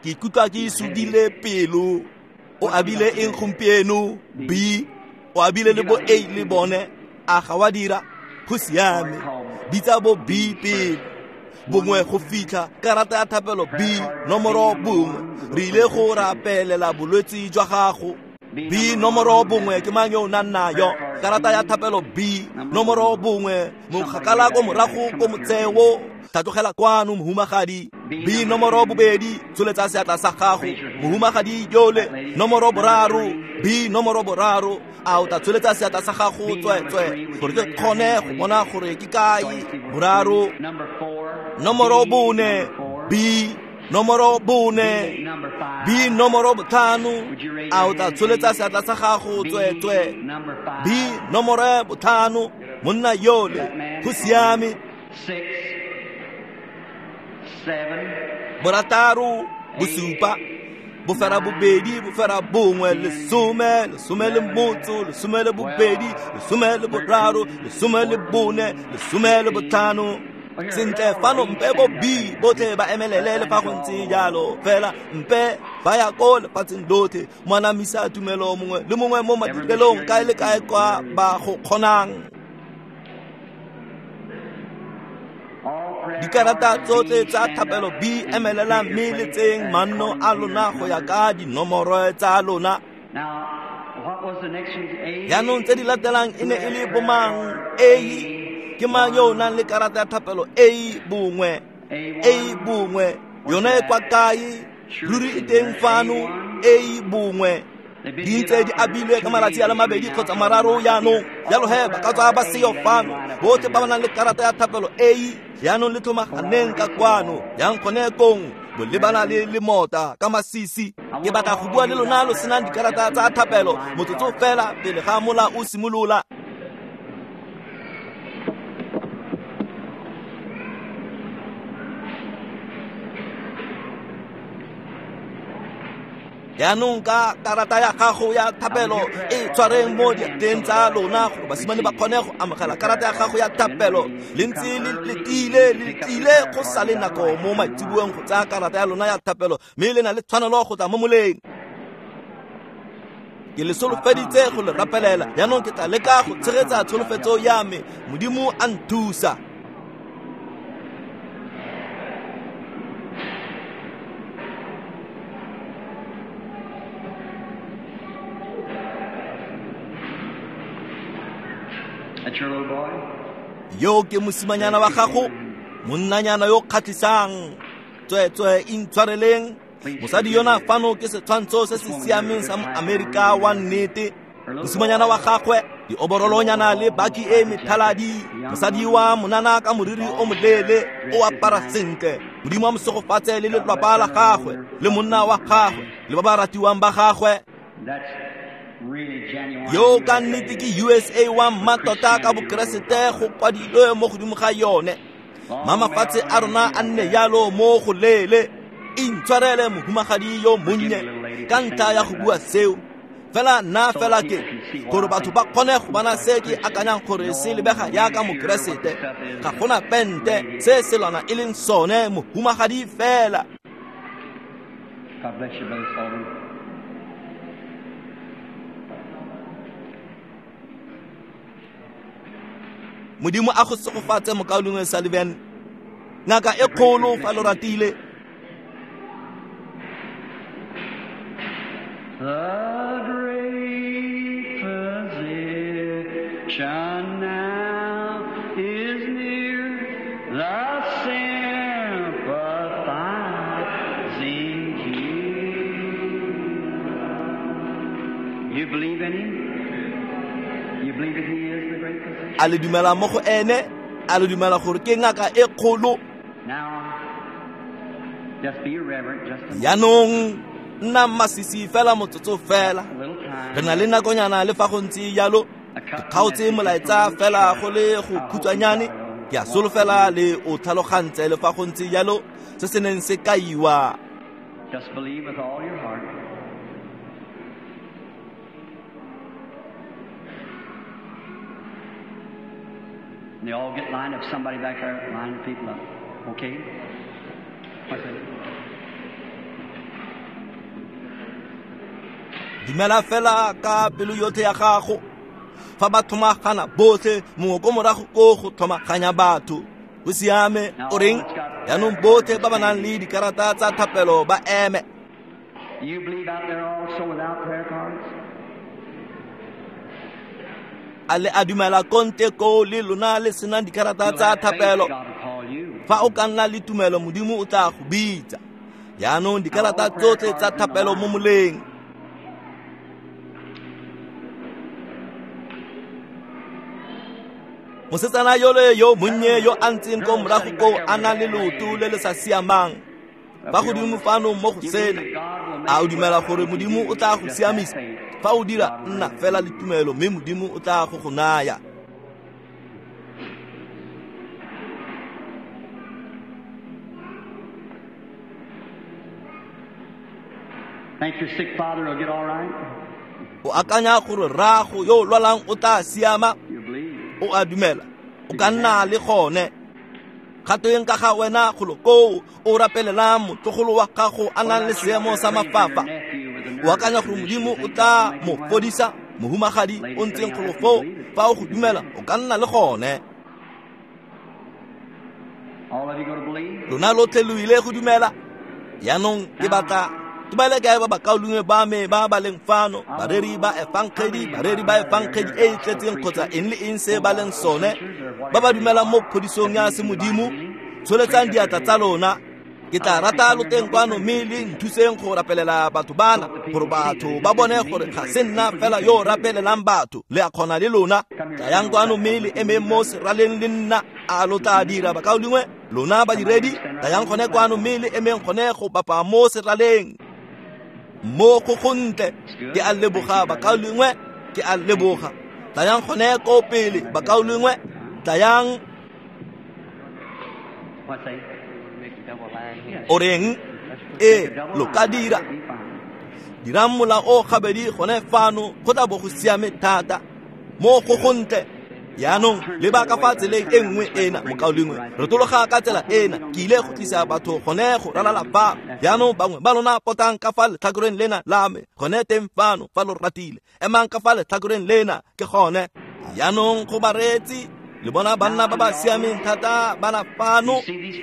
Ke ikutlwa ke sudile pelo. O abile eng gompieno, B? O abile le bo A le bone? A ga wa dira? Go siame. Bitsa bo B pele. Bongwe go fitlha karata ya thapelo B nomoro bongwe. Re ile go rapelela bolwetse jwa gago. B nomoro bongwe ke mang yo o nang nayo? Karata ya thapelo B nomoro bongwe, mokgakala ko morago ko motseo. Tlhatlogela kwano, mohumagadi. B nomoro 2, tsholetsa seatla sa gago. Mohumagadi yole, nomoro 3, B nomoro 3, a o tla tsholetsa seatla sa gago tsweetswe gore ke kgone go bona gore ke kae. 3, nomoro 4, B nomoro 4, B nomoro 5, a o tla tsholetsa seatla sa gago tsweetswe. B nomoro 5, monna yole, go siame. 6, 7, 6, 7, 8, 9, 10, 12, 13, 14, 15. Sentle fano mpe bo B botlhe ba emelele le fa go ntse jalo fela mpe ba ya ko lefatsheng lotlhe moanamisa tumelo mongwe le mongwe mo madirelong kae le kae kwa ba go kgonang. Dikarata tsotlhe tsa thapelo B emelela mme le tseng manno a lona go ya ka dinomoro tsa lona. Jaanong tse di latelang e ne e le bomang? A ke mang yo o nang le karata ya thapelo A 1? A 1 yone e kwa kae? Ruri e teng fano. A 1 di ntse di abilwe ka malatsi a le 2 kgotsa 3 jaanong. Jalo he ba ka tswa ba seyo fano. Botlhe ba ba nang le karata ya thapelo A jaanong le tlhomaganeng ka kwano yang gone kong bolebana le lemota ka masisi. Ke batla go bua le lona lo senang dikarata tsa thapelo motsotso fela pele ga mola o simolola. Jaanong ka karata ya gago ya thapelo e tshwareng mo diateng tsa lona gore basimane ba kgone go amogela karata ya gago ya thapelo. Le ntse le letile, le letile go sa le nako mo maitseboeng go tsaya karata ya lona ya thapelo, mme le na le tshwanelo go tla mo moleng. Ke le solofeditse go le rapelela. Jaanong ke tla leka go tshegetsa tsholofetso ya me. Modimo a nthusa. Yo ke mosimanyana wa gago, monnanyana yo kgatlhisang. Tsweetswe intshwareleng. Mosadi yona fano ke setshwantsho se se siameng sa Moamerika wa nnete. Mosimanyana wa gagwe, dioborolonyana le baki e methaladi. Mosadi wa monana ka moriri o moleele, o apara sentle. Modimo a mo segofatse le lelapa la gagwe, le monna wa gagwe, le ba ba ratiwang ba gagwe. Yo ka nnete ke USA wa mmatota ka bokeresete go kwadilwe mo godimo ga yone. Mamafatshe a rona a nne jalo mo go leele. Intshwarele mohumagadi yo monnye ka ntlha ya go bua seo. Fela nna fela ke gore batho ba kgone go bona se ke akanyang gore se lebega jaaka mokeresete. Ga gona pente se selwana e leng sone mohumagadi fela. God bless you, Brother Sullivan. Modimo a go segofatse mokaulengwe Sullivan. Ngaka e kgolo fa lo ratile. The great physician now is near, the sympathizing healer. You believe in him? You believe that he is the great physician? A le dumela mo go ene? A le dumela gore ke ngaka e kgolo? Now, just be reverent, just a Jaanong nna masisi fela motsotso fela. Re na le nakonyana le fa go ntse jalo. Ke kgaotse molaetsa fela go le go khutshwanyane. Ke a solofela le o tlhalogantse le fa go ntse jalo se se neng se kaiwa. Just believe with all your heart. And they all get lined up. Somebody back there, line the people up. Okay? What's that? Dumela fela ka pelo yotlhe ya gago. Fa ba tlhomagana botlhe, mongwe ko morago ko go tlhomaganya batho. Go siame, o reng? Jaanong botlhe ba ba nang le dikarata tsa thapelo ba eme. You believe out there also without prayer cards? A le a dumela konte ko le lona le senang dikarata tsa thapelo. Fa o ka nna le tumelo, Modimo o tla go bitsa. Jaanong dikarata tsotlhe tsa thapelo mo moleng. Mosetsana yole yo monnye yo a ntseng ko morago koo a na le leoto le le sa siamang fa godimo fano mo go sena, a o dumela gore Modimo o tla go siamisa? Fa o dira, nna fela le tumelo mme Modimo o tla go go naya. Think your sick father will get all right? O akanya gore rraago yo o lwalang o tla siama? You believe. O a dumela? O ka nna le gone. Gatweng ka ga wena golo koo o rapelelang motlogolo wa gago a nang le seemo sa mafafa? O akanya gore Modimo o tla mo fodisa? Mohumagadi o ntseng golo foo, fa o go dumela, o ka nna le gone. All of you going to believe? Lona lotlhe lo ile go dumela. Jaanong ke batla ke ba le kae ba bakaulengwe ba me ba ba leng fano, bareri ba efangedi, bareri ba efangedi e e tletseng kgotsa eng le eng se ba leng sone, ba ba dumelang mo phodisong ya semodimo, tsholetsang diatla tsa lona. Ke tla rata lo teng kwano mme le nthuseng go rapelela batho bana, gore batho ba bone gore ga se nna fela yo o rapelelang batho, le a kgona le lona. Tlayang kwano mme le emeng mo seraleng le nna. A lo tla dira, bakaulengwe? Lona badiredi, tlayang gone kwano mme le emeng gone go bapa mo seraleng. Mo go gontle, ke a leboga bakaulengwe, ke a leboga. Tlayang gone ko pele bakaulengwe, tlayang. What's that? O reng? Ee, lo ka dira. Dirang mola o gabedi gone fano, go tla bo go siame thata. Mo go gontle. Jaanong leba ka fa tseleng e nngwe ena, mokaulengwe. Retologa ka tsela ena, ke ile go tlisa batho gone go ralala fa. Jaanong bangwe ba lona potang ka fa letlhakoreng lena la me, gone teng fano fa lo ratile. Emang ka fa letlhakoreng lena, ke gone. Jaanong go bareetsi, le bona banna ba ba siameng thata bana fano,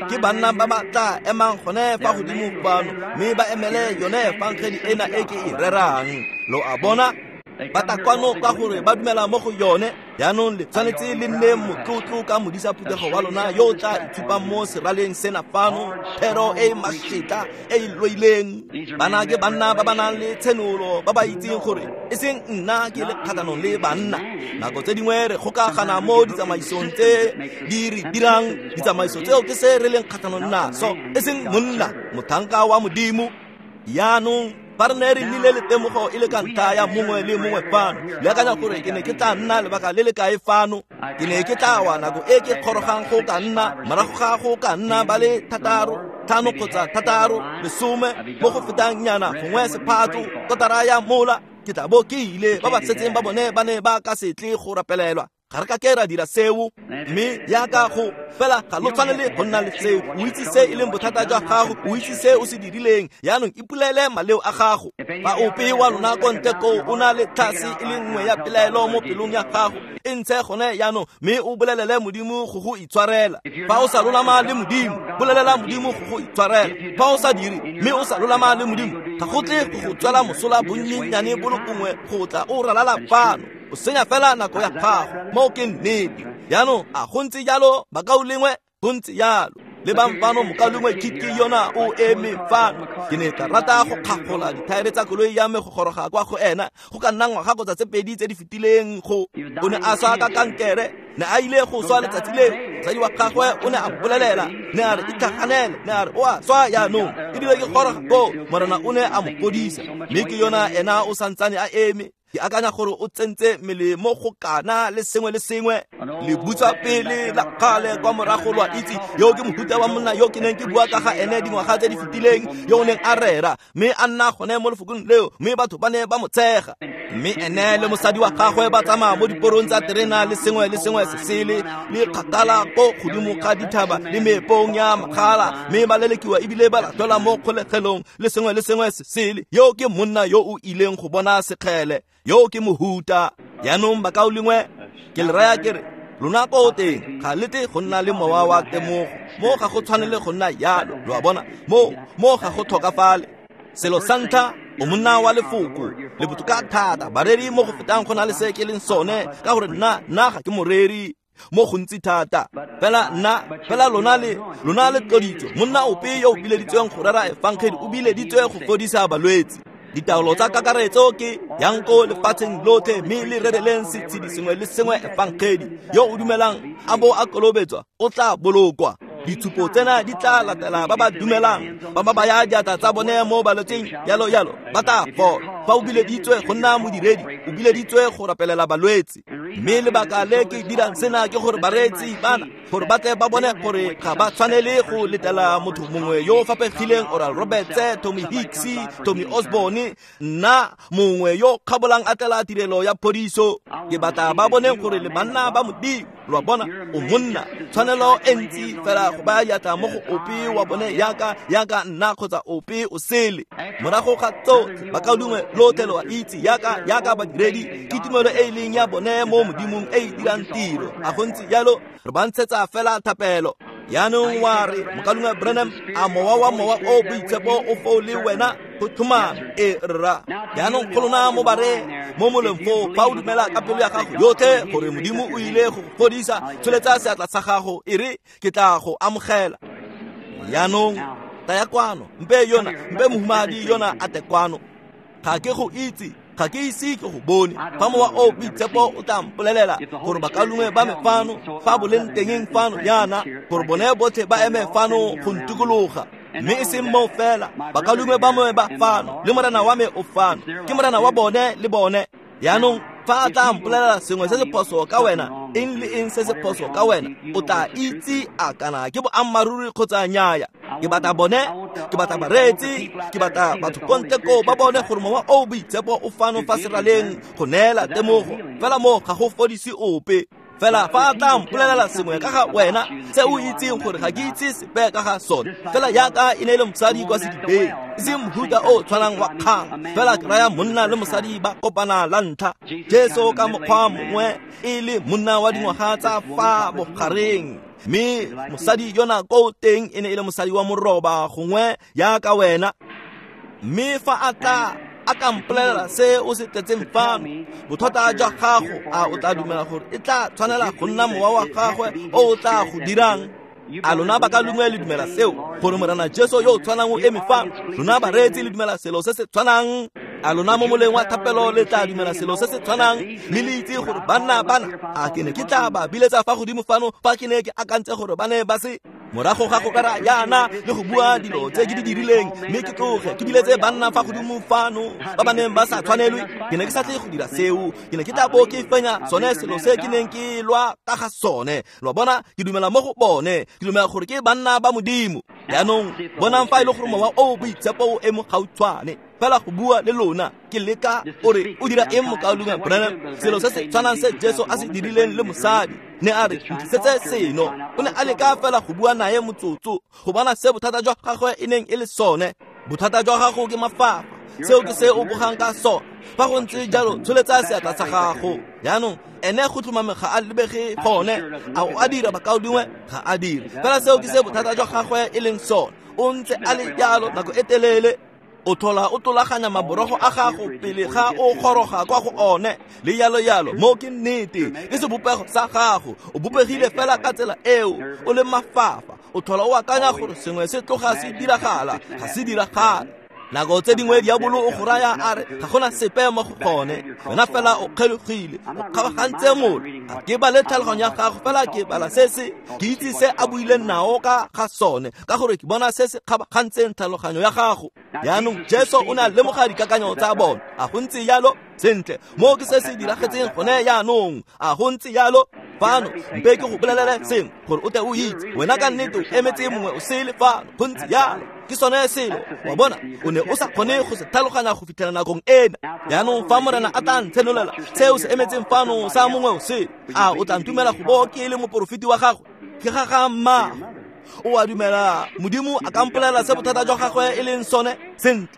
ke banna ba ba tla emang gone fa godimo fano, mme ba emele yone efangedi ena e ke e rerang. Lo a bona? Ba tla kwano ka gore ba dumela mo go yone. Jaanong le tshwanetse le nne motlotlo ka modisa phuthego wa lona yo o tla itshupang mo seraleng sena fano, thero e e mašetla e e loileng. Bana ke banna ba ba nang le tshenolo, ba ba itseng gore e seng nna ke le kgatlhanong le banna. Nako tse dingwe re kgokagana mo ditsamaisong tse di re dirang, ditsamaiso tseo ke se re leng kgatlhanong naso, e seng monna, motlhanka wa Modimo. Jaanong fa re ne re nnile le temogo e le ka ntlha ya mongwe le mongwe fano, le akanya gore ke ne ke tla nna lebaka le le kae fano? Ke ne ke tla wa nako e ke kgorogang go ka nna morago ga go ka nna ba le 6, 5 kgotsa 6, 10 mo go fetang nyana, gongwe sephatlo, kotara ya mola, ke tla bo ke ile. Ba ba setseng ba bone ba ne ba ka se tle go rapelelwa. Ga re ka ke ra dira seo, mme jaaka go fela ga lo tshwanele go nna le seo. O itse se e leng bothata jwa gago, o itse se o se dirileng. Jaanong ipolele maleo a gago. Fa ope wa lona ko ntle koo o na le tlhase e le nngwe ya pelaelo mo pelong ya gago, e ntshe gone jaanong mme o bolelele Modimo go go itshwarela. Fa o sa lolama le Modimo, bolelela Modimo go go itshwarela. Fa o sa dire mme o sa lolama le Modimo, ga go tle go go tswela mosola bonnyenyane bo le bongwe go tla o ralala fano. O senya fela nako ya gago. Moo ke nnete. Jaanong a go ntse jalo, bakaulengwe? Go ntse jalo. Lebang fano, mokaulengwe Kiki yona o eme fano. Ke ne ka rata go kgagola dithaere tsa koloi ya me go goroga kwa go ena, go ka nna ngwaga kgotsa tse 2 tse di fetileng. Go o ne a swa ka kankere, ne a ile go swa letsatsi leo. Mosadi wa gagwe o ne a mpolelela, ne a re itlhaganele, ne a re o a swa jaanong. Ebile ke goroga koo, Morena o ne a mo fodisa, mme ke yona ena o santsane a eme. Ke akanya gore o tsentse mmele mo go kana le sengwe le sengwe, le butswa pele la kgale kwa morago. Lo a itse, yo ke mohuta wa monna yo ke neng ke bua ka ga ene dingwaga tse di fetileng, yo o neng a rera mme a nna gone mo lefokong leo, mme batho ba ne ba mo tshega. Mme ene le mosadi wa gagwe ba tsamaya mo diporong tsa terena le sengwe le sengwe se sele, le kgakala ko godimo ga dithaba le meepong ya magala, mme ba lelekiwa ebile ba latelwa mo kgolegelong le sengwe le sengwe se sele. Yo ke monna yo o ileng go bona sekgele, yo ke mohuta. Jaanong bakaulengwe, ke le raya ke re lona ko teng ga le tle go nna le mowa wa temogo. Mo ga go tshwanele go nna jalo, lo a bona? Mo ga go tlhokafale. Selo sa ntlha, o monna wa lefoko, le botoka thata bareri mo go fetang go na le se ke leng sone, ka gore nna ga ke moreri. Mo gontsi thata. Fela nna, fela lona le tloditswe. Monna ope yo o bileditsweng go rera efangedi o bileditswe go fodisa balwetse. Ditaolo tsa kakaretso ke yang ko lefatsheng lotlhe mme le rereleng setshedi sengwe le sengwe efangedi. Yo o dumelang a bo a kolobetswa o tla bolokwa. Ditshupo tsena di tla latela ba ba dumelang, ba ba baya diatla tsa bone mo balwetseng, yalo yalo, ba tla fola. Fa o bileditswe go nna modiredi, o bileditswe go rapelela balwetse. Mme lebaka le ke dirang sena ke gore bareetsi bana, gore ba tle ba bone gore ga ba tshwanele go letela motho mongwe yo o fapegileng, Oral Roberts, Tommy Hicks, Tommy Osborne, nna mongwe yo kgabolang a tlela tirelo ya phodiso. Ke batla ba bone gore le banna ba Modimo. Lo a bona, o monna, tshwanelo e ntsi fela go baya diatla mo go ope wa bone yaka nna kgotsa ope o sele. Morago ga tsotlhe, bakaulengwe lotlhe lo a itse yaka badiredi, ke tumelo e e leng ya bone mo Modimong e e dirang tiro. A go ntse jalo, re ba ntshetsa fela thapelo. Yaanong wa re, mokaulengwe Branham, a mowa wa mowa o boitshepo o foo le wena? Go tlhomame, e rra. Yaanong go lona mo bare mo moleng foo, fa o dumela ka pelo ya gago yotlhe gore Modimo o ile go fodisa, tsholetsa seatla sa gago e re ke tla go amogela. Yaanong taya kwano, mpe yona, mpe mohumadi yona a te kwano. Ga ke go itse, ga ke ise ke go bone. Fa mowa o boitshepo o tla mpolelela gore bakaulengwe ba me fano, fa boleng tengeng fano yana, gore bone botlhe ba eme fano go ntikologa. Mme e seng moo fela, bakaulengwe ba me ba fano, le morena wa me o fano, ke morena wa bone le bone. Yaanong fa a tla mpolelela sengwe se se phoso ka wena, eng le eng se se phoso ka wena, o tla itse a kana ke boammaaruri kgotsa nnyaya. Ke batla bone, ke batla bareetsi, ke batla batho ko ntle koo ba bone gore mowa o boitshepo o fano fa seraleng go neela temogo. Fela mo ga go fodise ope. Fela fa a tla mpolelela sengwe ka ga wena se o itseng gore ga ke itse sepe ka ga sone, fela yaka e ne e le mosadi kwa sedibeng, e seng mohuta o tshwanang wa kgang, fela ke raya monna le mosadi ba kopana la ntlha. Jesu ka mokgwa mongwe e le monna wa dingwaga tsa fa bogareng, mme mosadi yona ko teng e ne e le mosadi wa moroba gongwe yaka wena. Mme fa a tla a ka mpolelela se o se tletseng fano, bothata jwa gago, a o tla dumela gore e tla tshwanela go nna mowa wa gagwe o o tla go dirang? A lona bakaulengwe le dumela seo, gore Morena Jesu yo o tshwanang o eme fano? Lona bareetsi le dumela selo se se tshwanang? A lona mo moleng wa thapelo le tla dumela selo se se tshwanang? Mme le itse gore banna bana, a ke ne ke tla ba biletsa fa godimo fano fa ke ne ke akantse gore ba ne ba se morago ga go rera yana le go bua dilo tse ke di dirileng, mme ke tloge ke biletse banna fa godimo fano ba ba neng ba sa tshwanelwe. Ke ne ke sa tle go dira seo, ke ne ke tla bo ke fenya sone selo se ke neng ke lwa ka ga sone. Lo bona, ke dumela mo go bone, ke dumela gore ke banna ba Modimo. Yaanong bonang fa e le gore mowa o boitshepo o eme gautshwane fela go bua le lona. Ke leka o re o dira eng mokaulengwe Branham? Selo se se tshwanang se Jesu a se dirileng le mosadi, ne a re ntlisetse seno. O ne a leka fela go bua naye motsotso go bona se bothata jwa gagwe e neng e le sone. Bothata jwa gago ke mafafa, seo ke se o bogang ka sone. Fa go ntse jalo, tsholetsa seatla sa gago. Yaanong ene go tlhomame ga a lebege gone. A o a dira bakaulengwe? Ga a dire. Fela seo ke se bothata jwa gagwe e leng sone. O ntse a le jalo nako e telele. O thola o tlolaganya maborogo a gago pele ga o goroga kwa go one, le yalo yalo. Mo ke nnete, ke sebopego sa gago. O bopegile fela ka tsela eo, o le mafafa. O thola o akanya gore sengwe se tloga se diragala, ga se diragale. Nako tse dingwe diabolo o go raya a re ga gona sepe mo go gone, wena fela o kgelogile, o kgabagantse mola. Ga ke bale tlhaloganyo ya gago, fela ke bala se se ke itse se a buileng nao ka ga sone, ka gore ke bona se se kgabagantseng tlhaloganyo ya gago. Yaanong Jesu o ne a lemoga dikakanyo tsa bone. A go ntse jalo? Sentle, mo ke se se diragetseng gone yaanong. A go ntse jalo? Fano mpe ke go bolelele sengwe gore o tle o itse wena ka nnete o emetse mongwe o sele fano. Go ntse jalo, ke sone selo. Wa bona, o ne o sa kgone go se tlhaloganya go fitlhela nakong ena. Yaanong fa Morena a tla ntshenolela seo se emetseng fano sa mongwe o sele, a o tla ntumela go bo ke le moporofeti wa gagwe? Ke ga ga mmago. O a dumela Modimo a ka mpolelela se bothata jwa gagwe e leng sone? Sentle,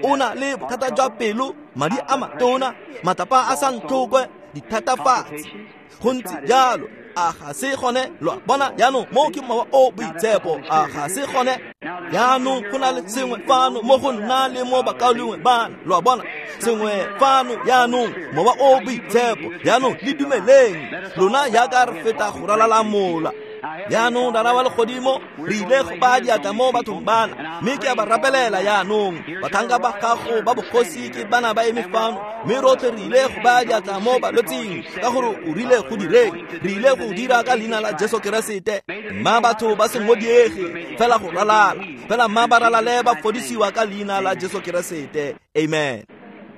o na le bothata jwa pelo, madi a matona, matlapa a sa ntlhokwe, dithatafatsi. Go ntse jalo. A ga se gone? Lo a bona jaanong, mo ke mowa o boitshepo. A ga se gone? Jaanong go na le sengwe fano mo go nna le mo bakaulengwe bana, lo a bona, sengwe fano jaanong, mowa o boitshepo. Jaanong le dumeleng lona jaaka re feta go ralala mola. Jaanong Rara wa legodimo, re ile go baya diatla mo bathong bana, mme ke a ba rapelela jaanong. Batlhanka ba gago ba bogosi ke bana ba eme fano, mme rotlhe re ile go baya diatla mo balwetsing, ka gore o rile go direng. Re ile go dira ka leina la Jesu Keresete. Mma batho ba se ngodiege fela go ralala, fela mma ba ralale ba fodisiwa ka leina la Jesu Keresete. Amen.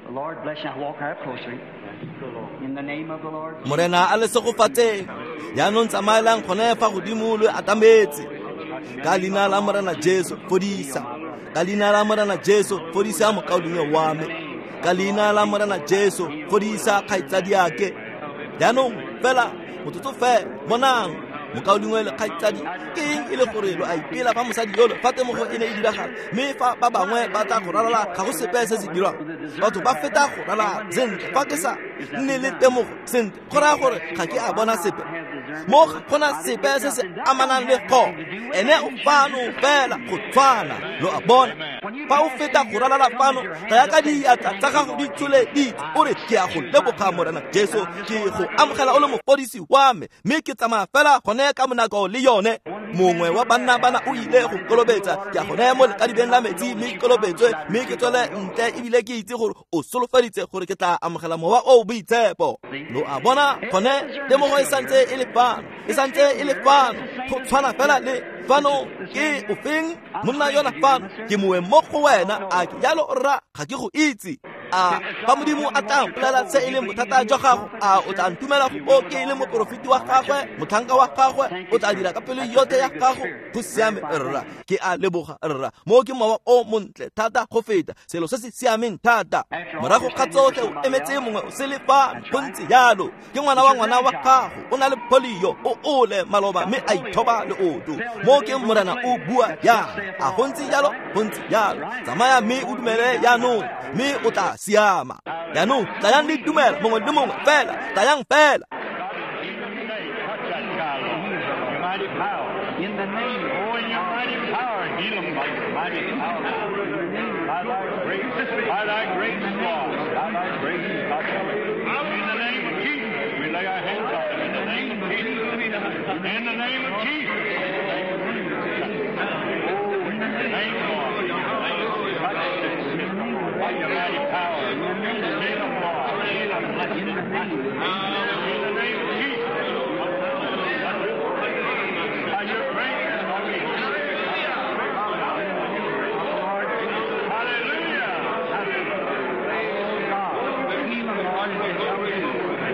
The Lord bless you. Walk out closer. In the name of the Lord. Morena a le segofatseng. Jaanong tsamaelang gone fa godimo lo atametse. Ka leina la Morena Jesu fodisa. Ka leina la Morena Jesu fodisa mokaulengwe wa me. Ka leina la Morena Jesu fodisa kgaitsadiake. Jaanong fela motsotso fela, bonang mokaulengwe le kgaitsadi, ke eng e le gore lo a ipela fa mosadi yolo fa temogo e ne e diragala, mme fa ba bangwe ba tla go ralala ga go sepe se se dirwang. Batho ba feta go ralala sentle, fa ke sa nne le temogo sentle, go raya gore ga ke a bona sepe. Mo ga gona sepe se se amanang le go ene o fano fela go tshwana, lo a bona. Fa o feta go ralala fano, ga ya ka diatla tsa gago di tsholeditse, o re ke a go leboga Morena Jesu, ke go amogela o le mofodisi wa me, mme ke tsamaya fela gone ka monako le yone. Mongwe wa banna bana o ile go kolobetsa, ke a gone mo lekadibeng la metsi, mme ke kolobetswe, mme ke tswele ntle, ebile ke itse gore o solofeditse gore ke tla amogela mowa o boitshepo. Lo a bona, gone temogo e santse e le fano, e santse e le fano, go tshwana fela le fano. Ke ofeng monna yona fano? Ke moeng mo go wena, a ke jalo rra? Ga ke go itse. A fa Modimo a tla mpolela se e leng bothata jwa gago, a o tla ntumela go ke e leng moporofeti wa gagwe, motlhanka wa gagwe? O tla dira ka pelo yotlhe ya gago? Go siame rra, ke a leboga rra. Mo ke mowa o montle thata go feta, selo se se siameng thata. Morago ga tsotlhe o emetse mongwe o sele fano, go ntse jalo. Ke ngwana wa ngwana wa gago, o na le polio, o ole maloba mme a ithoba leoto. Mo ke Morena o bua jang? A go ntse jalo? Go ntse jalo. Tsamaya mme o dumele jaanong, mme o tla siama. Jaanong tlayang le dumela mongwe le mongwe fela, tlayang fela. In the name, oh, in your mighty power, heal them by your mighty power. By thy great, by thy great law, by thy great in the name of Jesus, we lay our hands on them. In the name of Jesus, in the name of Jesus. Oh, in the name, Lord, in the name, touch this sick by your mighty power. Heal them, Lord, heal them, bless them. In the name of Jesus. By your grace, hallelujah. God, heal them, Lord, and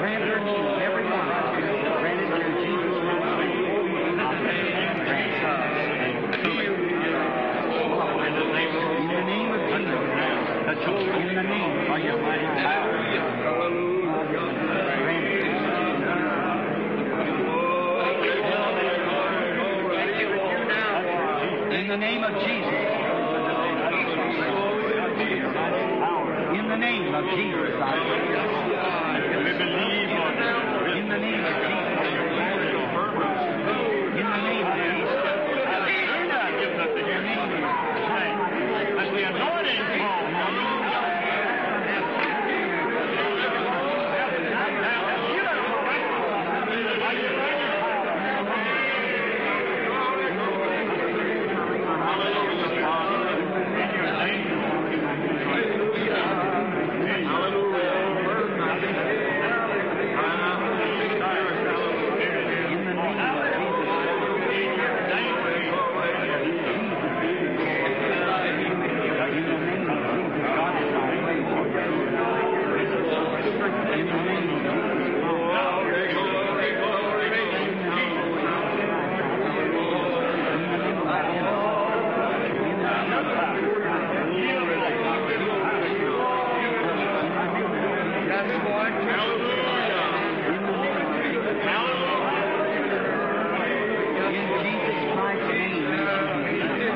grant their needs, every one. Grant it through Jesus' name. In the name of Jesus. In the name of your mighty power. Grant it. In the name of Jesus. In the name of Jesus, I pray. In the name of Jesus. In the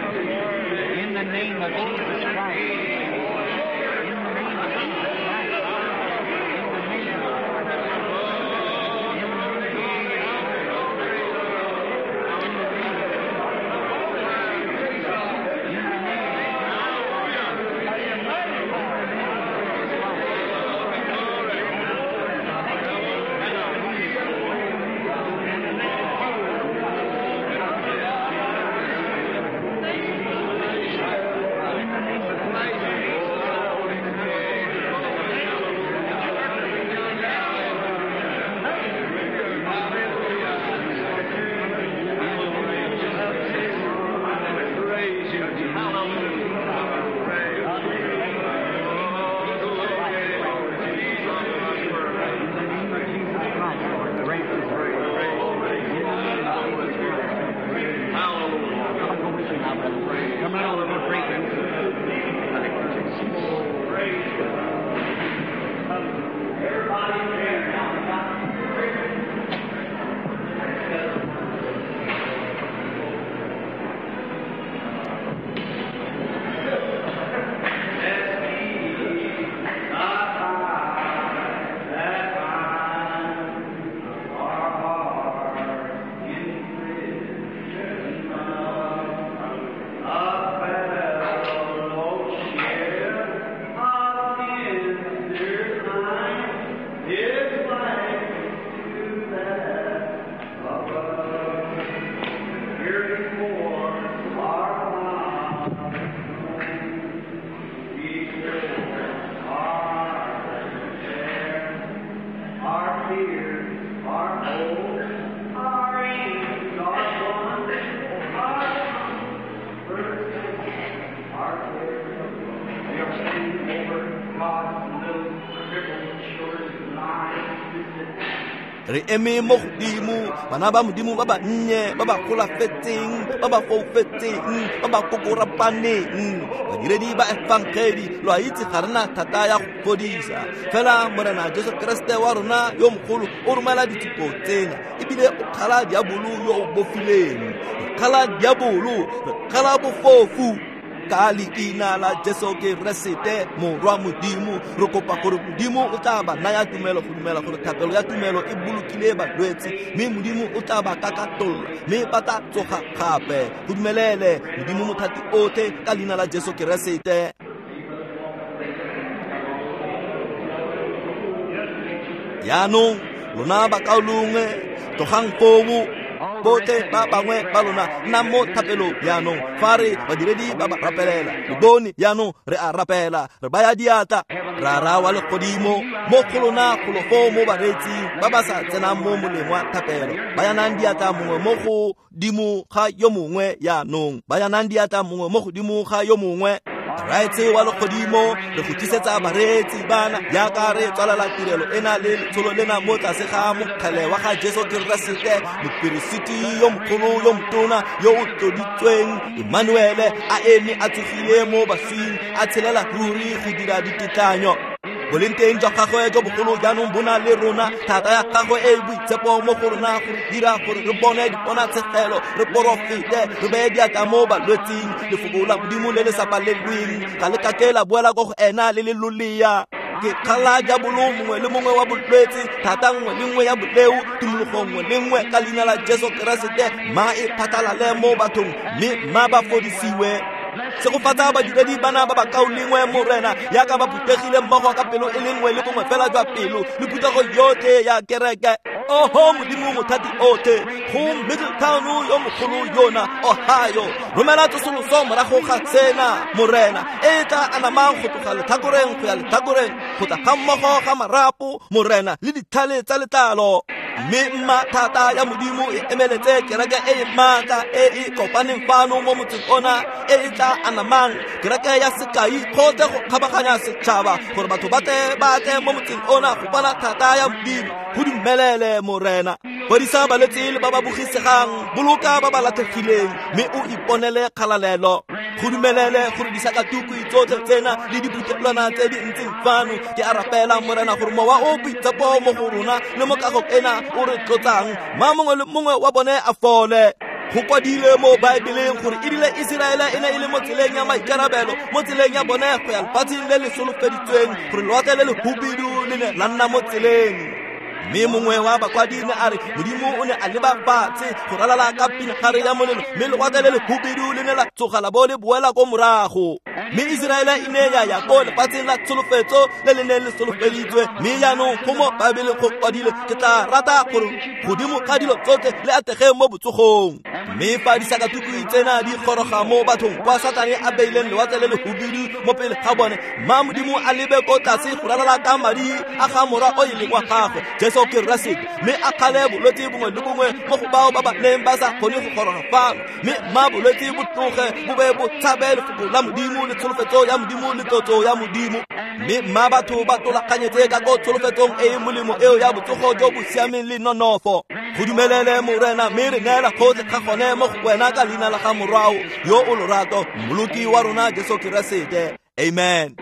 name of Jesus. In the name of Re eme mo godimo, bana ba Modimo ba ba nnye, ba ba golafetseng, ba ba foufetseng, ba ba kokorapaneng, badiredi ba efangedi, lo a itse ga rena thata ya go fodisa. Fela Morena Jesu Keresete wa rona yo mogolo o romela ditshupo tsena, ebile o kgala diabolo yo o bofileng. Re kgala diabolo, re kgala bofofu. Ka leina la Jesu Keresete morwa Modimo, re kopa gore Modimo o tla ba naya tumelo go dumela gore thapelo ya tumelo e bolokile balwetse, mme Modimo o tla ba kakatolla, mme ba tla tsoga gape. Go dumelele Modimo mothati otlhe ka leina la Jesu Keresete. Jaanong lona bakaulengwe, tlogang foo, botlhe ba bangwe ba lona nna mo thapelong jaanong. Fa re badiredi ba ba rapelela, le bone jaanong re a rapela, re baya diatla. Rara wa legodimo, mo go lona golo foo mo bareetsing ba ba sa tsenang mo moleng wa thapelo, bayanang diatla mongwe mo godimo ga yo mongwe jaanong, bayanang diatla mongwe mo godimo ga yo mongwe. Raetse wa legodimo, re go tlisetsa bareetsi bana jaaka re tswalela tirelo ena le letsholo lena mo tlase ga mokgele wa ga Jesu Keresete, moperesiti yo mogolo yo motona yo o tloditsweng, Emmanuele, a eme a tsogile mo baswing, a tshelela ruri go dira ditetlanyo. Boleng teng jwa gagwe jo bogolo jaanong bo na le rona, thata ya gagwe e e boitshepo mo go rona go re dira gore re bone diponatshegelo, re porofete, re beye diatla mo balwetsing. Lefoko la Modimo le le sa palelweng ga le kake la boela ko go ena le le lolea. Ke kgala diabolo mongwe le mongwe wa bolwetse, thata nngwe le nngwe ya boleo, tumologo nngwe le nngwe ka leina la Jesu Keresete, ma e phatlalale mo bathong, mme ma ba fodisiwe. Segofatsa badiredi bana ba bakaulengwe Morena, jaaka ba phuthegile mmogo ka pelo e le nngwe le bongwe fela jwa pelo, le phuthego yotlhe ya kereke. Oho Modimo mothati otlhe, go Middletown yo mogolo yona, Ohio, romela tsosoloso morago ga tsena Morena, e tla anamang go tloga letlhakoreng go ya letlhakoreng, go tla ga mmogo ga marapo Morena le ditlhale tsa letlalo. Mme mma thata ya Modimo e emeletse kereke e e maatla e e kopaneng fano mo motseng ona, e e tla anamang, kereke ya sekai gotlhe go kgabaganya setšhaba, gore batho ba tle mo motseng ona go bona thata ya Modimo. Go dumelele Morena. Fodisa balwetse le ba ba bogisegang, boloka ba ba latlhegileng, mme o iponele kgalalelo. Go dumelele gore disakatukwi tsotlhe tsena le diphuthelwana tse di ntseng fano. Ke a rapela Morena gore mowa o boitshepo mo go rona le mo kagong ena o re tlotsang, ma mongwe le mongwe wa bone a fole. Go kwadilwe mo Baebeleng gore erile Iseraele e ne e le mo tseleng ya maikarabelo, mo tseleng ya bone go ya lefatsheng le le solofeditsweng, gore lewatle le le hubidu le ne la nna mo tseleng. Mme mongwe wa bakwadi ne a re Modimo o ne a leba fatshe go ralala ka pinagare ya molelo, mme lewatle le le hubidu le ne la tsoga la bo le boela ko morago. Mme Iseraele e ne ya ya ko lefatsheng la tsholofetso le le neng le solofeditswe. Mme jaanong go mo Baebeleng go kwadilwe, ke tla rata gore godimo ga dilo tsotlhe le atege mo botsogong. Mme fa disakatukwi tsena di goroga mo bathong kwa Satane a beileng lewatle le le hubidu mo pele ga bone, mma Modimo a lebe ko tlase go ralala ka madi a ga morwa o e leng wa gagwe Jesu Keresete, mme a kgale bolwetse bongwe le bongwe mo go bao ba ba neng ba sa kgone go goroga fano. Mme mma bolwetse bo tloge bo be bo tshabe lefoko la Modimo le tsholofetso ya Modimo le tlotso ya Modimo. Mme mma batho ba tolaganyetse ka ko tsholofetsong e e molemo eo ya botsogo jo bo siameng le nonofo. Go dumelele Morena, mme re neela gotlhe ga gone mo go wena ka leina la ga Morwao yo o lorato, Mmoloki wa rona Jesu Keresete. Amen.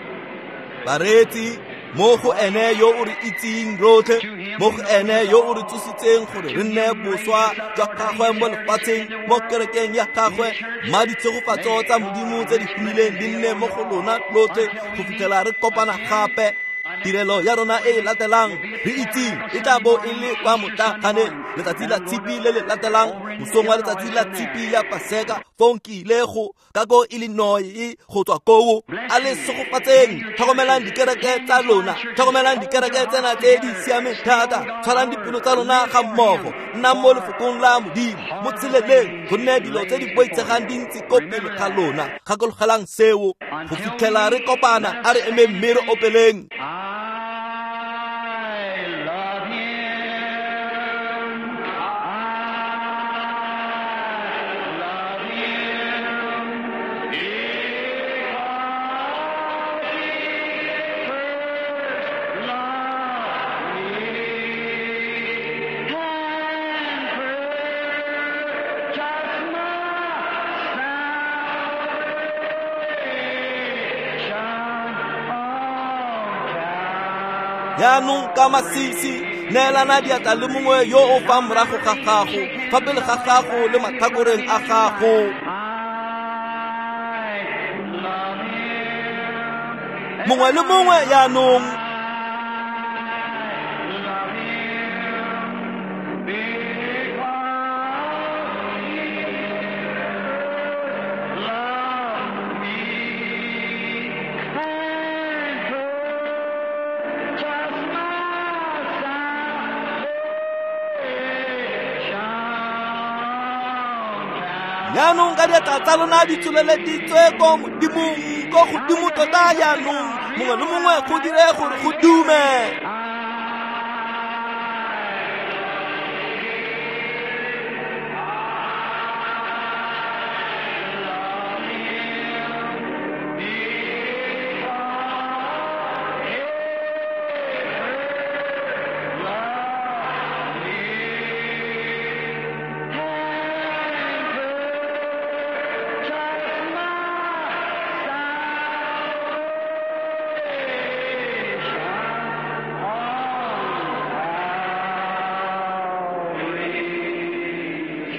Bareetsi, mo go ene yo o re itseng rotlhe, mo go ene yo o re tsositseng gore re nne boswa jwa gagwe mo lefatsheng, mo kerekeng ya gagwe, mma ditshegofatso tsa Modimo tse di humileng di nne mo go lona lotlhe go fitlhela re kopana gape. Tirelo ya rona e e latelang re itseng e tla bo e le kwa motlaganeng letsatsi la tshipi le le latelang, mosong wa letsatsi la tshipi ya Paseka, fong ke ile go ka ko Illinois go tswa koo. A le segofatseng, tlhokomelang dikereke tsa lona, tlhokomelang dikereke tsena tse di siameng thata, tshwarang dipelo tsa lona ga mmogo, nnang mo lefokong la Modimo, mo tsheleleng, gonne dilo tse di boitshegang di ntse ko pele ga lona. Gakologelang seo go fitlhela re kopana. A re emeng mme re opeleng. I love him. I love him. Because he first loved me. Jaanong ka masisi, neelana diatla le mongwe yo o fa morago ga gago, fa pele ga gago le matlhakoreng a gago. Mongwe le mongwe jaanong. Jaanong ka diatla tsa lona di tsholeleditswe ko Modimong, ko godimo tota jaanong, mongwe le mongwe go dire gore go dume.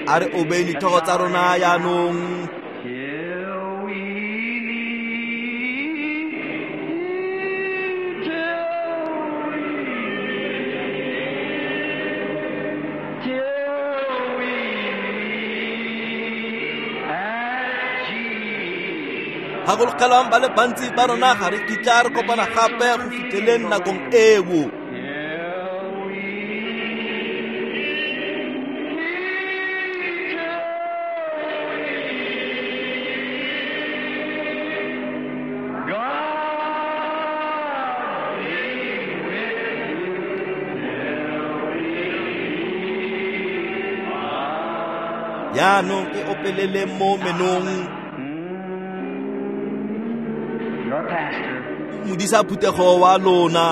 A re obeng ditlhogo tsa rona jaanong. Gakologelwang ba le bantsi ba rona ga re kitla re kopana gape go fitlheleng nakong eo. Jaanong e opelele mo menong. Modisa phuthego wa lona.